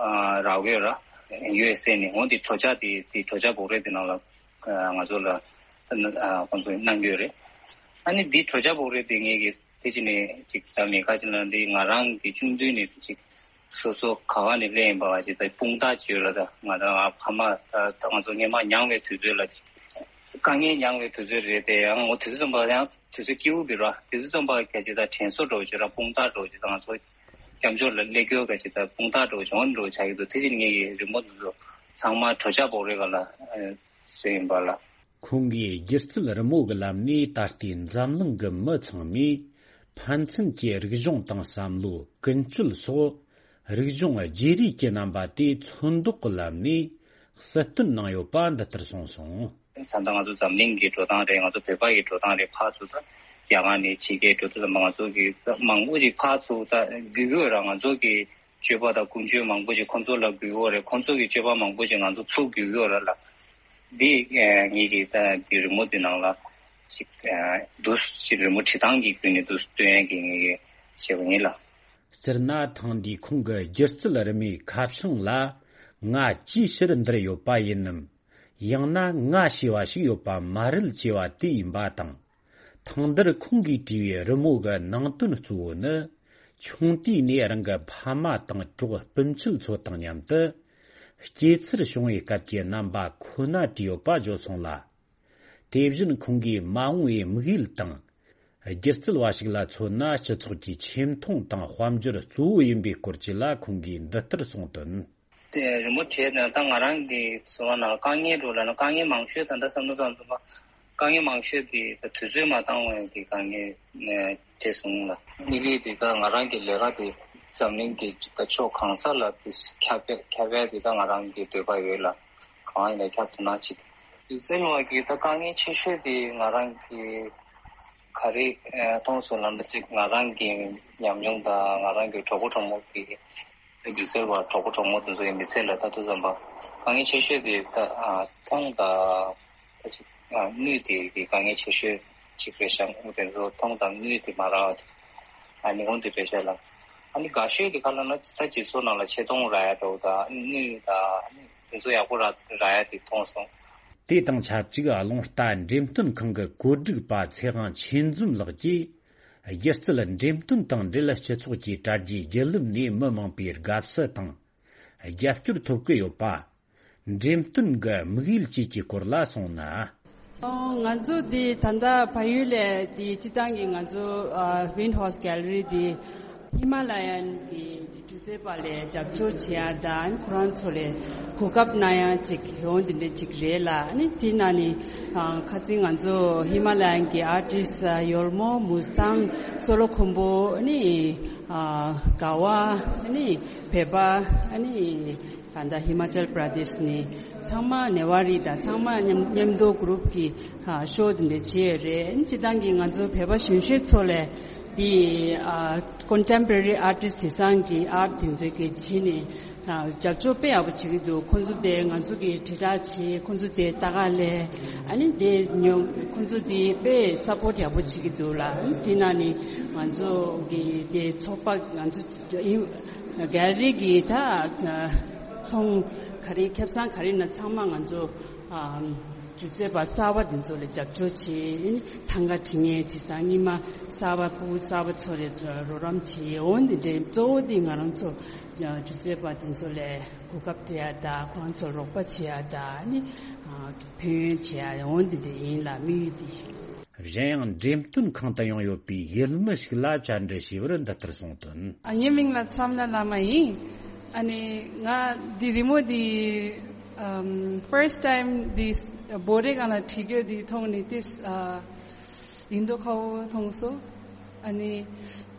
རག་ཡོད་ར། ཡུ་ཨེས་ཨེ་ནས་འོ་འདི་གྲོ་ཆ་འདི་འདི་གྲོ་ཆ་བོག་རིལ་འདི་ནང་ལ་ང་ཚོ་ལ་ཁོང་ཚོ་གནང་གི་ཡོད་རེད། ཨ་ནི་འདི་གྲོ་ཆ་བོག་རིལ་འདི་ངེད་ཀྱི་དེ་ཅི་ནས་ཅིག་ད་མེད་ཁ་ཅིག་ལ་འདི་ང་རང་གི་ཆུང་དུས་ནས་ཅིག་སོ་སོ་ག་བ་ནས་སླེབས་ཡིན་པ་བ་ཅིག་ད་དཔུང་རྟགས་ཅིག་ཡོད་ལ། ད་ང་ད་ང་ཕ་མ་ད་ད་ང་ཚོ་སྔན་མ་མྱངས་པའི་དུས་ཚོད་ལ་ཅིག་དཀའ་ངལ་མྱངས་པའི་དུས་ཚོད་རེད་དེ། ཡང་ངོ་དུས་ཚོད་ཙམ་པ་ཡང་དུས་ཚོད་སྐྱིད་པོ་འདི་ར། དུས་ཚོད་ཙམ་པ་ག་ཅིག་ད་དྲན་གསོ་འདྲ་བོ་ཅིག་ར། དཔུང་རྟགས་འདྲ་བོ་ཅིག་ད་ང་ཚོ་སྐྱབས་འཇོག་ལ་སླེབས་རྒྱུ་ག་ཅིག་ད་དཔུང་རྟགས་འདྲ་བོ་ཅིག་འོ་འདྲ་བོ་ཆགས་ཀྱི་འདུག་དེ་བཞིན་ངེད་ཀྱི་རི་མོ་འདི་ཚོ་ཚང་མ་གྲོ་ཆ་བོག་རིལ་ག་ལ་བཟོས་ཡིན་པ་ལ། ཁོང་གིས་སྒྱུ་རྩལ་རི་མོ་གི་ལམ་ནས་ད་ལྟའི་འཛམ་གླིང་གི་མི་ཚང་མས་ཕན་ཚུན་གྱི་རིག་གཞུང་དང་བསམ་བློ་ཀུན་སྤྱོད་སོགས་རིག་གཞུང་བརྗེ་རེས་ཀྱི་རྣམ་པ་དེ་ཚོན་མདོག་གི་ལམ་ནས་གསལ་སྟོན་གནང་ཡོད་པ་འདི་ལྟར་གསུངས་སོང་། ད་ལྟ་ང་ཚོ་འཛམ་གླིང་གི་འགྲོ་སྟངས་རེད། ང་ཚོ་བོད་པ་ཡི་འགྲོ་སྟངས་རེད། ཕར་ཚུར་ད་རྒྱ་གར་ནས་ཕྱི་རྒྱལ་འགྲོ་དུས་ཙམ་པ་ང་ཚོ་གི་མང་པོ་ཞིག་ཕར་ཚུར་ད་བརྒྱུད་ཡོད་ར། ང་ཚོ་གི་སྤྱོད་པ་དང་ཀུན་སྤྱོད་མང་པོ་ཞིག་ཁོང་ཚོ་ལ་བརྒྱུད་ཡོད་རེད། ཁོང་ཚོ་གི་སྤྱོད་པ་མང་པོ་ཞིག་ང་ཚོ་ཚུར་བརྒྱུད་ཡོད་ར་ལ། འདི་ངེད་ཀྱི་ད་འདི་རི་མོ་འདི་ནང་ལ་ཅིག་འདུག་ཅིག་རི་མོ་བྲིས་སྟངས་ཀྱི་བརྒྱུད་ནས་འདུག་སྟོན་ཡས་ཀྱི་ངེད་ཀྱི་བྱས་པ་ཡིན་ལ། སྤྱིར་ན་ཐེངས་འདིའི་ཁོང་གི་སྒྱུ་རྩལ་རི་མོའི་ཁ་བྱང་ལ་ང་ཅིའི་ཕྱིར་འདིར་ཡོད་པ་ཡིན་ནམ། ཡང་ན་ང་ཞེས་པ་ཞིག་ཡོད་པ་མ་རེད་ཅེས་པ་དེ་ཡིན་པ་དང་། ཐེངས་འདིར་ཁོང་གིས་བྲིས་པའི་རི་མོ་གི་ནང་དོན་གཙོ་བོ་ནི། ཆུང་དུས་ནས་རང་གི་ཕ་མ་དང་གྲོགས་སྤུན་མཆེད་ཚོ་དང་མཉམ་དུ་སྐྱེས་ཚུལ་བྱུང་བའི་སྐབས་ཀྱི་རྣམ་པ་ཁོ་ན་བྲིས་ཡོད་པ་བརྗོད་སོང་ལ། དེ་བཞིན་ཁོང་གིས་མ་འོངས་པའི་དམིགས་ཡུལ་དང་། སྒྱུ་རྩལ་བ་ཞིག་ལ་མཚོན་ན་སྤྱི་ཚོགས་ཀྱི་ཆེ་མཐོང་དང་དཔལ་འབྱོར་གཙོ་བོ་ཡིན་པའི་སྐོར་བཅས་ལ་ཁོང་གིས་འདི་ལྟར་གསུངས་དོན། དེ་རི་མོ་བྲིས་ནས་ད་ང་རང་གི་འཚོ་བ་ནང་དཀའ་ངལ་འགྲོ་ལ་ན་དཀའ་ངལ་མང་ཤོས་ད་ལྟ་བསམ་བློ་བཏང་ཐུབ་པ་དཀའ་ངལ་མང་ཤོས་དེ་ད་དུས་ཚོད་མ་བཏང་བའི་གི་དཀའ་ངལ་བྱས་སོང་ལ། དམིགས་ཡུལ་དེ་ད་ང་རང་གི་ལས་ཀ་དེ་འཛམ་གླིང་གི་ད་ཕྱོགས་གང་ས་ལ་དེ་ཁྱབ་པ་ཁྱབ་པ་དེ་ད་ང་རང་གི་འདོད་པ་ཡོད་ལ། གང་ཡིན་ན་ཁྱབ་ཐུབ་ན་ཅིག་སྒྱུ་རྩལ་བ་གི་ད་དཀའ་ངལ་ཆེ་ཤོས་དེ་ང་རང་གི་ ག་རེ་མཐོང་སོང་ལབ་ན། གཅིག་ང་རང་གི་ཉམས་མྱོང་དང་ང་རང་གི་གྲོགས་པོ་གྲོགས་མོ་གི་སྒྱུ་རྩལ་བ་གྲོགས་པོ་གྲོགས་མོ་དེ་ཚོ་ཡི་མི་ཚེ་ལ་ད་དུང་ཙམ་པ་དཀའ་ངལ་ཆེ་ཤོས་དེ་ད་མཐོང་དང་ད་ཅིག་དངུལ་དེ་གི་དཀའ་ངལ་ཆེ་ཤོས་ཅིག་རེད་ཤག་དེ་ཚོ་མཐོང་དང་དངུལ་དེ་མ་རག་པ་དེ་ཨ་ནི་འོན་དེ་རེད་ཤག་ལ། ཨ་ནི་དགའ་ཤོས་དེ་ག་ལབ་ན། ད་སྤྱི་ཚོགས་ནང་ལ་ཆེ་མཐོང་རག་ཡ་འདྲ་བོ་དང་དངུལ་དང་ཨ་ནི་དེ་ཚོ་ཡག་པོ་རག་རག་ཡ་དེ་མཐོང་སོང་། དེ་དང་ཆབས་ཅིག་རླུང་རྟ་འགྲེམས་སྟོན་ཁང་གི་བཀོད་སྒྲིག་པ་ཚེ་དབང་ཆོས་འཛོམས་ལགས་ཀྱིས། སྒྱུ་རྩལ་འགྲེམས་སྟོན་དང་འབྲེལ་སྤྱི་ཚོགས་ཀྱི་དྲ་རྒྱའི་བརྒྱུད་ལམ་ནས་མི་མང་པོའི་དགའ་བསུ་དང་། རྒྱབ་སྐྱོར་ཐོབ་ཀྱི་ཡོད་པ། འགྲེམས་སྟོན་གྱི་དམིགས་ཡུལ་བཅས་ཀྱི་སྐོར་ལ་གསུངས་ན། ང་ཚོ་འདི་ད་ལྟ་ཕ་ཡུལ་ལས་འདི་སྤྱི་བཏང་གི་ང་ཚོ་ཨ་Wind Horse Gallery འདི་ཧི་མ་ལ་ཡན་གྱི་སྒྱུ་རྩལ་པ་ལས་རྒྱབ་སྐྱོར་བྱེད་ཡ་དང་ཁོ་རང་ཚོ་ལས་གོ་སྐབས་གནང་ཡ་ཅིག་ཡོང་འདི་འདྲ་ཅིག་རེད་ལ། ཨ་ནི་དེ་ན་ནི་ཨ་ཁ་སང་ང་ཚོ་ཧི་མ་ལ་ཡན་གྱི་ཨར་ཊིསི་ཡོལ་མོ་མུ་སི་ཐང་སོ་ལོ་ཁོམ་བུ་ཨ་ནི་ཨ་ག་བ་ཨ་ནི་བོད་པ་ཨ་ནི། ད་ལྟ་ཧི་མ་ཅལ་པྲ་དེཤ་ནས་ཚང་མ་ནེ་ཝ་རི་དང་ཚང་མ་མཉམ་མཉམ་དུ་གུ་རུབ་ཀྱི་ཨ་ཤོ་དེ་འདྲ་བྱས་ཡོད་རེད། སྤྱི་བཏང་གི་ང་ཚོ་བོད་པ་གཞོན་གཞོན་ཚོ་ལས་དེ་ཨ་ཀོན་ཊེམ་པོ་རེ་རི་ཨར་ཊིསི་དེང་སང་གི་ཨར་ཊི་དེ་ཚོ་གི་བྱས་ནས་ཨ་རྒྱབ་སྐྱོར་དཔེ་ཡག་པོ་བྱེད་ཀྱི་འདུག་ཁོང་ཚོ་དེ་ང་ཚོ་གི་དྲིལ་བསྒྲགས་བྱས། ཁོང་ཚོ་དེ་ལྟ་ག་ལས་ཨ་ནི་དེ་ཉོ་ཁོང་ཚོ་དེ་དཔེ་སབ་པོར་ཊི་ཡག་པོ་བྱེད་ཀྱི་འདུག་ལ། དེ་ན་ནི་ང་ཚོ་གི་དེ་ཚོགས་པ་ང་ཚོ། གྷལ་རི་གི་ད་ཚོང་ག་རེ་ཁེ་བཟང་ག་རེ་ན་ཚང་མ་ང་ཚོ་སྒྱུ་རྩལ་པ་གསར་པ་དེ་ཚོ་ལ་རྒྱབ་སྐྱོར་བྱེད། ཐང་ག་བྲི་མཁན་དེང་སང་རྙིང་མ་གསར་པ་ཕྲུ་གུ་གསར་པ་ཚོ་ལ་རོགས་རམ་བྱེད། འོ་འདི་འདྲའི་གཙོ་བོ་དེ་ང་རང་ཚོ་སྒྱུ་རྩལ་པ་དེ་ཚོ་ལ་གོ་སྐབས་སྤྲད་ཡ་དང་ཁོང་ཚོར་རོགས་པ་བྱེད་ཡ་དང་ནི་ཕན་ཡོན་བྱེད་ཡ་འོ་འདི་འདྲ་ཡིན་ལ་དམིགས་ཡུལ་དེ། གཞན་ཡང་འགྲེམས་སྟོན་ཁང་དུ་ཡང་ཡོད་པའི་ཡུལ་མི་ཞིག་ལ་བཅར་འདྲི་ཞུས་པར་འདི་ལྟར་གསུངས་དོན། ཨ་ངའི་མིང་ལ་མཚམས་ལ་བླ་མ་ཡིན། ཨ་ནི་ང་འདི་རི་མོ་འདི་ཨམ་first time འདི་བོད་རིགས་སྒང་ལ་བྲིས་རྒྱུ་འདི་མཐོང་ནི་ཏིས་ཨ་ཡིན་མདོག་ཁ་པོ་མཐོང་སོང་། ཨ་ནི་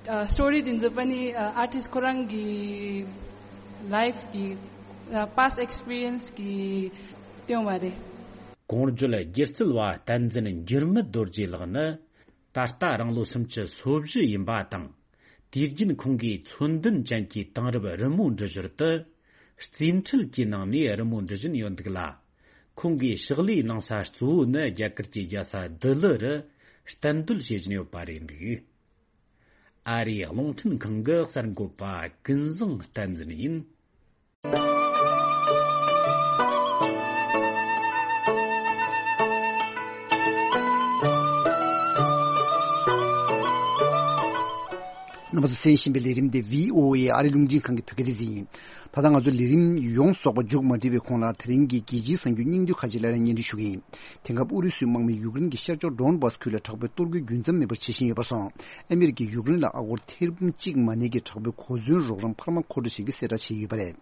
ཨ་སི་ཊོ་རི་འདི་ཚོ་པ་ནི་ཨ་ཨར་ཊིསི་ཁོ་རང་གི་ལའིཕ་གི་ཨ་past experience གི་སྟོན་པ་རེད། གོང་བརྗོད་སྒྱུ་རྩལ་བ་བསྟན་འཛིན་འགྱུར་མེད་རྡོ་རྗེ་ལགས་ནི་ད་ལྟ་རང་ལོ་སུམ་ཅུ་སོ་བཞི་ཡིན་པ་དང་། དུས་རྒྱུན་ཁོང་གིས་མཚོན་དོན་ཅན་གྱི་དེང་རབས་རི་མོ་འབྲི་ཞོར་དུ། རྩིས་འཕྲུལ་གྱི་ནང་ནས་རི་མོ་འབྲི་བཞིན་ཡོད་འདུག་ལ། ཁོང་གིས་ཕྱག་ལས་གནང་ས་གཙོ་བོ་ནི་རྒྱ་གར་གྱི་རྒྱལ་ས་ལྡི་ལི་རུ་གཏན་སྡོད་བྱེད་བཞིན་ཡོད་པ་རེད་འདུག་ཨ་རིའི་རླུང་འཕྲིན་ཁང་གི་གསར་འགོད་པ་ཀུན་བཟང་བསྟན་འཛིན་ཡིན། རྣམ་པ་ཚོ་གསན་བཞིན་པའི་ལས་རིམ་དེ་བྷི་ཨོ་ཨེ་ཨ་རི་རླུང་འཕྲིན་ཁང་གི་བོད་སྐད་སྡེ་ཚན་ཡིན། ད་ལྟ་ང་ཚོ་ལས་རིམ་ཡོངས་རྫོགས་པ་མཇུག་མ་སྒྲིལ་བའི་གོང་ལ། དེ་རིང་གི་རྒྱལ་སྤྱིའི་གསར་འགྱུར་སྙིང་བསྡུས་ཁག་ཅིག་སླར་ཡང་སྙན་སྒྲོན་ཞུ་གི་ཡིན། དེང་སྐབས་ཨུ་རུ་སུའི་དམག་མིས་ཡུཀ་རེན་གྱི་ཤར་ཕྱོགས་ཌོན་སྦཱས་ཁུལ་ལ་དྲག་པོའི་གཏོར་རྒོལ་རྒྱུན་མཚམས་མེད་པར་བྱེད་བཞིན་ཡོད་པར་སོང་། ཨ་མི་རི་ཀས་ཡུཀ་རེན་ལ་ཨ་སྒོར་ཐེར་འབུམ་གཅིག་མ་ནས་ཀྱི་དྲག་པོའི་གོ་མཚོན་རོགས་རམ་འཕར་མ་མཁོ་སྤྲོད་བྱེད་རྒྱུ་གསལ་བསྒྲགས་བྱས་ཡོད་པ་རེད།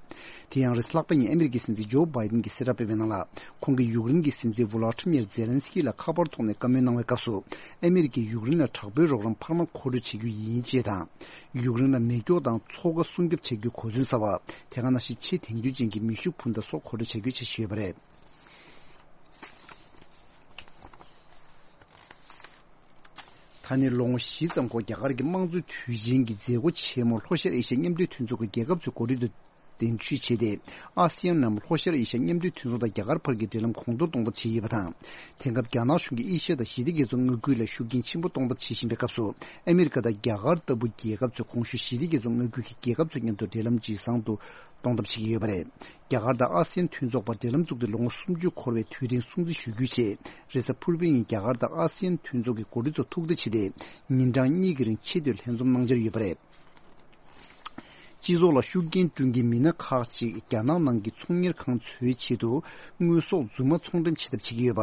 དེ་ཡང་རེས་ལྷག་པ་ཉིན་ཨ་མི་རི་ཀའི་སྲིད་འཛིན་ཇོ་བྷའི་ཏིན་གྱིས་གསལ་བསྒྲགས་སྤེལ་བའི་ནང་ལ། ཁོང་གིས་ཡུཀ་རེན་གྱི་སྲིད་འཛིན་ཝོ་ལོ་ཏི་མིར་ཛེ་ལན་སི་ཀི་ལ་ཁ་པར་ཐོག་ནས་བཀའ་མོལ་གནང་བའི་སྐབས་སུ། ཨ་མི་རི་ཀས་ཡུཀ་རེན་ལ་དྲག་པོའི་རོགས་རམ་འཕར་མ་མཁོ་སྤྲོད་བྱེད་རྒྱུ་ཡིན་ཅེས་དང་། ཡུཀ་རེན་ལ་མེ་སྒྱོགས་དང་མཚོ་ཁ་སྲུང་སྐྱོབ་བྱེད་རྒྱུའི་གོ་མཚོན་གསར་པ། དེ་ག་ནང་བཞིན་ཆེས་དེང་དུས་ཅན་གྱི་མེ་ཤུགས་འཕུར་མདའ་སོགས་མཁོ་སྤྲོད་བྱ་རྒྱུ་བྱེད་བཞིན་ཡོད་པ་རེད། ད་ནི་ལོ་ངོ་བཞི་ཙམ་འགོར། རྒྱ་གར་གྱི་དམངས་གཙོའི་དུས་ཆེན་གྱི་མཛད་སྒོ་ཆེན་མོ་ལྷོ་ཤར་ཨེ་ཤ་ཡ་མཉམ་འབྲེལ་མཐུན་ཚོགས་ཀྱི་རྒྱལ་ཁབ་ཚོའི་འགོ་ཁྲིད་དུ་གདན་ཞུ་བྱས་ཏེ། ཨ་སི་ཡན་ནམ་ལྷོ་ཤར་ཨེ་ཤ་ཡ་མཉམ་འབྲེལ་མཐུན་ཚོགས་དང་རྒྱ་གར་བར་གྱི་འབྲེལ་ལམ་གོང་མཐོར་གཏོང་ཐབས་བྱས་ཡོད་པ་དང་། དེང་སྐབས་རྒྱ་ནག་གཞུང་གིས་ཨེ་ཤ་ཡ་དང་ཞི་བདེ་རྒྱ་མཚོ་མངའ་ཁུལ་ལ་ཤུགས་རྐྱེན་ཆེན་པོ་གཏོང་ཐབས་བྱེད་བཞིན་པའི་སྐབས་སུ། ཨ་མི་རི་ཀ་དང་རྒྱ་གར་ལྟ་བུ་རྒྱལ་ཁབ་ཚོས་གོང་ཞུས་ཞི་བདེ་རྒྱ་མཚོ་མངའ་ཁུལ་གྱི་རྒྱལ་ཁབ་ཚོ་མཉམ་དུ་འབྲེལ་ལམ་ཇེ་བཟང་དུ་གཏོང་ཐབས་བྱེད་ཀྱི་ཡོད་པ་རེད། རྒྱ་གར་དང་ཨ་སི་ཡན་མཐུན་ཚོགས་བར་འབྲེལ་ལམ་བཙུགས་ཏེ་ལོ་ངོ་སུམ་ཅུ་འཁོར་བའི་དུས་དྲན་སྲུང་བརྩི་ཞུ་རྒྱུའི་ཆེད། རེས་གཟའ་ཕུར་བུའི་ཉིན་རྒྱ་གར་དང་ཨ་སི་ཡན་མཐུན་ཚོགས་ཀྱི་འགོ་ཁྲིད་ཚོ་ཐུག་བསྡད་བྱས་ཏེ། ཉིན་གྲངས་གཉིས་ཀྱི་རིང་ཆེས་མཐོའི་ལྷན་འཛོམས་གནང་འཆར་ཡོད་པ་རེད། སྤྱི་ཚོགས་ལ་ཤུགས་རྐྱེན་སྐྲུན་མཁན་མི་སྣ་ཁག་ཅིག་རྒྱ་ནག་ནང་གི་ཚོང་གཉེར་ཁང་ཚོའི་ཆེད་དུ་དངོས་ཟོག་རྫུན་མ་ཚོང་འགྲེམས་བྱེད་ཐབས་བྱེད་ཀྱི་ཡོད་པ།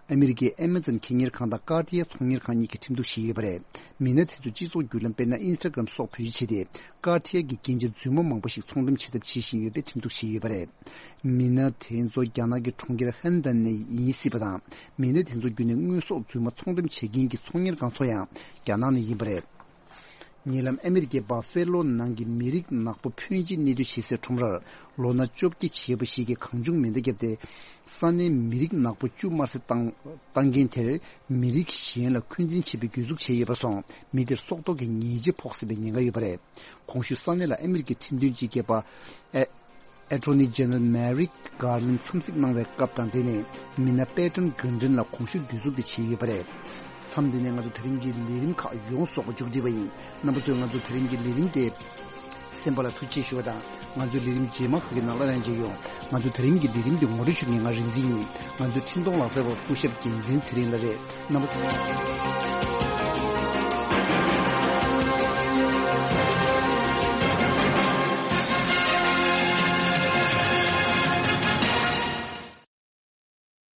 ཨ་མི་རི་ཀའི་ཨེ་མེ་ཛོན་ཁེ་གཉེར་ཁང་དང་ཀར་ཏི་ཡ་ཚོང་གཉེར་ཁང་གཉིས་ཀྱིས་ཁྲིམས་གཏུག་བྱས་ཡོད་པ་རེད། མི་སྣ་དེ་ཚོས་སྤྱི་ཚོགས་བརྒྱུད་ལམ་དཔེར་ན་ཨིན་སི་ཊ་གྷི་རམ་སོགས་བེད་སྤྱོད་བྱས་ཏེ། ཀར་ཏི་ཡ་གི་རྒྱན་ཆ་རྫུན་མ་མང་པོ་ཞིག་ཚོང་འགྲེམས་བྱེད་ཐབས་བྱེད་བཞིན་ཡོད་པའི་ཁྲིམས་གཏུག་བྱས་ཡོད་པ་རེད། མི་སྣ་དེ་ཚོ་རྒྱ་ནག་གི་གྲོང་ཁྱེར་ཧན་ཏན་ནས་ཡིན་སྲིད་པ་དང་། མི་སྣ་དེ་ཚོ་བརྒྱུད་ནས་དངོས་ཟོག་རྫུན་མ་ཚོང་འགྲེམས་བྱེད་མཁན་གྱི་ཚོང་གཉེར་ཁང་ཚོ་ཡང་རྒྱ་ནག་ནས་ཡིན་པ་རེད། ཉེ་ལམ་ཨ་མི་རི་ཀའི་པ་ཧྥེ་ལོ་ནང་གི་མི་རིགས་ནག་པོ་ཕོན་ཆེ་གནས་སྡོད་བྱེད་སའི་ཁྲོམ་རར་ལོ་ན་བཅོ་བརྒྱད་བྱས་པ་ཞིག་གིས་གང་བྱུང་མེ་མདའ་བརྒྱབ་སྟེ། ས་གནས་མི་རིགས་ནག་པོ་བཅུ་དམར་གསོད་བཏང་བཏང་མཁན་དེར་མི་རིགས་གཞན་ལ་འཁོན་འཛིན་བྱེད་པའི་གྱོད་འཛུགས་བྱས་ཡོད་པ་སོང་། མི་དེར་སྲོག་ཐོག་གི་ཉེས་ཆད་ཕོག་སྲིད་པའི་ཉེན་ཁ་ཡོད་པ་རེད། གོང་ཞུས་ས་གནས་ལ་ཨ་མི་རི་ཀའི་ཁྲིམས་དོན་སྤྱི་ཁྱབ་པ་ཨེ་Attorney General Merrick Garland འཚམས་གཟིགས་གནང་བའི་སྐབས་དང་། དེ་ནས་མི་སྣ་པེ་ཏོན་གྷོན་ཌོན་ལ་གོང་ཞུས་གྱོད་འཛུགས་དེ་བྱས་ཡོད་པ་རེད། མཚམས་འདི་ནས་ང་ཚོ་དེ་རིང་གི་ལས་རིམ་ཁག་ཡོངས་རྫོགས་པ་མཇུག་སྒྲིལ་བ་ཡིན། རྣམ་པ་ཚོས་ང་ཚོ་དེ་རིང་གི་ལས་རིམ་དེ་གསན་པ་ལ་ཐུགས་རྗེ་ཆེ་ཞུ་བ་དང་། ང་ཚོའི་ལས་རིམ་རྗེས་མ་ཁག་གི་ནང་ལ་ཡང་མཇལ་ཡོང་། ང་ཚོའི་དེ་རིང་གི་ལས་རིམ་འདི་ངོ་སྤྲོད་ཞུ་མཁན་ང་རིག་འཛིན་ཡིན། ང་ཚོའི་འཕྲིན་གཏོང་ལག་རྩལ་བ་སྐུ་ཞབས་རྒྱལ་མཚན་ཚེ་རིང་ལགས་རེད། རྣམ་པ་ཚོ།